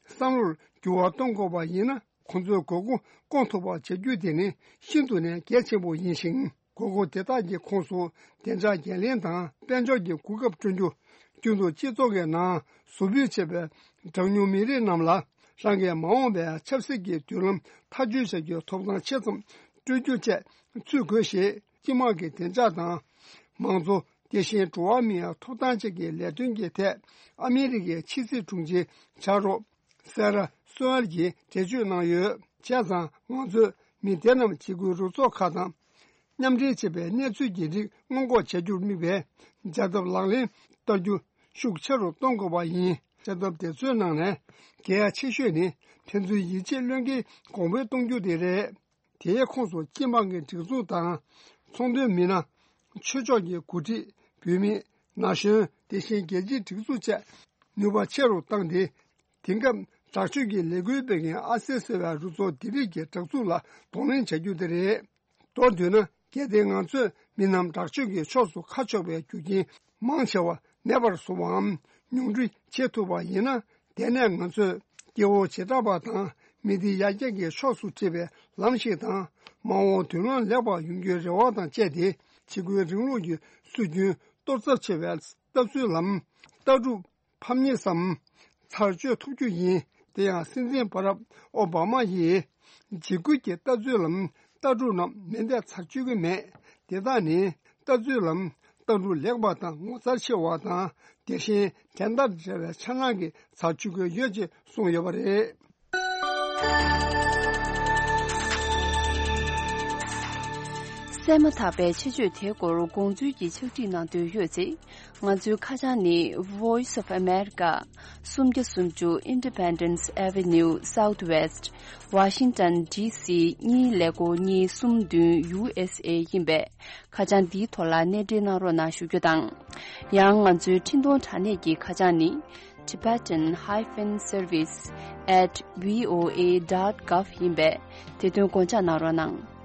བསམ་བློར་འགྱུར་བ་གཏོང་དགོས་པ་ཡིན་ན། ཁོང་ཚོའི་དགོས་མཁོ་སྐོང་ཐུབ་པ་བྱ་རྒྱུ་དེ་ནི་ཤིན་ཏུ་ནས་གལ་ཆེན་པོ་ཡིན་ཞིང་། དགོས་མཁོ་དེ་དག་གི་ཁོངས་སུ་བདེ་འཇགས་འགན་ལེན་དང་དཔལ་འབྱོར་གྱི་གོ་སྐབས་བསྐྲུན་རྒྱུ། རྒྱུན་དུ་སྤྱི་ཚོགས་ཀྱི་ནང་གཟུགས་པོའི་བྱེད་པའི་གྲངས་ཉུང་མི་རིགས་རྣམས་ལ་རང་གི་མ་འོངས་པའི་ཆབ་སྲིད་ཀྱི་མདུན་ལམ་ཐག་གཅོད་བྱ་རྒྱུའི་ཐོབ་ཐང་ཆེ་ཙམ་སྤྲོད་རྒྱུ་བཅས་ཚུད་དགོས་ཞེས། སྤྱི་དམངས་ཀྱི་བདེ་འཇགས་དང་། མང་གཙོ། དེ་བཞིན་འགྲོ་བ་མིའི་ཐོབ་ཐང་བཅས་ཀྱི་ལས་དོན་གྱི་ཐད་ཨ་མི་རི་ཀའི་ཕྱི་སྲིད་དྲུང་ཆེ་ཆགས་རོགས། སེ་ར་སོལ་གྱིས་འགྲེལ་བརྗོད་གནང་ཡོད། བྱས་ཙང་ང་ཚོས་མི་སྡེ་རྣམས་འཇིགས་སྐུལ་རུ་ཚོགས་ཁག་དང་མཉམ་འབྲེལ་བྱས་པའི་གནས་ཚུལ་གྱི་རིགས་སྔོན་འགོག་བྱ་རྒྱུར་དམིགས་པའི་བྱ་ཐབས་ལག་ལེན་བསྟར་རྒྱུ་ཤུགས་ཆེ་རུ་གཏོང་དགོས་པ་ཡིན། བྱ་ཐབས་དེ་ཚོའི་ནང་ནས་གལ་ཆེ་ཤོས་ནི་ཕན་ཚུན་ཡིད་ཆེས་བློས་འགེལ་གོང་འཕེལ་གཏོང་རྒྱུ་དེ་རེད། དེའི་ཁོངས་སུ་སྤྱི་དམངས་ཀྱི་སྒྲིག་འཛུགས་དང་། ཚོང་དོན་མི་སྣ། ཆོས་ཕྱོགས་ཀྱི་འགོ་ཁྲིད། བུད་མེད། ན་གཞོན། དེ་བཞིན་རྒྱལ་སྤྱིའི་སྒྲིག་འཛུགས་བཅས་ནུས་པ་ཆེ་རུ་བཏང་སྟེ། དེང་སྐབས་དྲག་སྤྱོད་ཀྱི་ལས་འགུལ་སྤེལ་མཁན་ཨ་སེ་ཟེར་བའི་རུ་ཚོགས་འདི་རིགས་ཀྱི་དྲག་འཛུགས་ལ་གདོང་ལེན་བྱ་རྒྱུ་དེ་རེད། མདོར་བསྡུས་ན། གལ་ཏེ་ང་ཚོས་མི་རྣམས་དྲག་སྤྱོད་ཀྱི་ཕྱོགས་སུ་ཁ་ཕྱོགས་པའི་རྒྱུ་རྐྱེན་མང་ཆེ་བ་མེད་པར་བཟོ་བའམ་ཉུང་འཕྲི་བྱེད་ཐུབ་པ་ཡིན་ན། དེ་ནས་ང་ཚོས་སྐྱེ་བོ་བྱེ་བྲག་པ་དང་མི་སྡེ་ཡར་རྒྱས་ཀྱི་ཕྱོགས་སུ་ཁྲིད་པའི་ལམ་ཞིག་དང་། མ་འོངས་མདུན་ལམ་ལེགས་པ་ཡོང་རྒྱུའི་རེ་བ་དང་བཅས་ཏེ། འཇིགས་སྐུལ་རིང་ལུགས་ཀྱི་སྲོལ་རྒྱུན་གཏོར་ཚབས་ཆེ་བའི་ལྟ་ཚུལ་ལམ་ལྟ་གྲུབ་ཕམ་ཉེས་སམ་ཚར་གཅོད་ཐུབ་རྒྱུ་ཡིན། དེ་ཡང་སྲིད་འཛིན་བྷ་རག་ཨོ་བྷ་མ་ཡིས་འཇིགས་སྐུལ་གྱི་ལྟ་ཚུལ་ལམ་ལྟ་གྲུབ་རྣམས་མེ་མདས་ཚར་གཅོད་ཀྱི་མེད། དེ་དག་ནི་ལྟ་ཚུལ་ལམ་ལྟ་གྲུབ་ལེགས་པ་དང་ངོ་མཚར་ཆེ་བ་དང་། དེ་བཞིན་དྲན་དང་བྲལ་བའི་འཆར་སྣང་གིས་ཚར་གཅོད་ཀྱི་ཡོད་ཅེས་གསུངས་ཡོད་པ་རེད། གསན་མ་ཐག་པའི་ཆེད་བརྗོད་དེའི་སྐོར་དགོངས་ཚུལ་གྱི་ཕྱག་བྲིས་གནང་འདོད་ཡོད་ཚེ། ང་ཚོའི་ཁ་བྱང་ནི། Voice of America། སུམ་བརྒྱ་སུམ་ཅུ། Independence Avenue Southwest། Washington D C གཉིས་ཀླད་ཀོར་གཉིས་གསུམ་བདུན། U S A ཡིན་པས། ཁ་བྱང་འདིའི་ཐོག་ལ་གནས་འབྲེལ་གནང་རོགས་གནང་ཞུ་རྒྱུ་དང་། ཡང་ང་ཚོའི་འཕྲིན་གཏོང་དྲ་གནས་ཀྱི་ཁ་བྱང་ནི། Tibetan hyphen service at V O A dot gov ཡིན་པས། དེ་དོན་དགོངས་འཇགས་གནང་རོགས་གནང་།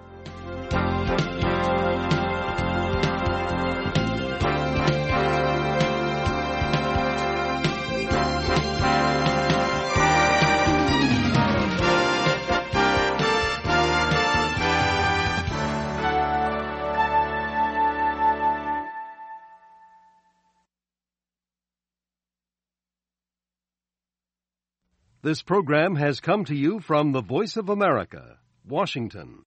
This program has come to you from the Voice of America, Washington.